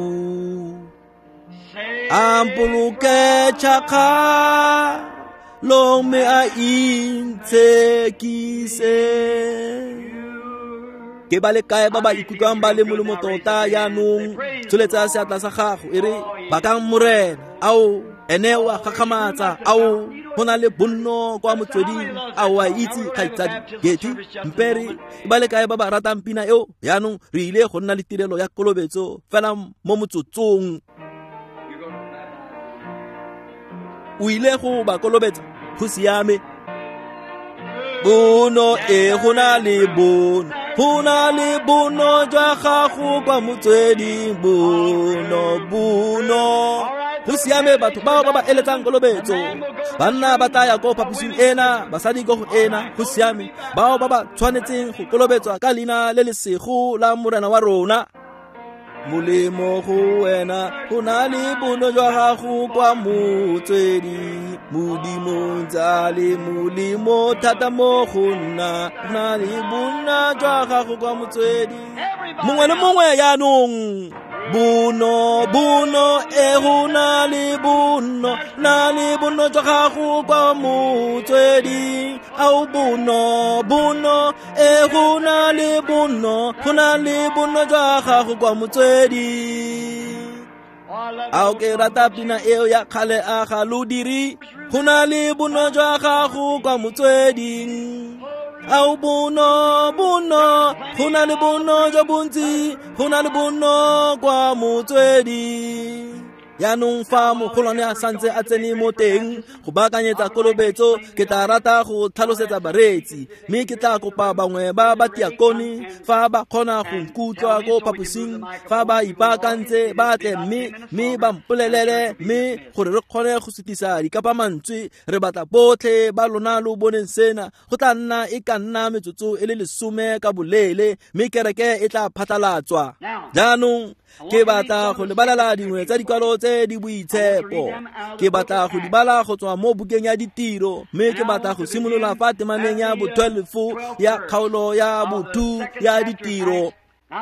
a mpoloke tšhakgalong mme a intshekise. Ke ba le kae ba ba ikutlwang ba le molemo tota jaanong? Tsholetsa seatla sa gago e re bakang Morena. Ao ene o a gakgamatsa. Ao go na le bonno kwa motsweding. Ao a itse kgaitsadi Getty Mpere. Ba le kae ba ba ratang pina eo? Jaanong re ile go nna le tirelo ya kolobetso fela mo motsotsong. O ile go ba kolobetsa, go siame. Bono e go na le bono, go na le bono jwa gago kwa motsweding. Bono, bono. Go siame batho bao ba ba eletsang kolobetso. Banna ba tla ya ko phaposing ena, basadi ko go ena. Go siame bao ba ba tshwanetseng go kolobetswa ka leina le le sego la Morena wa rona. Molemo go wena, go na le bono jwa gago kwa motsweding. Modimo ntse le molemo thata mo go nna, go na le bonna jwa gago kwa motsweding. Mongwe le mongwe jaanong. Bono, bono, e go na le bono, na le bono jwa gago kwa motsweding. Ao bono, bono, e go na le bono, go na le bono jwa gago kwa motsweding. Ao ke rata pina eo ya kgale a ga lo dire. Go na le bono jwa gago kwa motsweding. Ao bono, bono, go na le bono jwa bontsi, go na le bono kwa motsweding. Jaanong fa mogolwane a santse a tsene mo teng go baakanyetsa kolobetso, ke tla rata go tlhalosetsa bareetsi, mme ke tla kopa bangwe ba batiakone fa ba kgona go nkutlwa ko phaposing, fa ba ipaakantse ba tle mme mme ba mpolelele, mme gore re kgone go sutisa dikapamantswe. Re batla botlhe ba lona lo boneng sena. Go tla nna e ka nna metsotso e le lesome ka boleele, mme kereke e tla phatlalatswa. Jaanong ke batla go lebalela dingwe tsa dikwalo tse di boitshepo. Ke batla go di bala go tswa mo bukeng ya ditiro, mme ke batla go simolola fa temaneng ya bo twelve ya kgaolo ya bo two ya ditiro.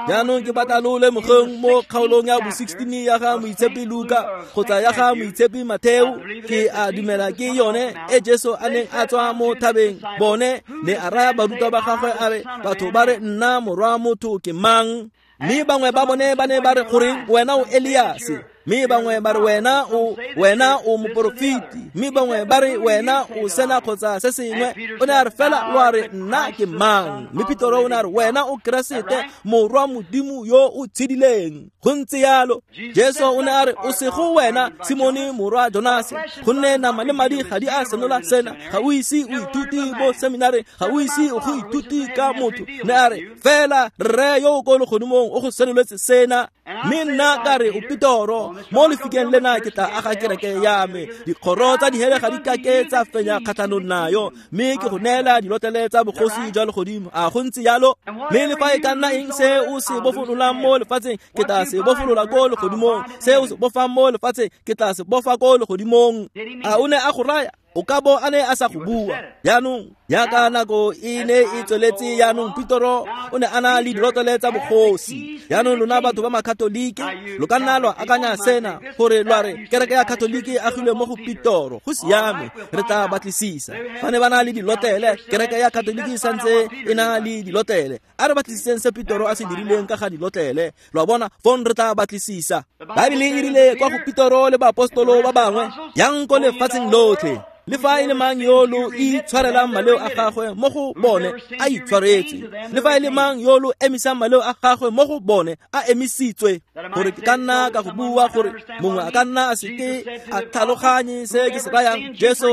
Jaanong ke batla lo lemogeng mo kgaolong ya bo sixteen ya ga Moitshepi Luka kgotsa ya ga Moitshepi Matheo. Ke a dumela ke yone e Jesu a neng a tswa mo thabeng. Bone ne a raya barutwa ba gagwe a re, batho ba re nna morwa motho ke mang? Mme bangwe ba bone ba ne ba re goreng wena o Eliase, mme bangwe ba re wena o wena o moporofeti, mme bangwe ba re wena o sena kgotsa se sengwe. O ne a re fela lo a re nna ke mang? Mme Petro o ne a re wena o Keresete morwa Modimo yo o tshedileng. Go ntse yalo. Jesu o ne a re o sego wena Simone morwa Jonase, gonne nama le madi ga di a senola sena. Ga o ise o ithute bo seminari, ga o ise o go ithute ka motho. Ne a re fela rre yo o ko legodimong o go senoletse sena. Mme nna ka re o Petro, mo lefikeng lena ke tla aga kereke ya me. Dikgoro tsa dihele ga di kake tsa fenya kgatlhanong nayo, mme ke go neela dilotlele tsa bogosi jwa legodimo. A go ntse yalo? Mme le fa e ka nna eng se o se bofololang mo lefatsheng, ke tla se bofolola ko legodimong. Se o se bofang mo lefatsheng, ke tla se bofa ko legodimong. A o ne a go raya? O ka bo a ne a sa go bua. Jaanong jaaka nako e ne e tsweletse, jaanong Petro o ne a na le dilotlele tsa bogosi. Jaanong lona batho ba makatolike lo ka nna lwa akanya sena gore lwa re kereke ya katolike e agilwe mo go Petro. Go siame, re tla batlisisa. Fa ne ba na le dilotlele, kereke ya katolike e santse e na le dilotlele. A re batlisiseng se Petro a se dirileng ka ga dilotlele. Lo a bona, fong re tla batlisisa. Baebele e rile kwa go Petro le baapostolo ba bangwe, yang ko lefatsheng lotlhe Le fa e le mang yo lo itshwarelang maleo a gagwe mo go bone a itshwaretse, le fa e le mang yo lo emisang maleo a gagwe mo go bone a emisitswe. Gore ke ka nna ka go bua gore mongwe a ka nna a seke a tlhaloganye se ke se rayang. Jesu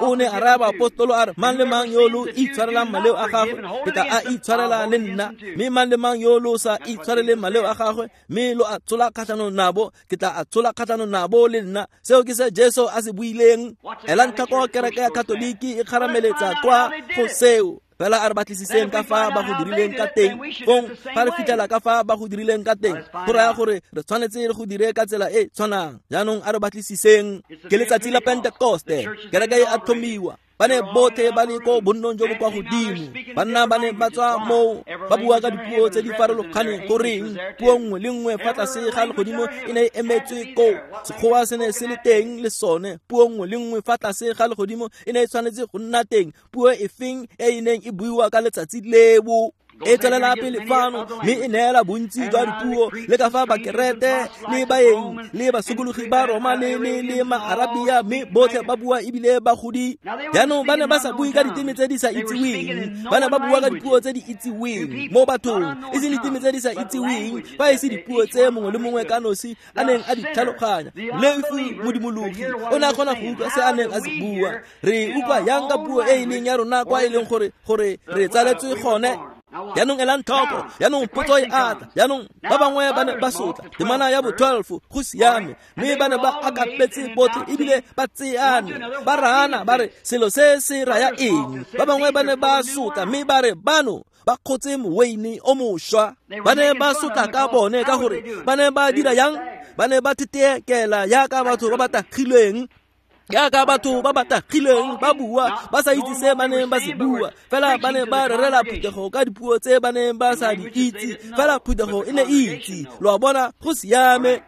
o ne a raya baapostolo a re, mang le mang yo lo itshwarelang maleo a gagwe ke tla a itshwarela le nna, mme mang le mang yo lo sa itshwareleng maleo a gagwe mme lo a tsola kgatlhanong nabo ke tla a tsola kgatlhanong nabo le nna. Seo ke se Jesu a se buileng. Elang tlhoko kereke ya Katoliki e kgarameletsa kwa go seo. Fela a re batlisiseng ka fa ba go dirileng ka teng. Fong fa re fitlhela ka fa ba go dirileng ka teng, go raya gore re tshwanetse re go dire ka tsela e tshwanang. Jaanong a re batlisiseng. Ke letsatsi la Pentekoste, kereke e a tlhomiwa. Ba ne botlhe ba le ko bonnong jo bo kwa godimo. Banna ba ne ba tswa moo ba bua ka dipuo tse di farologaneng. Goreng puo nngwe le nngwe fa tlase ga legodimo e ne e emetswe koo. Sekgowa se ne se le teng le sone. Puo nngwe le nngwe fa tlase ga legodimo e ne e tshwanetse go nna teng. Puo e feng e e neng e buiwa ka letsatsi leo e tswelela pele fano mme e neela bontsi jwa dipuo le ka fa bakerete le baeng le basokologi ba Roma le le le maarabia, mme botlhe ba bua ebile ba godi. Jaanong ba ne ba sa bue ka diteme tse di sa itseweng, ba ne ba bua ka dipuo tse di itseweng mo bathong, e seng diteme tse di sa itseweng, fa e se dipuo tse mongwe le mongwe ka nosi a neng a di tlhaloganya. Lefi modimologi o ne a kgona go utlwa se a neng a se bua. Re utlwa yang ka puo e e leng ya rona kwa e leng gore gore re tsaletswe gone. Jaanong elang tlhoko, jaanong potso e atla. Jaanong ba bangwe ba ne ba sotla temana ya bo twelve, go siame, mme ba ne ba akapetse botlhe ebile ba tseane ba raana ba re selo se se raya eng. Ba bangwe ba ne ba sotla mme ba re bano ba kgotse moweine o mošwa. Ba ne ba sotla ka bone ka gore ba ne ba dira yang, ba ne ba thetekela yaka batho ba ba tagilweng, jaaka batho ba ba tagilweng ba bua ba sa itse se ba neng ba se bua. Fela ba ne ba rerela phuthego ka dipuo tse ba neng ba sa di itse, fela phuthego e ne e itse. Lo a bona, go siame.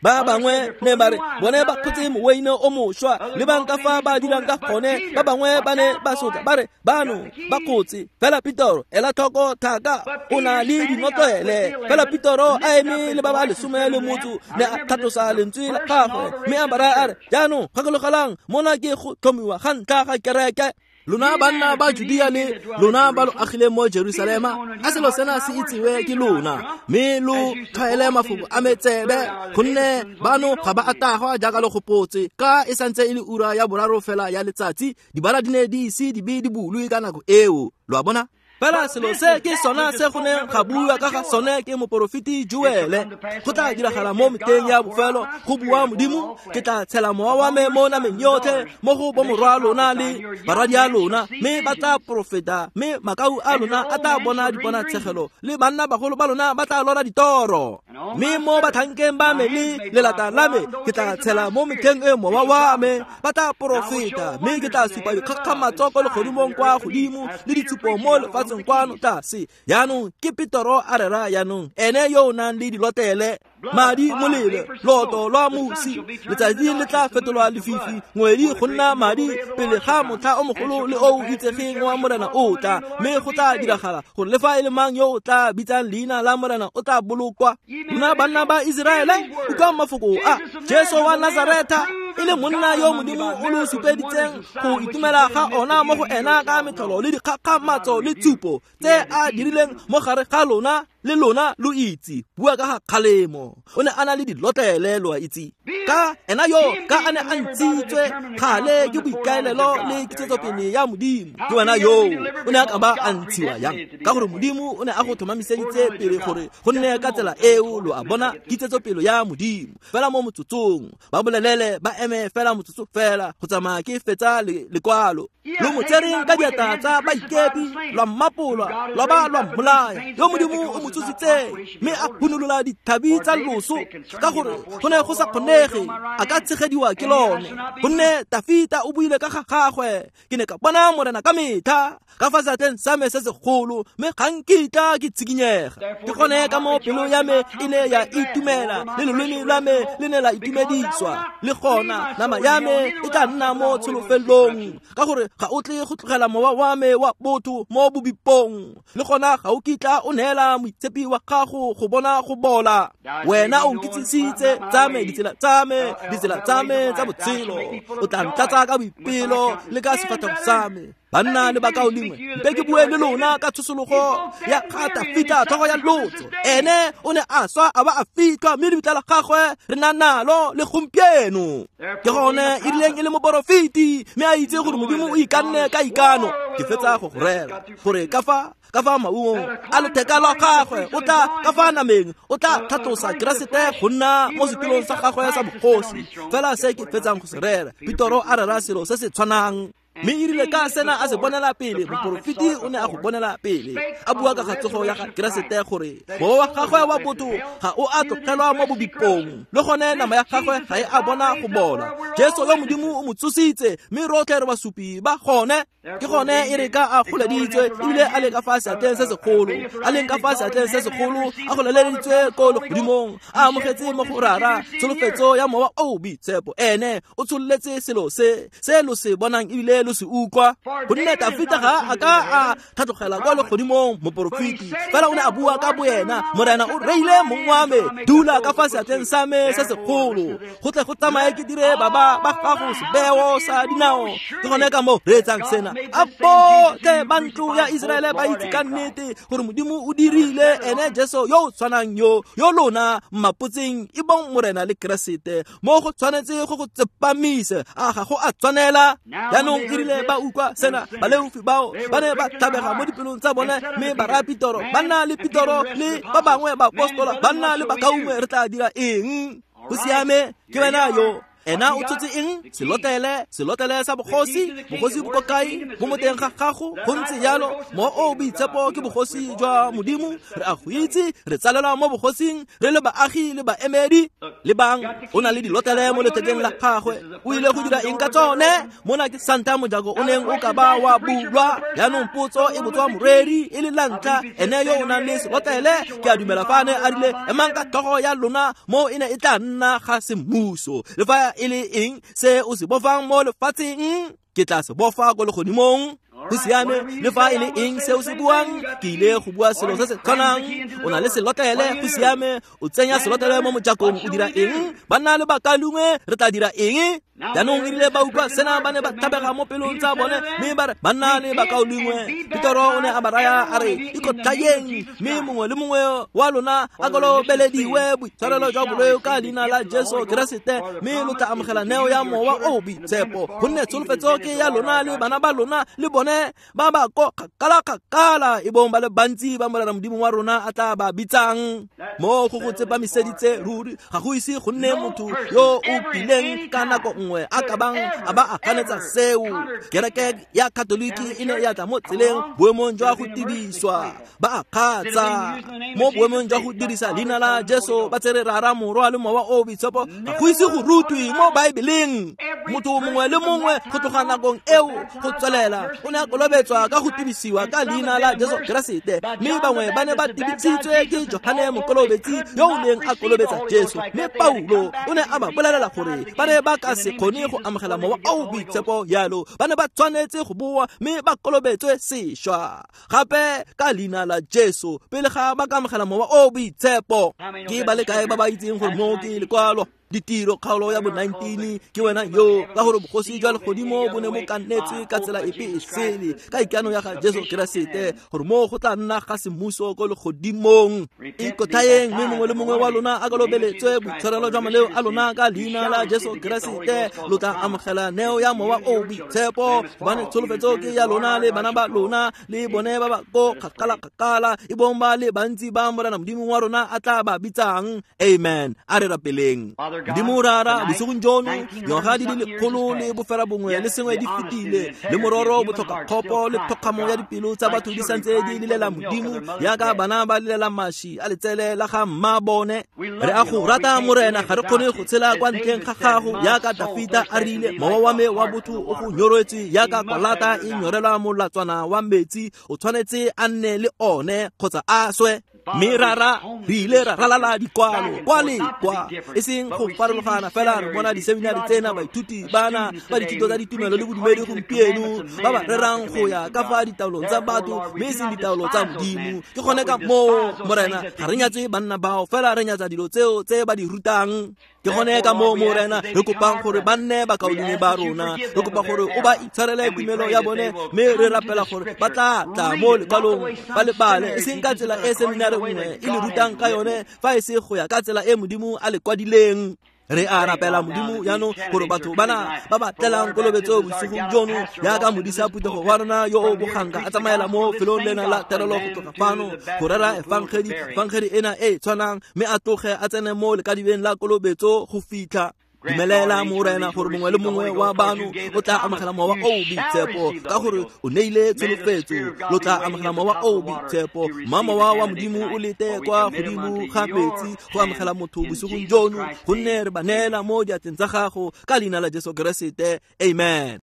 Ba bangwe ne ba re bone ba kgotse moweine o mošwa, le bang ka fa ba dirang ka gone. Ba bangwe ba ne ba sotla ba re bano ba kgotse. Fela Petoro, ela tlhoko thaka, o na le dinotlele. Fela Petoro a eme le ba ba lesome le motho ne a tlhatlosa lentswe la gagwe mme a ba raya a re, jaanong gakologelang, mona ke go tlhomiwa ga ntlha ga kereke. Lona banna ba Judea le lona ba lo agileng mo Jerusalema, a selo sena se itsiwe ke lona, mme lo tlhwaele mafoko a metsebe, gonne bano ga ba a tagwa jaaka lo gopotse. Ka e santse e le ura ya boraro fela ya letsatsi, dibara di ne di ise di be di bulwe ka nako eo. Lo a bona? Fela selo se ke sona se go neng ga bua ka ga sone ke moporofeti Joele. Go tla diragala mo meteng ya bofelo, go bua Modimo, ke tla tshela mowa wa me mo nameng yotlhe, mo go bomorwa lona le barwadi a lona, mme ba tla porofeta, mme makau a lona a tla bona diponatshegelo, le banna bagolo ba lona ba tla lora ditoro. Mme mo batlhankeng ba me le lelata la me ke tla tshela mo metlheng e mowa wa me, ba tla porofeta, mme ke tla supa dikgakgamatso ko legodimong kwa godimo le ditshupo mo lefatsheng kwano tlase. Jaanong ke Petoro a rera jaanong, ene yo o nang le dilotlele, madi molelo, loto lwa mosi, letsatsi le tla fetolwa lefifi, ngwedi go nna madi pele ga motlha o mogolo le o itsegeng wa Morena o tla. Mme go tla diragala gore le fa e le mang yo o tla bitsang leina la Morena o tla bolokwa. Lona banna ba Iseraele, utlwang mafoko a Jesu wa Nazaretha, e le monna yo Modimo o lo supeditseng go itumela ga ona mo go ena ka metlholo le dikgakgamatso le tshupo tse a dirileng mo gare ga lona, le lona lo itse. Bua ka ga kgalemo, o ne a na le dilotlele, lo a itse. Ka ena yo ka a ne a ntshitswe kgale ke boikaelelo le kitsetsopele ya Modimo, ke wena yo o ne a ka ba a ntshiwa yang, ka gore Modimo o ne a go tlhomamiseditse pele gore go nne ka tsela eo. Lo a bona, kitsetsopele ya Modimo. Fela mo motsotsong ba bolelele ba eme fela motsotso fela go tsamaya ke fetsa lekwalo. Lo mo tsereng ka diatla tsa baikepi, lwa mmapolwa, lwa ba lwa mmolaya, yo Modimo o mo tsositseng mme a hunolola dithabi tsa loso, ka gore go ne go sa kgonege a ka tshegediwa ke lone. Gonne Tafita o buile ka ga gagwe, ke ne ka bona Morena ka metlha ka fa seatleng sa me se segolo, mme ga nkitla ke tshikinyega. Ke gone ka mo pelo ya me e ne ya itumela, le loleme lwa me le ne la itumediswa, le gona nama ya me e tla nna mo tsholofelong, ka gore ga o tle go tlogela mowa wa me wa botho mo bobipong, le gona ga o kitla o neela Moitshepi wa gago go bona go bola. Wena o nkitsisitse tsa me ditsela tsa me, ditsela tsa me tsa botshelo. O tla ntlatsa ka boipelo le ka sefatlhego sa me. Banna le bakaulengwe, mpe ke bue le lona ka tshosologo ya ga Tafita tlhogo ya lotso. Ene o ne a swa a ba a fitlhwa, mme lebitla la gagwe re na nalo le gompieno. Ke gone e rileng e le moporofeti, mme a itse gore Modimo o ikanne ka ikano. Ke fetsa go go rera gore ka fa ka fa maungong a letheka la gagwe o tla ka fa nameng o tla tlhatlosa Keresete go nna mo setulong sa gagwe sa bogosi. Fela se ke fetsang go se rera, Petoro a rera selo se se tshwanang. Mme e rile ka sena a se bonela pele, moporofeti o ne a go bonela pele, a bua ka ga tsogo ya ga Keresete gore mowa wa gagwe wa botho ga o a tlogelwa mo bobipong, le gone nama ya gagwe ga e a bona go bola. Jesu yo Modimo o mo tsositse, mme rotlhe re basupi ba gone. Ke gone e re ka a goleditswe ebile a le ka fa seatleng se segolo, a leng ka fa seatleng se segolo, a goleleditswe ko legodimong, a amogetse mo go Rara tsholofetso ya Mowa o o Boitshepo. Ene o tshololetse selo se se lo se bonang ebile lo se utlwa. Gonne Tafita ga a ka a tlhatlogela kwa legodimong, moporofeti, fela o ne a bua ka boena, Morena o reile mong wa me, dula ka fa seatleng sa me se segolo, go tle go tsamaye ke dire baba ba gago sebeo sa dinao. Ke gone ka moo re etsang sena. A botlhe ba ntlo ya Iseraele ba itse ka nnete gore Modimo o dirile ene Jesu yo o tshwanang yo, yo lona mmapotseng e bong Morena le Keresete. Mo go tshwanetse go go tsepamise, a ga go a tshwanela. Jaanong e rile ba utlwa sena, baleofi bao ba ne ba tlhabega mo dipelong tsa bone, mme ba raya Petoro, ba nna le Petoro le ba bangwe baapostola, ba nna le bakaungwe, re tla dira eng? Go siame, ke wena yo. Ena o tshotse eng? Selotlele, selotlele sa bogosi. Bogosi bo ko kae? Bo mo teng ga gago. Go ntse jalo, Mowa o o Boitshepo ke bogosi jwa Modimo. Re a go itse, re tsalelwa mo bogosing, re le baagi le baemedi. Lebang, o na le dilotlele mo lethekeng la gagwe. O ile go dira eng ka tsone? Mona ke santa mojako o neng o ka ba wa bulwa. Jaanong potso e botswa moreri e le la ntlha, ene yo o nang le selotlele. Ke a dumela fa a ne a rile, emang ka tlhogo ya lona, mo e ne e tla nna ga semmuso. Le fa e le eng se o se bofang mo lefatsheng, ke tla se bofa ko legodimong. Go siame, le fa e le eng se o se buang, ke ile go bua selo se se tshwanang. O na le selotlele, go siame, o tsenya selotlele mo mojakong, o dira eng? Banna le bakalungwe, re tla dira eng? Jaanong e rile ba utlwa sena, ba ne ba tlhabega mo pelong tsa bone, mme ba re, banna le bakaulengwe. Petoro o ne a ba raya a re, ikotlhayeng, mme mongwe le mongwe wa lona a kolobelediwe boitshwarelo jwa boleo ka leina la Jesu Keresete, mme lo tla amogela neo ya Mowa o o Boitshepo. Gonne tsholofetso ke ya lona le bana ba lona le bone ba ba ko kgakala-kgakala, e bong ba le bantsi ba Morena Modimo wa rona a tla ba bitsang. Mo go go tsepamiseditse ruri, ga go ise go nne motho yo o kileng ka nako nngwe a ka bang a ba a ganetsa seo. Kereke ya Katoliki e ne ya tla mo tseleng boemong jwa go tibiswa, ba a kgatsa mo boemong jwa go dirisa leina la Jesu, ba tsere Rara, Morwa le Mowa o o Boitshepo. Ga go ise go rutwe mo Baebeleng. Motho mongwe le mongwe go tloga nakong eo go tswelela o ne a kolobetswa ka go tibisiwa ka leina la Jesu Keresete, mme bangwe ba ne ba tibisitswe ke Johane Mokolobetsi yo o neng a kolobetsa Jesu. Mme Paulo o ne a ba bolelela gore ba ne ba ka se kgone go amogela Mowa o o Boitshepo jalo, ba ne ba tshwanetse go boa mme ba kolobetswe sešwa gape ka leina la Jesu pele ga ba ka amogela Mowa o o Boitshepo. Ke ba le kae ba ba itseng gore mo ke lekwalo Ditiro kgaolo ya bo nineteen? Ke wena yo, ka gore bogosi jwa legodimo bo ne bo kannetswe ka tsela epe e sele ka ikano ya ga Jesu Keresete, gore mo go tla nna ga semmuso ko legodimong. Ikotlhayeng, mme mongwe le mongwe wa lona a kolobeletswe boitshwarelo jwa maleo a lona ka leina la Jesu Keresete, lo tla amogela neo ya Mowa o o Boitshepo. Gobane tsholofetso ke ya lona le bana ba lona le bone ba ba ko kgakala-kgakala, e bong ba le bantsi ba Morena Modimo wa rona a tla ba bitsang. Amen. A re rapeleng. Modimo Rara, bosigong jono, dingwaga di le lekgolo le bofera bongwe le sengwe di fetile, le mororo botlhokakgopo le tlhokgamo ya dipelo tsa batho di santse di lilela Modimo yaka bana ba lilela maši a letsele la ga mma bone. Re a go rata Morena, ga re kgone go tshela kwa ntleng ga gago yaka Dafita a rile, mowa wa me wa botho o go nyoretswe yaka kwalata e nyorelwa molatswana wa metsi, o tshwanetse a nne le one kgotsa a swe. Mme rara re ile ra ralala dikwalo kwa le kwa, e seng go farologana fela. Re bona diseminari tsena, baithuti bana ba dithuto tsa ditumelo le bodumedi gompieno ba ba rerang go ya ka fa ditaolong tsa batho mme e seng ditaolo tsa Modimo. Ke gone ka moo, Morena, ga re nyatse banna bao, fela re nyatsa dilo tseo tse ba di rutang. Ke gone ka moo, Morena, re kopang gore ba nne bakaulengwe ba rona. Re kopa gore o ba itshwarele tumelo ya bone, mme re rapela gore ba tla tla mo lekwalong ba le bale, e seng ka tsela e seminari nngwe e le rutang ka yone, fa e se go ya ka tsela e Modimo a le kwadileng. Re a rapela, Modimo, jaanong gore batho bana ba ba tlelang kolobetso bosigong jono, jaaka modisa phuthego wa rona yo o boganka a tsamaela mo felong lena la terelo go tloga fano go rera efangedi, efangedi ena e e tshwanang, mme a tloge a tsene mo lekadibeng la kolobetso go fitlha. Dumelela, Morena, gore mongwe le mongwe wa bano o tla amogela Mowa o o Boitshepo, ka gore o neile tsholofetso, lo tla amogela Mowa o o Boitshepo. Mma Mowa wa Modimo o lete kwa godimo ga metsi go amogela motho bosigong jono, gonne re ba neela mo diatleng tsa gago ka leina la Jesu Keresete. Amen.